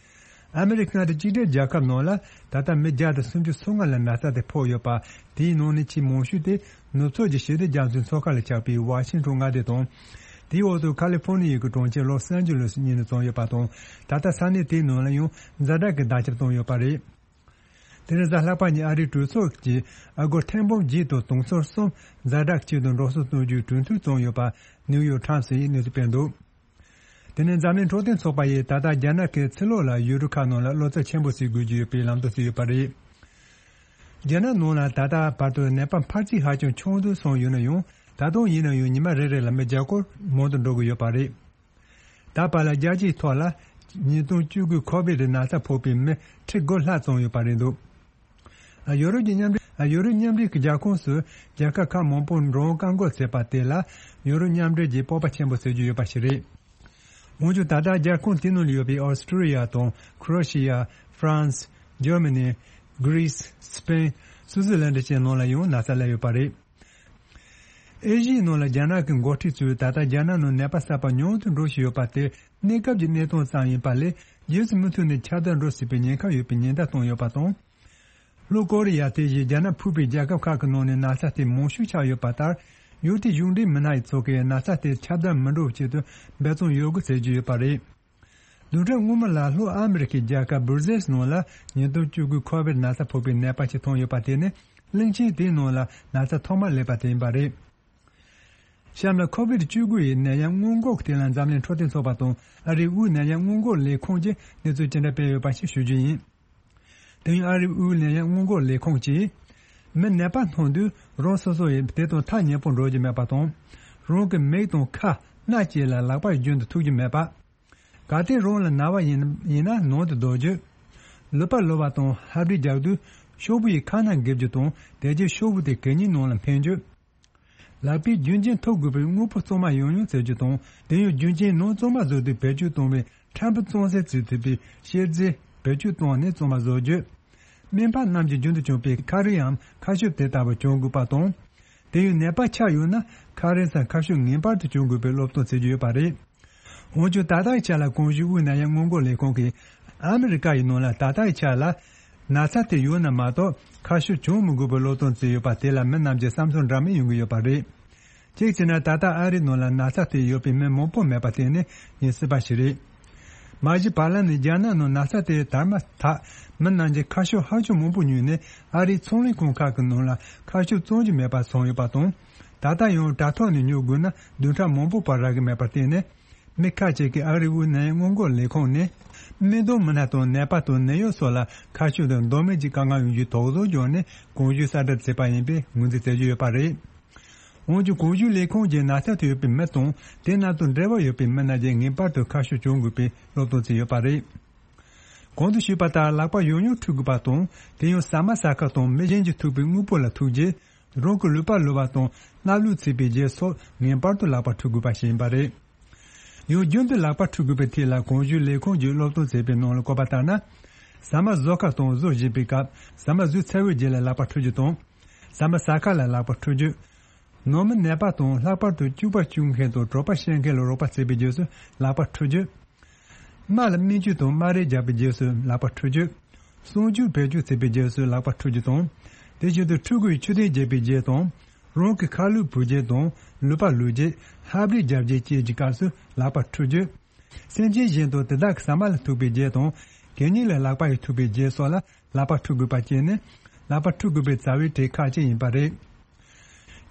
ཨ་མི་རི་ཀ་མངའ་སྡེ་གཅིག་སྒྲིལ་རྒྱལ་ཁབ་ནང་ལ་ད་ལྟ་མི་བརྒྱ་དང་སུམ་ཅུ་སོ་ལྔ་ལ་ན་ཚ་དེ་ཕོག་ཡོད་པ། དེའི་ནང་ནས་ཆེས་མང་ཤོས་དེ་ནུབ་ཕྱོགས་ཀྱི་ཞི་བདེ་རྒྱ་མཚོའི་མཚོ་ཁ་ལ་ཆགས་པའི་ཝ་ཤིང་ཊོན་མངའ་སྡེ་དང་། དེའི་འོག་ཏུ་ཁ་ལི་ཧྥོ་ནི་ཡའི་གྲོང་ཁྱེར་ལོ་སན་ཇི་ལོ་སི་གཉིས་ནས་བྱུང་ཡོད་པ་དང་། ད་ལྟ་ས་གནས་དེའི་ནང་ལ་ཡང་ཛ་དྲག་གི་བརྡ་ཁྱབ་བཏང་ཡོད་པ་རེད། དེ་རིང་གཟའ་ལྷག་པ་ཉིན་ཨ་རིའི་གྲོས་ཚོགས་ཀྱིས་ཨ་སྒོར་ཐེར་འབུམ་བརྒྱད་དང་དུང་སོར་གསུམ་ཛ་དྲག་ཆེད་དུ་འགྲོ་སོང་གཏོང་རྒྱུའི་གྲོས་མཐུན་བྱུང་ཡོད་པ་ནིའུ་ཡོག་ཊའིམ་སི་ཡིས་གནས་ཚུལ་སྤེལ་འདུག་དེ་ནས་འཛམ་གླིང་འཕྲོད་བསྟེན་ཚོགས་པ་ཡིས་ད་ལྟ་རྒྱ་ནག་གི་ཕྱི་ལོགས་ལ་ཡུལ་གྲུ་ཁག་ནང་ལ་གློ་ཚད་ཆེན་པོ་ཟིན་དགོས་ཀྱི་ཡོད་པའི་ལམ་སྟོན་བྱས་ཡོད་པ་རེད། རྒྱ་ནག་ནང་ལ་ད་ལྟ་བར་དུ་ནད་པ་ཕལ་ཆེར་ཧ་ཅང་ཆུང་དུ་སོང་ཡོད་ན་ཡང་། ད་དུང་ཡིན་ན་ཡང་ཉི་མ་རེ་རེ་ལ་མི་བརྒྱ་སྐོར་མང་དུ་འགྲོ་གི་ཡོད་པ་རེད། ད་བར་ལ་རྒྱལ་སྤྱིའི་ཐོག་ལ་ཉིས་སྟོང་བཅུ་དགུའི་ཁོ་བིད་ན་ཚ་ཕོག་པའི་མི་ཁྲི་དགུ་ལྷག་ཙམ་ཡོད་པ་རེད་འདུག་ཡོ་རོབ་ཀྱི་མཉམ་འབྲེལ། ཡོ་རོབ་མཉམ་འབྲེལ་གྱི་རྒྱལ་ཁོངས་སུ་རྒྱལ་ཁབ་ཁག་མང་པོར་འགྲོ་འོང་བཀག་འགོག་བྱས་པ་དེ་ལ་ཡོ་རོབ་མཉམ་འབྲེལ་གྱིས་སྤོབས་པ་ཆེན་པོ་བྱེད་ཀྱི་ཡོད་པ་ཞིག་རེད། འོན་ཀྱང་ད་ལྟ་རྒྱལ་ཁོངས་དེའི་ནང་ལ་ཡོད་པའི་ཨོ་སི་ཀྲི་ཡ་དང་ཁྲོ་ཨེ་ཤི་ཡ། ཧྥ་རན་སི། འཇར་མ་ནི། གྷི་རི་སི། སི་པེན། སུའུ་ཙི་ལན་ཌི་བཅས་ནང་ལ་ཡང་ན་ཚ་སླེབས་ཡོད་པ་རེད། ཨེ་ཤི་ཡའི་ནང་ལ་རྒྱ་ནག་གི་འགོ་ཁྲིད་ཚོས་ད་ལྟ་རྒྱ་ནག་ནང་ནད་པ་གསར་པ་ཉུང་དུ་འགྲོ་བཞིན་ཡོད་པ་དེ་གནས་སྐབས་ཀྱི་གནས་སྟངས་ཙམ་ཡིན་པ་ལས། རྗེས་སུ་མུ་མཐུད་ནས་ཁྱབ་གདལ་འགྲོ་སྲིད་པའི་ཉེན་ཁ་ཡོད་པའི་ཉེན་བརྡ་བཏང་ཡོད་པ་དང་། ལྷོ་ཀོ་རི་ཡ་དེ་བཞིན་རྒྱ་ནག་ཕུད་པའི་རྒྱལ་ཁབ་ཁག་གི་ནང་ནས་ན་ཚ་དེ་མང་ཤོས་ཆགས་ཡོད་པ་ལྟར། ཡུ་ཊི་གཞུང་འབྲེལ་མི་སྣ་ཡི་ཚོགས་ཀྱིས་ན་ཚ་དེ་ཁྱབ་གདལ་མི་འགྲོ་བའི་ཆེད་དུ་འབད་བརྩོན་ཡོད་དགོས་ཟེར་གྱི་ཡོད་པ་རེད། བདུན་ཕྲག་སྔོན་མ་ལ་ལྷོ་ཨ་མི་རི་ཀའི་རྒྱལ་ཁབ་སྦུར་ཟེལ་ནང་ལ་ཉིས་སྟོང་བཅུ་དགུའི་ཁོ་བིད་ན་ཚ་ཕོག་པའི་ནད་པ་ཞིག་ཐོན་ཡོད་པ་དེ་ནི་གླིང་ཆེན་དེའི་ནང་ལ་ན་ཚ་ཐོག་མར་སླེབས་པ་དེ་ཡིན་པ་རེད། གཤམ་ལ་ཁོ་བིད་བཅུ་དགུ་ཡི་ནད་ཡམས་སྔོན་འགོག་ཐད་ལ་འཛམ་གླིང་འཕྲོད་བསྟེན་ཚོགས་པ་དང་ཨ་རིའི་དབུས་ནད་ཡམས་སྔོན་འགོག་ལས་ཁུངས་ཀྱིས་གནས་ཚུལ་ཅི་འདྲ་སྤེལ་ཡོད་པ་ཞིག་ཞུ་རྒྱུ་ཡིན། དེ་ཡང་ཨ་རིའི་དབུས་ནད་ཡམས་སྔོན་འགོག་ལས་ཁུངས་ཀྱིས། མི་ནད་པ་ཐོན་དུས་རང་སོ་སོ་ཡིས་དེ་དང་ཐག་ཉེ་པོ་འགྲོ་རྒྱུ་མེད་པ་དང་། རང་གི་མིག་དང་ཁ་སྣ་བཅས་ལ་ལག་པ་རྒྱུན་དུ་ཐུག་རྒྱུ་མེད་པ། གལ་ཏེ་རང་ལ་ན་བ་ཡིན་ཡིན་ན་ནང་དུ་སྡོད་རྒྱུ། ལུད་པ་ལུ་བ་དང་ཧབ་སྦྲིད་རྒྱག་དུས་ཤོག་བུ་ཡི་ཁ་སྣ་འགེབས་རྒྱུ་དང་དེ་རྗེས་ཤོག་བུ་དེ་གད་སྙིགས་ནང་ལ་འཕེན་རྒྱུ། ལག་པས་རྒྱུན་ཆད་ཐུབ་དགོས་པའི་དངོས་པོ་གཙང་མ་ཡང་ཡང་བཙལ་རྒྱུ་དང་དེ་ཡང་རྒྱུན་ཆད་ནང་གཙང་མ་བཟོ་དུས་བེད་སྤྱོད་གཏོང་བའི་ཕྲན་བུ་གཙང་སེལ་བྱེད་ཐུབ་པའི་གཤེར་རྫས་བེད་སྤྱོད་བཏང་ནས་གཙང་མ་བཟོ་རྒྱུ། སྨན་པ་རྣམས་ཀྱིས་རྒྱུན་དུ་གྱོན་པའི་ཁ་རས་ཡང་ཁ་ཤོབ་དེ་ལྟ་བུ་གྱོན་དགོས་པ་དང་། དེ་ཡང་ནད་པ་ཆགས་ཡོད་ན་ཁ་རས་སམ་ཁ་ཤོབ་ངེས་པར་དུ་གྱོན་དགོས་པའི་སློབ་སྟོན་བྱེད་ཀྱི་ཡོད་པ་རེད། འོན་ཀྱང་ད་ལྟའི་ཆ་ལ་གོང་ཞུས་དབུས་ནད་ཡམས་སྔོན་འགོག་ལས་ཁུངས་ཀྱིས་ཨ་མི་རི་ཀ་ཡི་ནང་ལ་ད་ལྟའི་ཆ་ལ་ན་ཚ་དེ་ཡོད་ན་མ་གཏོགས་ཁ་ཤོབ་གྱོན་མི་དགོས་པའི་སློབ་སྟོན་བྱས་ཡོད་པ་དེ་ལ་མི་རྣམས་ཀྱི་བསམ་ཚུལ་འདྲ་མིན་ཡོང་གི་ཡོད་པ་རེད། གཅིག་བྱས་ན་ད་ལྟ་ཨ་རིའི་ནང་ལ་ན་ཚ་དེ་ཡོད་པའི་མི་མང་པོ་མེད་པ་དེ་ནི་ངེས་སྲིད་པ་ཞིག་རེད། མ་གཞི་བར་ལམ་ནས་རྒྱ་ནག་ནང་ན་ཚ་དེ་དར་མ་ཐག་མི་རྣམས་ཀྱིས་ཁ་ཤོབ་ཧ་ཅང་མང་པོ་ཉོས་ནས་ཨ་རིའི་ཚོང་ལས་ཁང་ཁག་གི་ནང་ལ་ཁ་ཤོབ་བཙོང་རྒྱུ་མེད་པ་སོང་ཡོད་པ་དང་། ད་ལྟ་ཡང་དྲ་ཐོག་ནས་ཉོ་དགོས་ན་བདུན་ཕྲག་མང་པོ་བར་རག་གི་མེད་པར་བརྟེན་ནས། མི་ཁ་ཅིག་གིས་ཨ་རིའི་དབུས་ནད་ཡམས་སྔོན་འགོག་ལས་ཁུངས་ནས་སྨན་དོན་མི་སྣ་དང་ནད་པ་དང་ནད་གཡོག་སོགས་ལ་ཁ་ཤོབ་དང་བདོག་མེད་ཀྱི་དཀའ་ངལ་ཡོང་རྒྱུའི་དོགས་ཟོན་བྱུང་ནས་གོང་ཞུས་གསལ་བསྒྲགས་བྱས་པ་ཡིན་པའི་ངོས་འཛིན་བྱེད་ཀྱི་ཡོད་པ་རེད། འོན་ཀྱང་གོང་ཞུས་ལས་ཁུངས་ཀྱིས་ན་ཚ་དེ་ཡོད་པའི་མི་དང་དེ་རྣམས་དང་འབྲེལ་བ་ཡོད་པའི་མི་རྣམས་ཀྱིས་ངེས་པར་དུ་ཁ་ཤོབ་གྱོན་དགོས་པའི་སློབ་སྟོན་བྱས་ཡོད་པ་རེད། གོང་དུ་ཞུས་པ་ལྟར་ལག་པ་ཡང་ཡང་འཁྲུ་དགོས་པ་དང་དེ་ཡང་ཟ་མ་ཟ་ཁ་དང་མི་གཞན་གྱིས་ཐུག་པའི་དངོས་པོ་ལ་ཐུག་རྗེས་རང་གི་ལུད་པ་ལུ་བ་དང་སྣབས་ལུད་ཚིག་པའི་རྗེས་སོགས་ངེས་པར་དུ་ལག་པ་འཁྲུ་དགོས་པ་ཞིག་ཡིན་པ་རེད། ཡང་རྒྱུན་དུ་ལག་པ་འཁྲུ་དགོས་པའི་ཐད་ལ་གོང་ཞུས་ལས་ཁུངས་ཀྱིས་སློབ་སྟོན་བྱས་པའི་ནང་ལ་བཀོད་པ་ལྟར་ན། ཟ་མ་བཟོ་ཁ་དང་བཟོ་བཞིན་པའི་སྐབས་ཟ་མ་ཟོས་ཚར་བའི་རྗེས་ལ་ལག་པ་འཁྲུ་རྒྱུ་དང་། ཟ་མ་ཟ་ཁ་ལ་ལག་པ་འཁྲུ་རྒྱུ། ནང་མི་ནད་པ་དང་ལྷག་པར་དུ་སྐྱུག་པ་སྐྱུག་མཁན་དང་གྲོད་པ་བཤལ་མཁན་ལ་རོགས་པ་བྱེད་པའི་རྗེས་སུ་ལག་པ་འཁྲུ་རྒྱུ། རྨ་ལ་སྨན་བཅོས་དང་རྨ་རས་རྒྱག་པའི་རྗེས་སུ་ལག་པ་འཁྲུ་རྒྱུ། གསང་སྤྱོད་བེད་སྤྱོད་བྱེད་པའི་རྗེས་སུ་ལག་པ་འཁྲུ་རྒྱུ་དང་། དེ་བཞིན་དུ་ཕྲུ་གུ་ཡི་མཆོད་རྟེན་རྒྱག་པའི་རྗེས་དང་། རང་གི་ཁ་ལུད་བུད་རྗེས་དང་ལུད་པ་ལུད་རྗེས་ཧབ་རིས་རྒྱབ་རྗེས་བཅས་ཀྱི་སྐབས་སུ་ལག་པ་འཁྲུ་རྒྱུ། སེམས་ཅན་གཞན་དང་དེ་དག་གི་ཟ་མ་ལ་ཐུག་པའི་རྗེས་དང་གད་སྙིགས་ལ་ལག་པ་ཡིས་ཐུག་པའི་རྗེས་སོགས་ལ་ལག་པ་འཁྲུ་དགོས་པ་བཅས་ནི་ལག་པ་འཁྲུ་དགོས་པའི་རྩ་བའི་གྲས་ཁག་ཅིག་ཡིན་པ་རེད།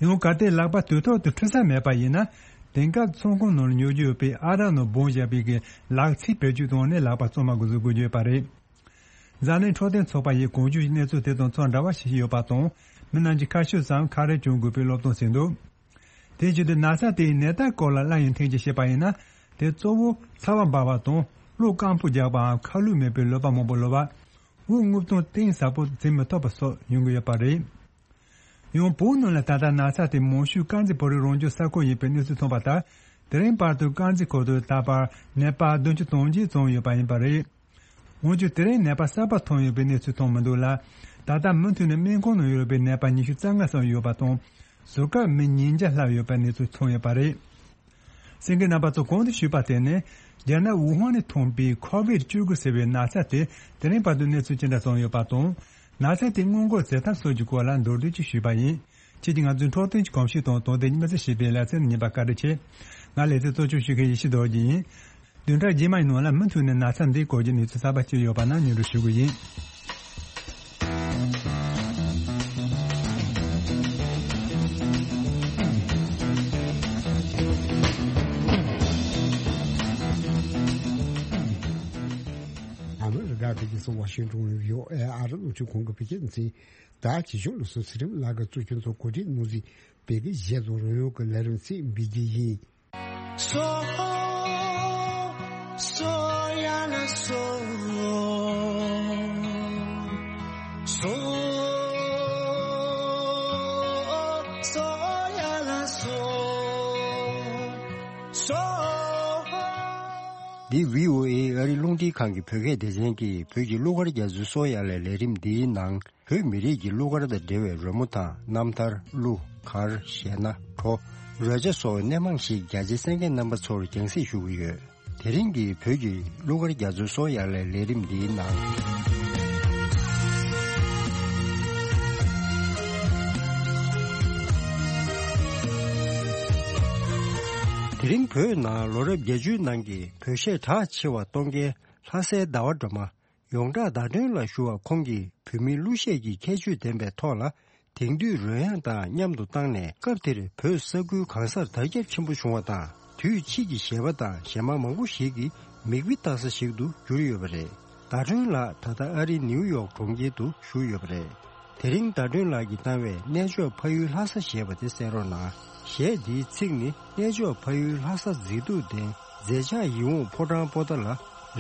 ཡང་གལ་ཏེ་ལག་པ་དུས་ཐོག་ཏུ་འཁྲུ་ས་མེད་པ་ཡིན་ན། དེང་སྐབས་ཚོང་ཁང་ནང་ལ་ཉོ་རྒྱུ་ཡོད་པའི་ཨ་རག་ནང་སྦོམ་བཞག་པའི་གི་ལག་ཚིགས་བེད་སྤྱོད་བཏང་ནས་ལག་པ་གཙང་མ་འགོ་བཟོ་དགོས་ཀྱི་ཡོད་པ་རེད། འཛམ་གླིང་འཕྲོད་བསྟེན་ཚོགས་པ་ཡིས་གོང་ཞུས་ཀྱི་གནས་ཚུལ་དེ་དང་ཚོད་འདྲ་བ་ཞིག་ཡོད་པ་དང་། མི་རྣམས་ཀྱིས་ཁ་ཤོབ་སམ་ཁ་རས་གྱོན་དགོས་པའི་སློབ་སྟོན་བྱས་འདུག་དེ་བཞིན་དུ་ན་ཚ་དེའི་ནད་རྟགས་སྐོར་ལ་སླར་ཡང་ཐེངས་གཅིག་བཤད་པ་ཡིན་ན། དེ་གཙོ་བོ་ཚ་བ་འབར་བ་དང་གློ་སྐམ་པོ་རྒྱག་པའམ་ཁ་ལུད་མེད་པའི་ལུད་པ་མང་པོ་ལུད་པ། དབུགས་རྔུབ་སྟངས་གཏིང་ཟབ་པོ་འཛིན་མི་ཐུབ་པ་སོགས་ཡོང་གི་ཡོད་པ་རེད། ཡང་བོད་ནང་ལ་ད་ལྟ་ན་ཚ་དེ་མང་ཤོས་དཀར་མཛེས་བོད་རིགས་རང་སྐྱོང་ས་ཁུལ་ཡིན་པའི་གནས་ཚུལ་ཐོན་པ་ལྟར། དེ་རིང་བར་དུ་དཀར་མཛེས་ཁུལ་དུ་ད་བར་ནད་པ་བདུན་ཅུ་དོན་གཅིག་ཙམ་ཡོད་པ་ཡིན་པ་རེད། འོན་ཀྱང་དེ་རིང་ནད་པ་གསར་པ་ཐོན་ཡོད་པའི་གནས་ཚུལ་ཐོན་མི་འདུག་ལ། ད་ལྟ་མུ་མཐུད་ནས་སྨན་ཁང་ནང་ཡོད་པའི་ནད་པ་ཉི་ཤུ་རྩ་ལྔ་ཙམ་ཡོད་པ་དང་། ཟུར་བཀག་མི་ཉིས་བརྒྱ་ལྷག་ཡོད་པའི་གནས་ཚུལ་ཐོན་ཡོད་པ་རེད། གསན་མཁན་རྣམ་པ་ཚོ་གོང་དུ་ཞུས་པ་དེ་ནི་རྒྱ་ནག་ཝུ་ཧན་ནས་ཐོན་པའི་ཁོ་བིད་བཅུ་དགུ་ཟེར་བའི་ན་ཚ་དེ་དེ་རིང་བར་དུ་གནས་ཚུལ་ཅི་འདྲ་ཙམ་ཡོད་པ་དང་། ན་ཚ་དེ་སྔོན་འགོག་བྱེད་ཐབས་སོགས་ཀྱི་སྐོར་ལ་མདོར་བསྡུས་ཅིག་ཞུས་པ་ཡིན། ཁྱེད་ཀྱིས་ང་ཚོའི་འཕྲོད་བསྟེན་གྱི་གོམས་གཤིས་དང་དོན་ལྡན་གཉིས་པ་ཚོ་ཞེས་པའི་ལེ་ཚན་ཉན་པར་བཀའ་དྲིན་ཆེ། ང་ལེ་ཚན་གཙོ་སྐྱོང་ཞུ་མཁན་ཡེ་ཤེས་རྡོ་རྗེ་ཡིན། བདུན་ཕྲག་རྗེས་མའི་ནང་ལ་མུ་མཐུད་ནས་ན་ཚ་འདིའི་སྐོར་གྱི་གནས་ཚུལ་གསར་པ་ཅི་ཡོད་པ་ན་སྙན་སྒྲོན་ཞུ་གི་ཡིན། ཨ་མི་རི་ཀ་གི་རྒྱལ་ས་ཝ་ཤིང་ཏོན་ཡོད་ཨེ་ཨ་རི་རླུང་འཕྲིན་ཁང་གི་བོད་སྐད་སྡེ་ཚན། ད་ཇི་བཞིན་ལུགས་སྲོལ་ཚེ་རིང་ལགས་ཀྱིས་གཙོ་སྐྱོང་ཚོགས་གོ་སྒྲིག་གནང་གཟིགས་བོད་སྐད་གཞས་དང་རོལ་དབྱངས་ཀྱི་ལས་རིམ་ཞིག་འབུལ་རྒྱུ་ཡིན། སོ། སོ་ཡ་ལ་སོ། སོ། སོ་ཡ་ལ་སོ། སོ། འདི་བྷི་ཨོ་ཨེ་ཨ་རི་རླུང་འཕྲིན་ཁང་གི་བོད་སྐད་སྡེ་ཚན་གྱི་བོད་ཀྱི་གླུ་གར་རྒྱ་མཚོའི་སོ་ཡ་ལ་ལས་རིམ་འདིའི་ནང་། བོད་མི་རིགས་ཀྱི་གླུ་གར་དང་འབྲེལ་བའི་རོལ་མོ་དང་རྣམ་ཐར། གླུ་གར། གཞས་སྣ། བྲོ། རོལ་ཆ་སོགས་སྣེ་མང་ཞིག་རྒྱ་ཆེའི་གསན་མཁན་རྣམ་པ་ཚོར་རྒྱང་སྲིང་ཞུ་གི་ཡོད། དེ་རིང་གི་བོད་ཀྱི་གླུ་གར་རྒྱ་མཚོའི་སོ་ཡ་ལ་ལས་རིམ་འདིའི་ནང་། དེ་རིང་བོད་ནང་ལོ་རབས་བརྒྱད་ཅུའི་ནང་གི་བོད་གཞས་གྲགས་ཆེ་བ་གཏོང་མཁན་ལྷ་སའི་ཟླ་བ་སྒྲོལ་མ། ཡོངས་གྲགས་ཟླ་སྒྲོན་ལ་ཞུ་བ་ཁོང་གིས་བོད་མིའི་གླུ་གཞས་ཀྱི་ཁྱད་ཆོས་ལྡན་པའི་ཐོག་ལ། དེང་དུས་རོལ་དབྱངས་དང་མཉམ་དུ་བཏང་ནས། སྐབས་དེར་བོད་ས་ཁུལ་གང་སར་དར་ཁྱབ་ཆེན་པོ་བྱུང་བ་དང་། དུས་ཕྱིས་ཀྱི་གཞས་པ་དང་གཞས་མ་མང་པོ་ཞིག་གིས་མིག་དཔེ་ལྟ་ས་ཞིག་ཏུ་གྱུར་ཡོད་པ་རེད། ཟླ་སྒྲོན་ལགས་ད་ལྟ་ཨ་རིའི་ནིའུ་ཡོག་གྲོང་ཁྱེར་དུ་བཞུགས་ཡོད་པ་རེད། དེ་རིང་ཟླ་སྒྲོན་ལགས་ཀྱིས་བཏང་བའི་གནས་མཆོག་ཕ་ཡུལ་ལྷ་ས་ཞེས་པ་དེ་གསན་རོགས་གནང་། གཞས་འདིའི་ཚིག་ནི། གནས་མཆོག་ཕ་ཡུལ་ལྷ་ས་མཛེས་སྡུག་ལྡན། མཛེས་ཆགས་ཡིད་འོང་ཕོ་བྲང་པོ་ཏཱ་ལ།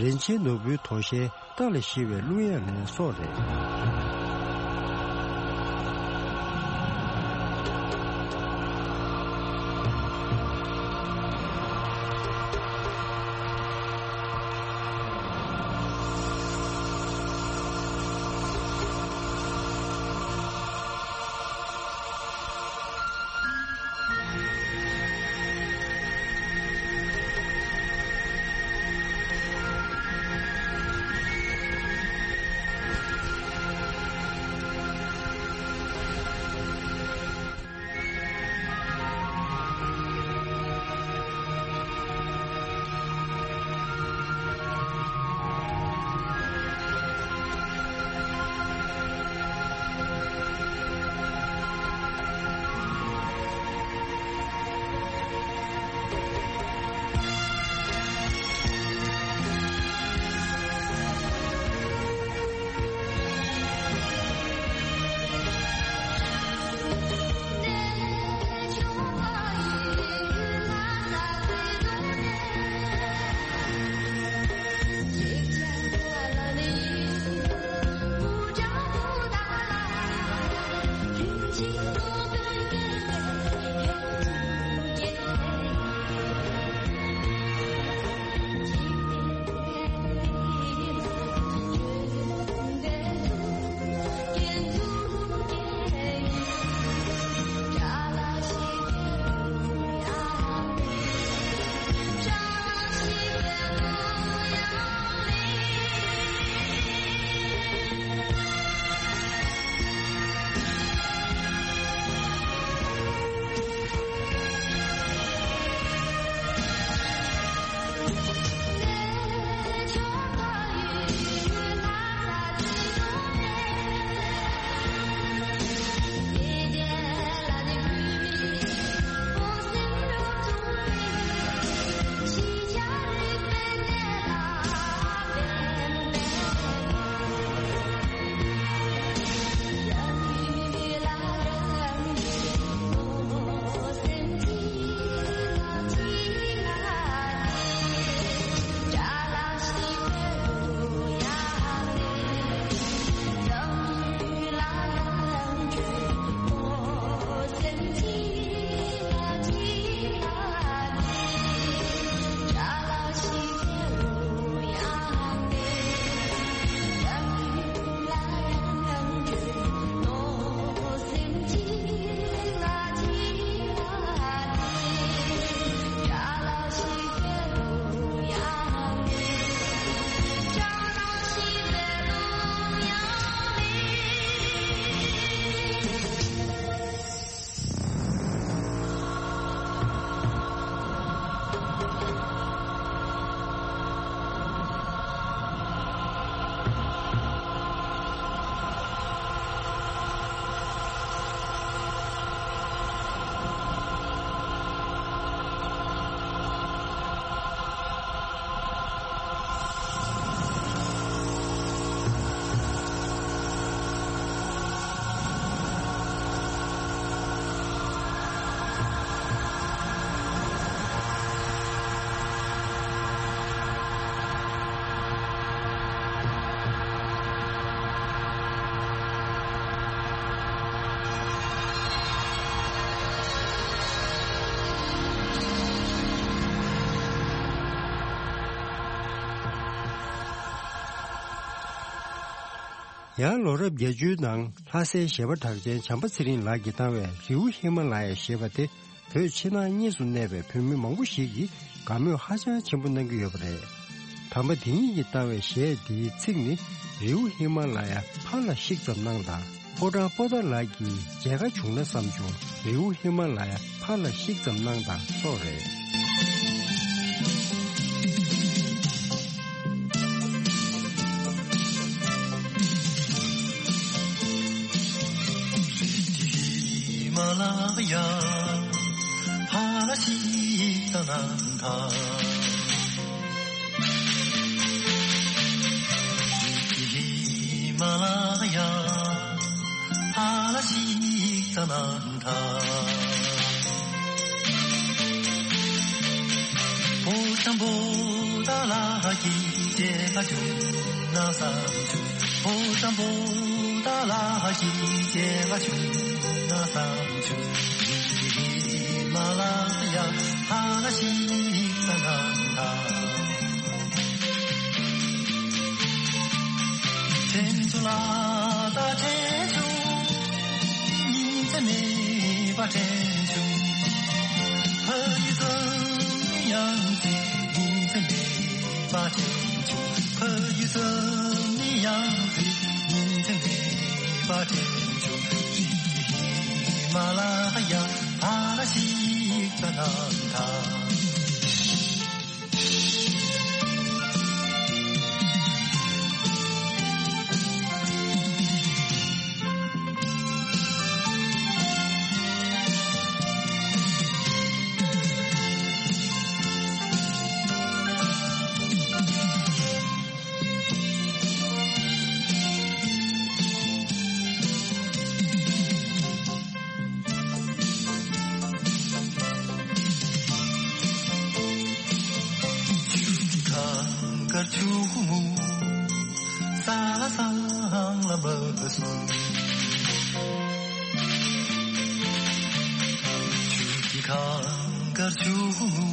རིན་ཆེན་ནོར་བུའི་དོ་ཤལ། རྟ་ལ་བཞད་པའི་གླུ་དབྱངས་ལེན་སོགས་རེད། ཡང་ལོ་རབས་བརྒྱད་ཅུའི་ནང་ལྷ་སའི་གཞས་པ་གྲགས་ཅན་བྱམས་པ་ཚེ་རིང་ལགས་ཀྱིས་བཏང་བའི་རི་བོ་ཧི་མ་ལ་ཡ་ཞེས་པ་དེ། བོད་ཕྱི་ནང་གཉིས་སུ་གནས་པའི་བོད་མི་མང་པོ་ཞིག་གིས་དགའ་མོས་ཧ་ཅང་ཆེན་པོ་གནང་གི་ཡོད་པ་རེད། དམ་པ་དེ་ཉིད་ཀྱིས་བཏང་བའི་གཞས་འདིའི་ཚིག་ནི། རི་བོ་ཧི་མ་ལ་ཡ་ཕར་ལ་བཤིག་ཙམ་གནང་དང་། ཕོ་བྲང་པོ་ཏཱ་ལ་གི་མཇལ་ཁ་བྱུང་ན་བསམ་བྱུང་། རི་བོ་ཧི་མ་ལ་ཡ་ཕར་ལ་བཤིག་ཙམ་གནང་དང་སོགས་རེད། ཧི་མ་ལ་ཡ་ཕ་ལ་ཤི་ཙ་ན་ཐ། པོ་ཏམ་པོ་ཏ་ལ་ཧ་ཀི་ཅེ་ག་ཅུ་ན་ས་ཅུ། པོ་ཏམ་པོ་ཏ་ལ་ཧ་ཀི་ཅེ་ག་ཅུ་ན་ས་ཅུ། ཧི་མ་ལ་ཡ་ཕ་ལ་ཤི་ཙ་ན་ཐ། ཁྲེན་ཆུ་ལ་ད་ཁྲེན་ཆུ། ཉིན་མཚན་མེད་པ་ཁྲེན་ཆུ། ཕ་ཡུལ་ཙམ་ནི་ཡང་ཚེ། ཉིན་མཚན་མེད་པ་ཁྲེན་ཆུ། ཕ་ཡུལ་ཙམ་ནི་ཡང་ཚེ། ཉིན་མཚན་མེད་པ་ཁྲེན་ཆུ། ཧི་མ་ལ་ཡ་ཕ་ལ་ཤི་ཙ་ན་ཐ། ཁང་དཀར་ཆུ་མོ་ས་ལ་སང་ལ་མ་སོང་། ཆུ་ཁང་དཀར་ཆུ་མོ་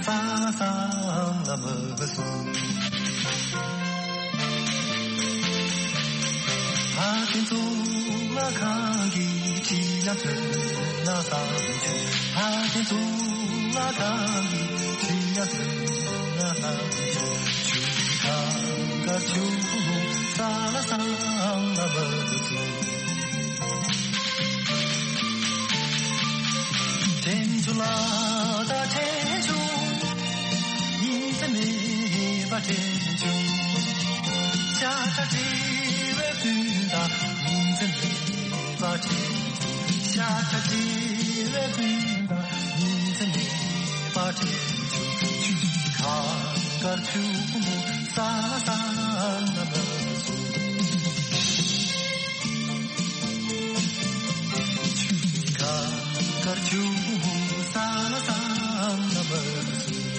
ས་ལ་སང་ལ་མ་སོང་། ཕ་ཁྱིམ་ཚུགས་ལ་ཁང་གི་ཁྲི་ལ་ཚོན་ལ་བསམ་བྱུང་། ཕ་ཁྱིམ་ཚུགས་ལ་ཁང་གི་ཁྲི་ལ་ཚོན་ལ་བསམ་བྱུང་། ཆུ་ཁང་དཀར་ཆུ་ས་ལ་སང་ལ་མ་སོང་། ཁྲེན་ཆུ་ལ་ད་ཁྲེན་ཆུ། ཉིན་མཚན་མེད་པ་ཁྲེན་ཆུ། ཤ་ཁྲག་བྲལ་བའི་སྤུན་ཟླ། ཉིན་མཚན་མེད་པ་ཁྲེན་ཆུ། ཤ་ཁྲག་བྲལ་བའི་སྤུན་ཟླ། ཉིན་མཚན་མེད་པ་ཁྲེན་ཆུ། ཆུ་ཁ་དཀར་ཆུ་མོ་ས་ལ་སང་ལ་མ་སོང་། ཆུ་ཁ་དཀར་ཆུ་མོ་ས་ལ་སང་ལ་མ་སོང་།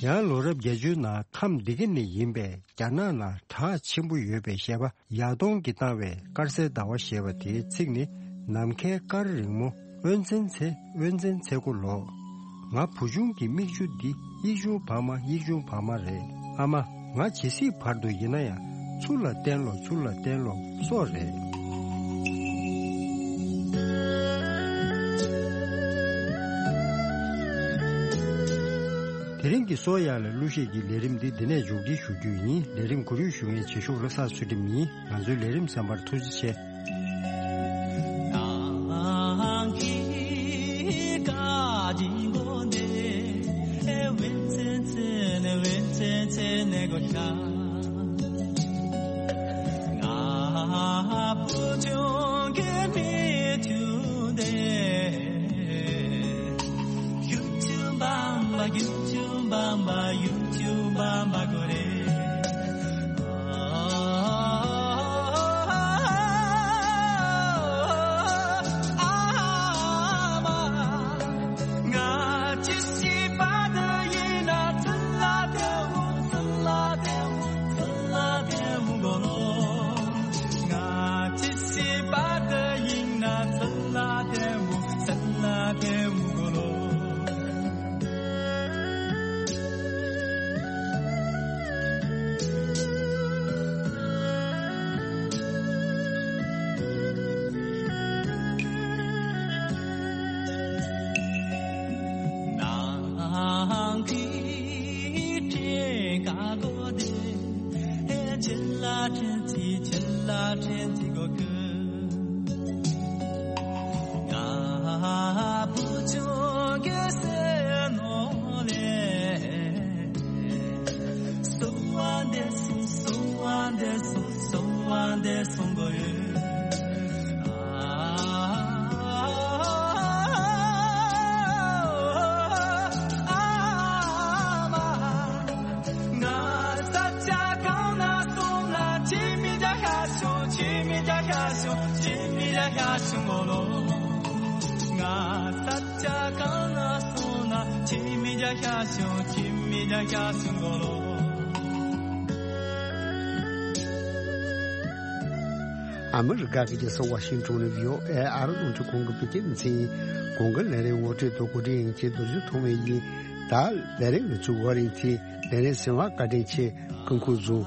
ཡང་ལོ་རབས་བརྒྱད་ཅུའི་ནང་ཁམས་འདི་ག་ནས་ཡིན་པའི་རྒྱ་ནག་ནང་གྲགས་ཆེན་པོ་ཡོད་པའི་གཞས་པ་ཡར་གདོང་གིས་བཏང་བའི་དཀར་གསལ་ཟླ་བ་ཞེས་པ་དེའི་ཚིག་ནི། ནམ་མཁའི་སྐར་རིང་མོ། དབེན་ཚན་ཚེ། དབེན་ཚན་ཚེ་སྒོ་ལོག། ང་བུ་ཆུང་གི་མིག་ཆུ་འདི། ཡིག་ཆུང་བག་མ། ཡིག་ཆུང་བག་མ་རེད། ཨ་མ། ང་ཇི་སྲིད་བར་དུ་ཡིན་ན་ཡང་། ཚུར་ལ་བསྟན་ལོ། ཚུར་ལ་བསྟན་ལོ། སོགས་རེད། དེ་རིང་གི་སོ་ཡ་ལ་གླུ་གཞས་ཀྱི་ལས་རིམ་འདི་འདི་ནས་མཇུག་སྒྲིལ་ཞུ་རྒྱུ་ཡིན། ལས་རིམ་གོ་སྒྲིག་ཞུ་མཁན་བྱེད་ཤོག་བློ་བཟང་ཚུལ་ཁྲིམས་ཡིན། ང་ཚོའི་ལས་རིམ་གསན་པར་ཐུགས་རྗེ་ཆེ། ཨ་མི་རི་ཀ་གི་རྒྱལ་ས་ཝ་ཤིང་ཊོན་ནས་བྷི་ཨོ་ཨེ་ཨ་རི་རླུང་འཕྲིན་ཁང་གི་བོད་སྐད་སྡེ་ཚན་གྱི་གོང་གི་ལས་རིམ་ངོ་སྤྲོད་དུ་གོ་སྒྲིག་ཡིན་གྱི་རྡོ་རྗེ་ཐོགས་མེད་ཡིན། ད་ལས་རིམ་ངོ་སྤྲོད་བར་ཡིན་ཚེ་ལས་རིམ་གསན་པར་བཀའ་དྲིན་ཆེ། སྐུ་ཁམས་བཟང་།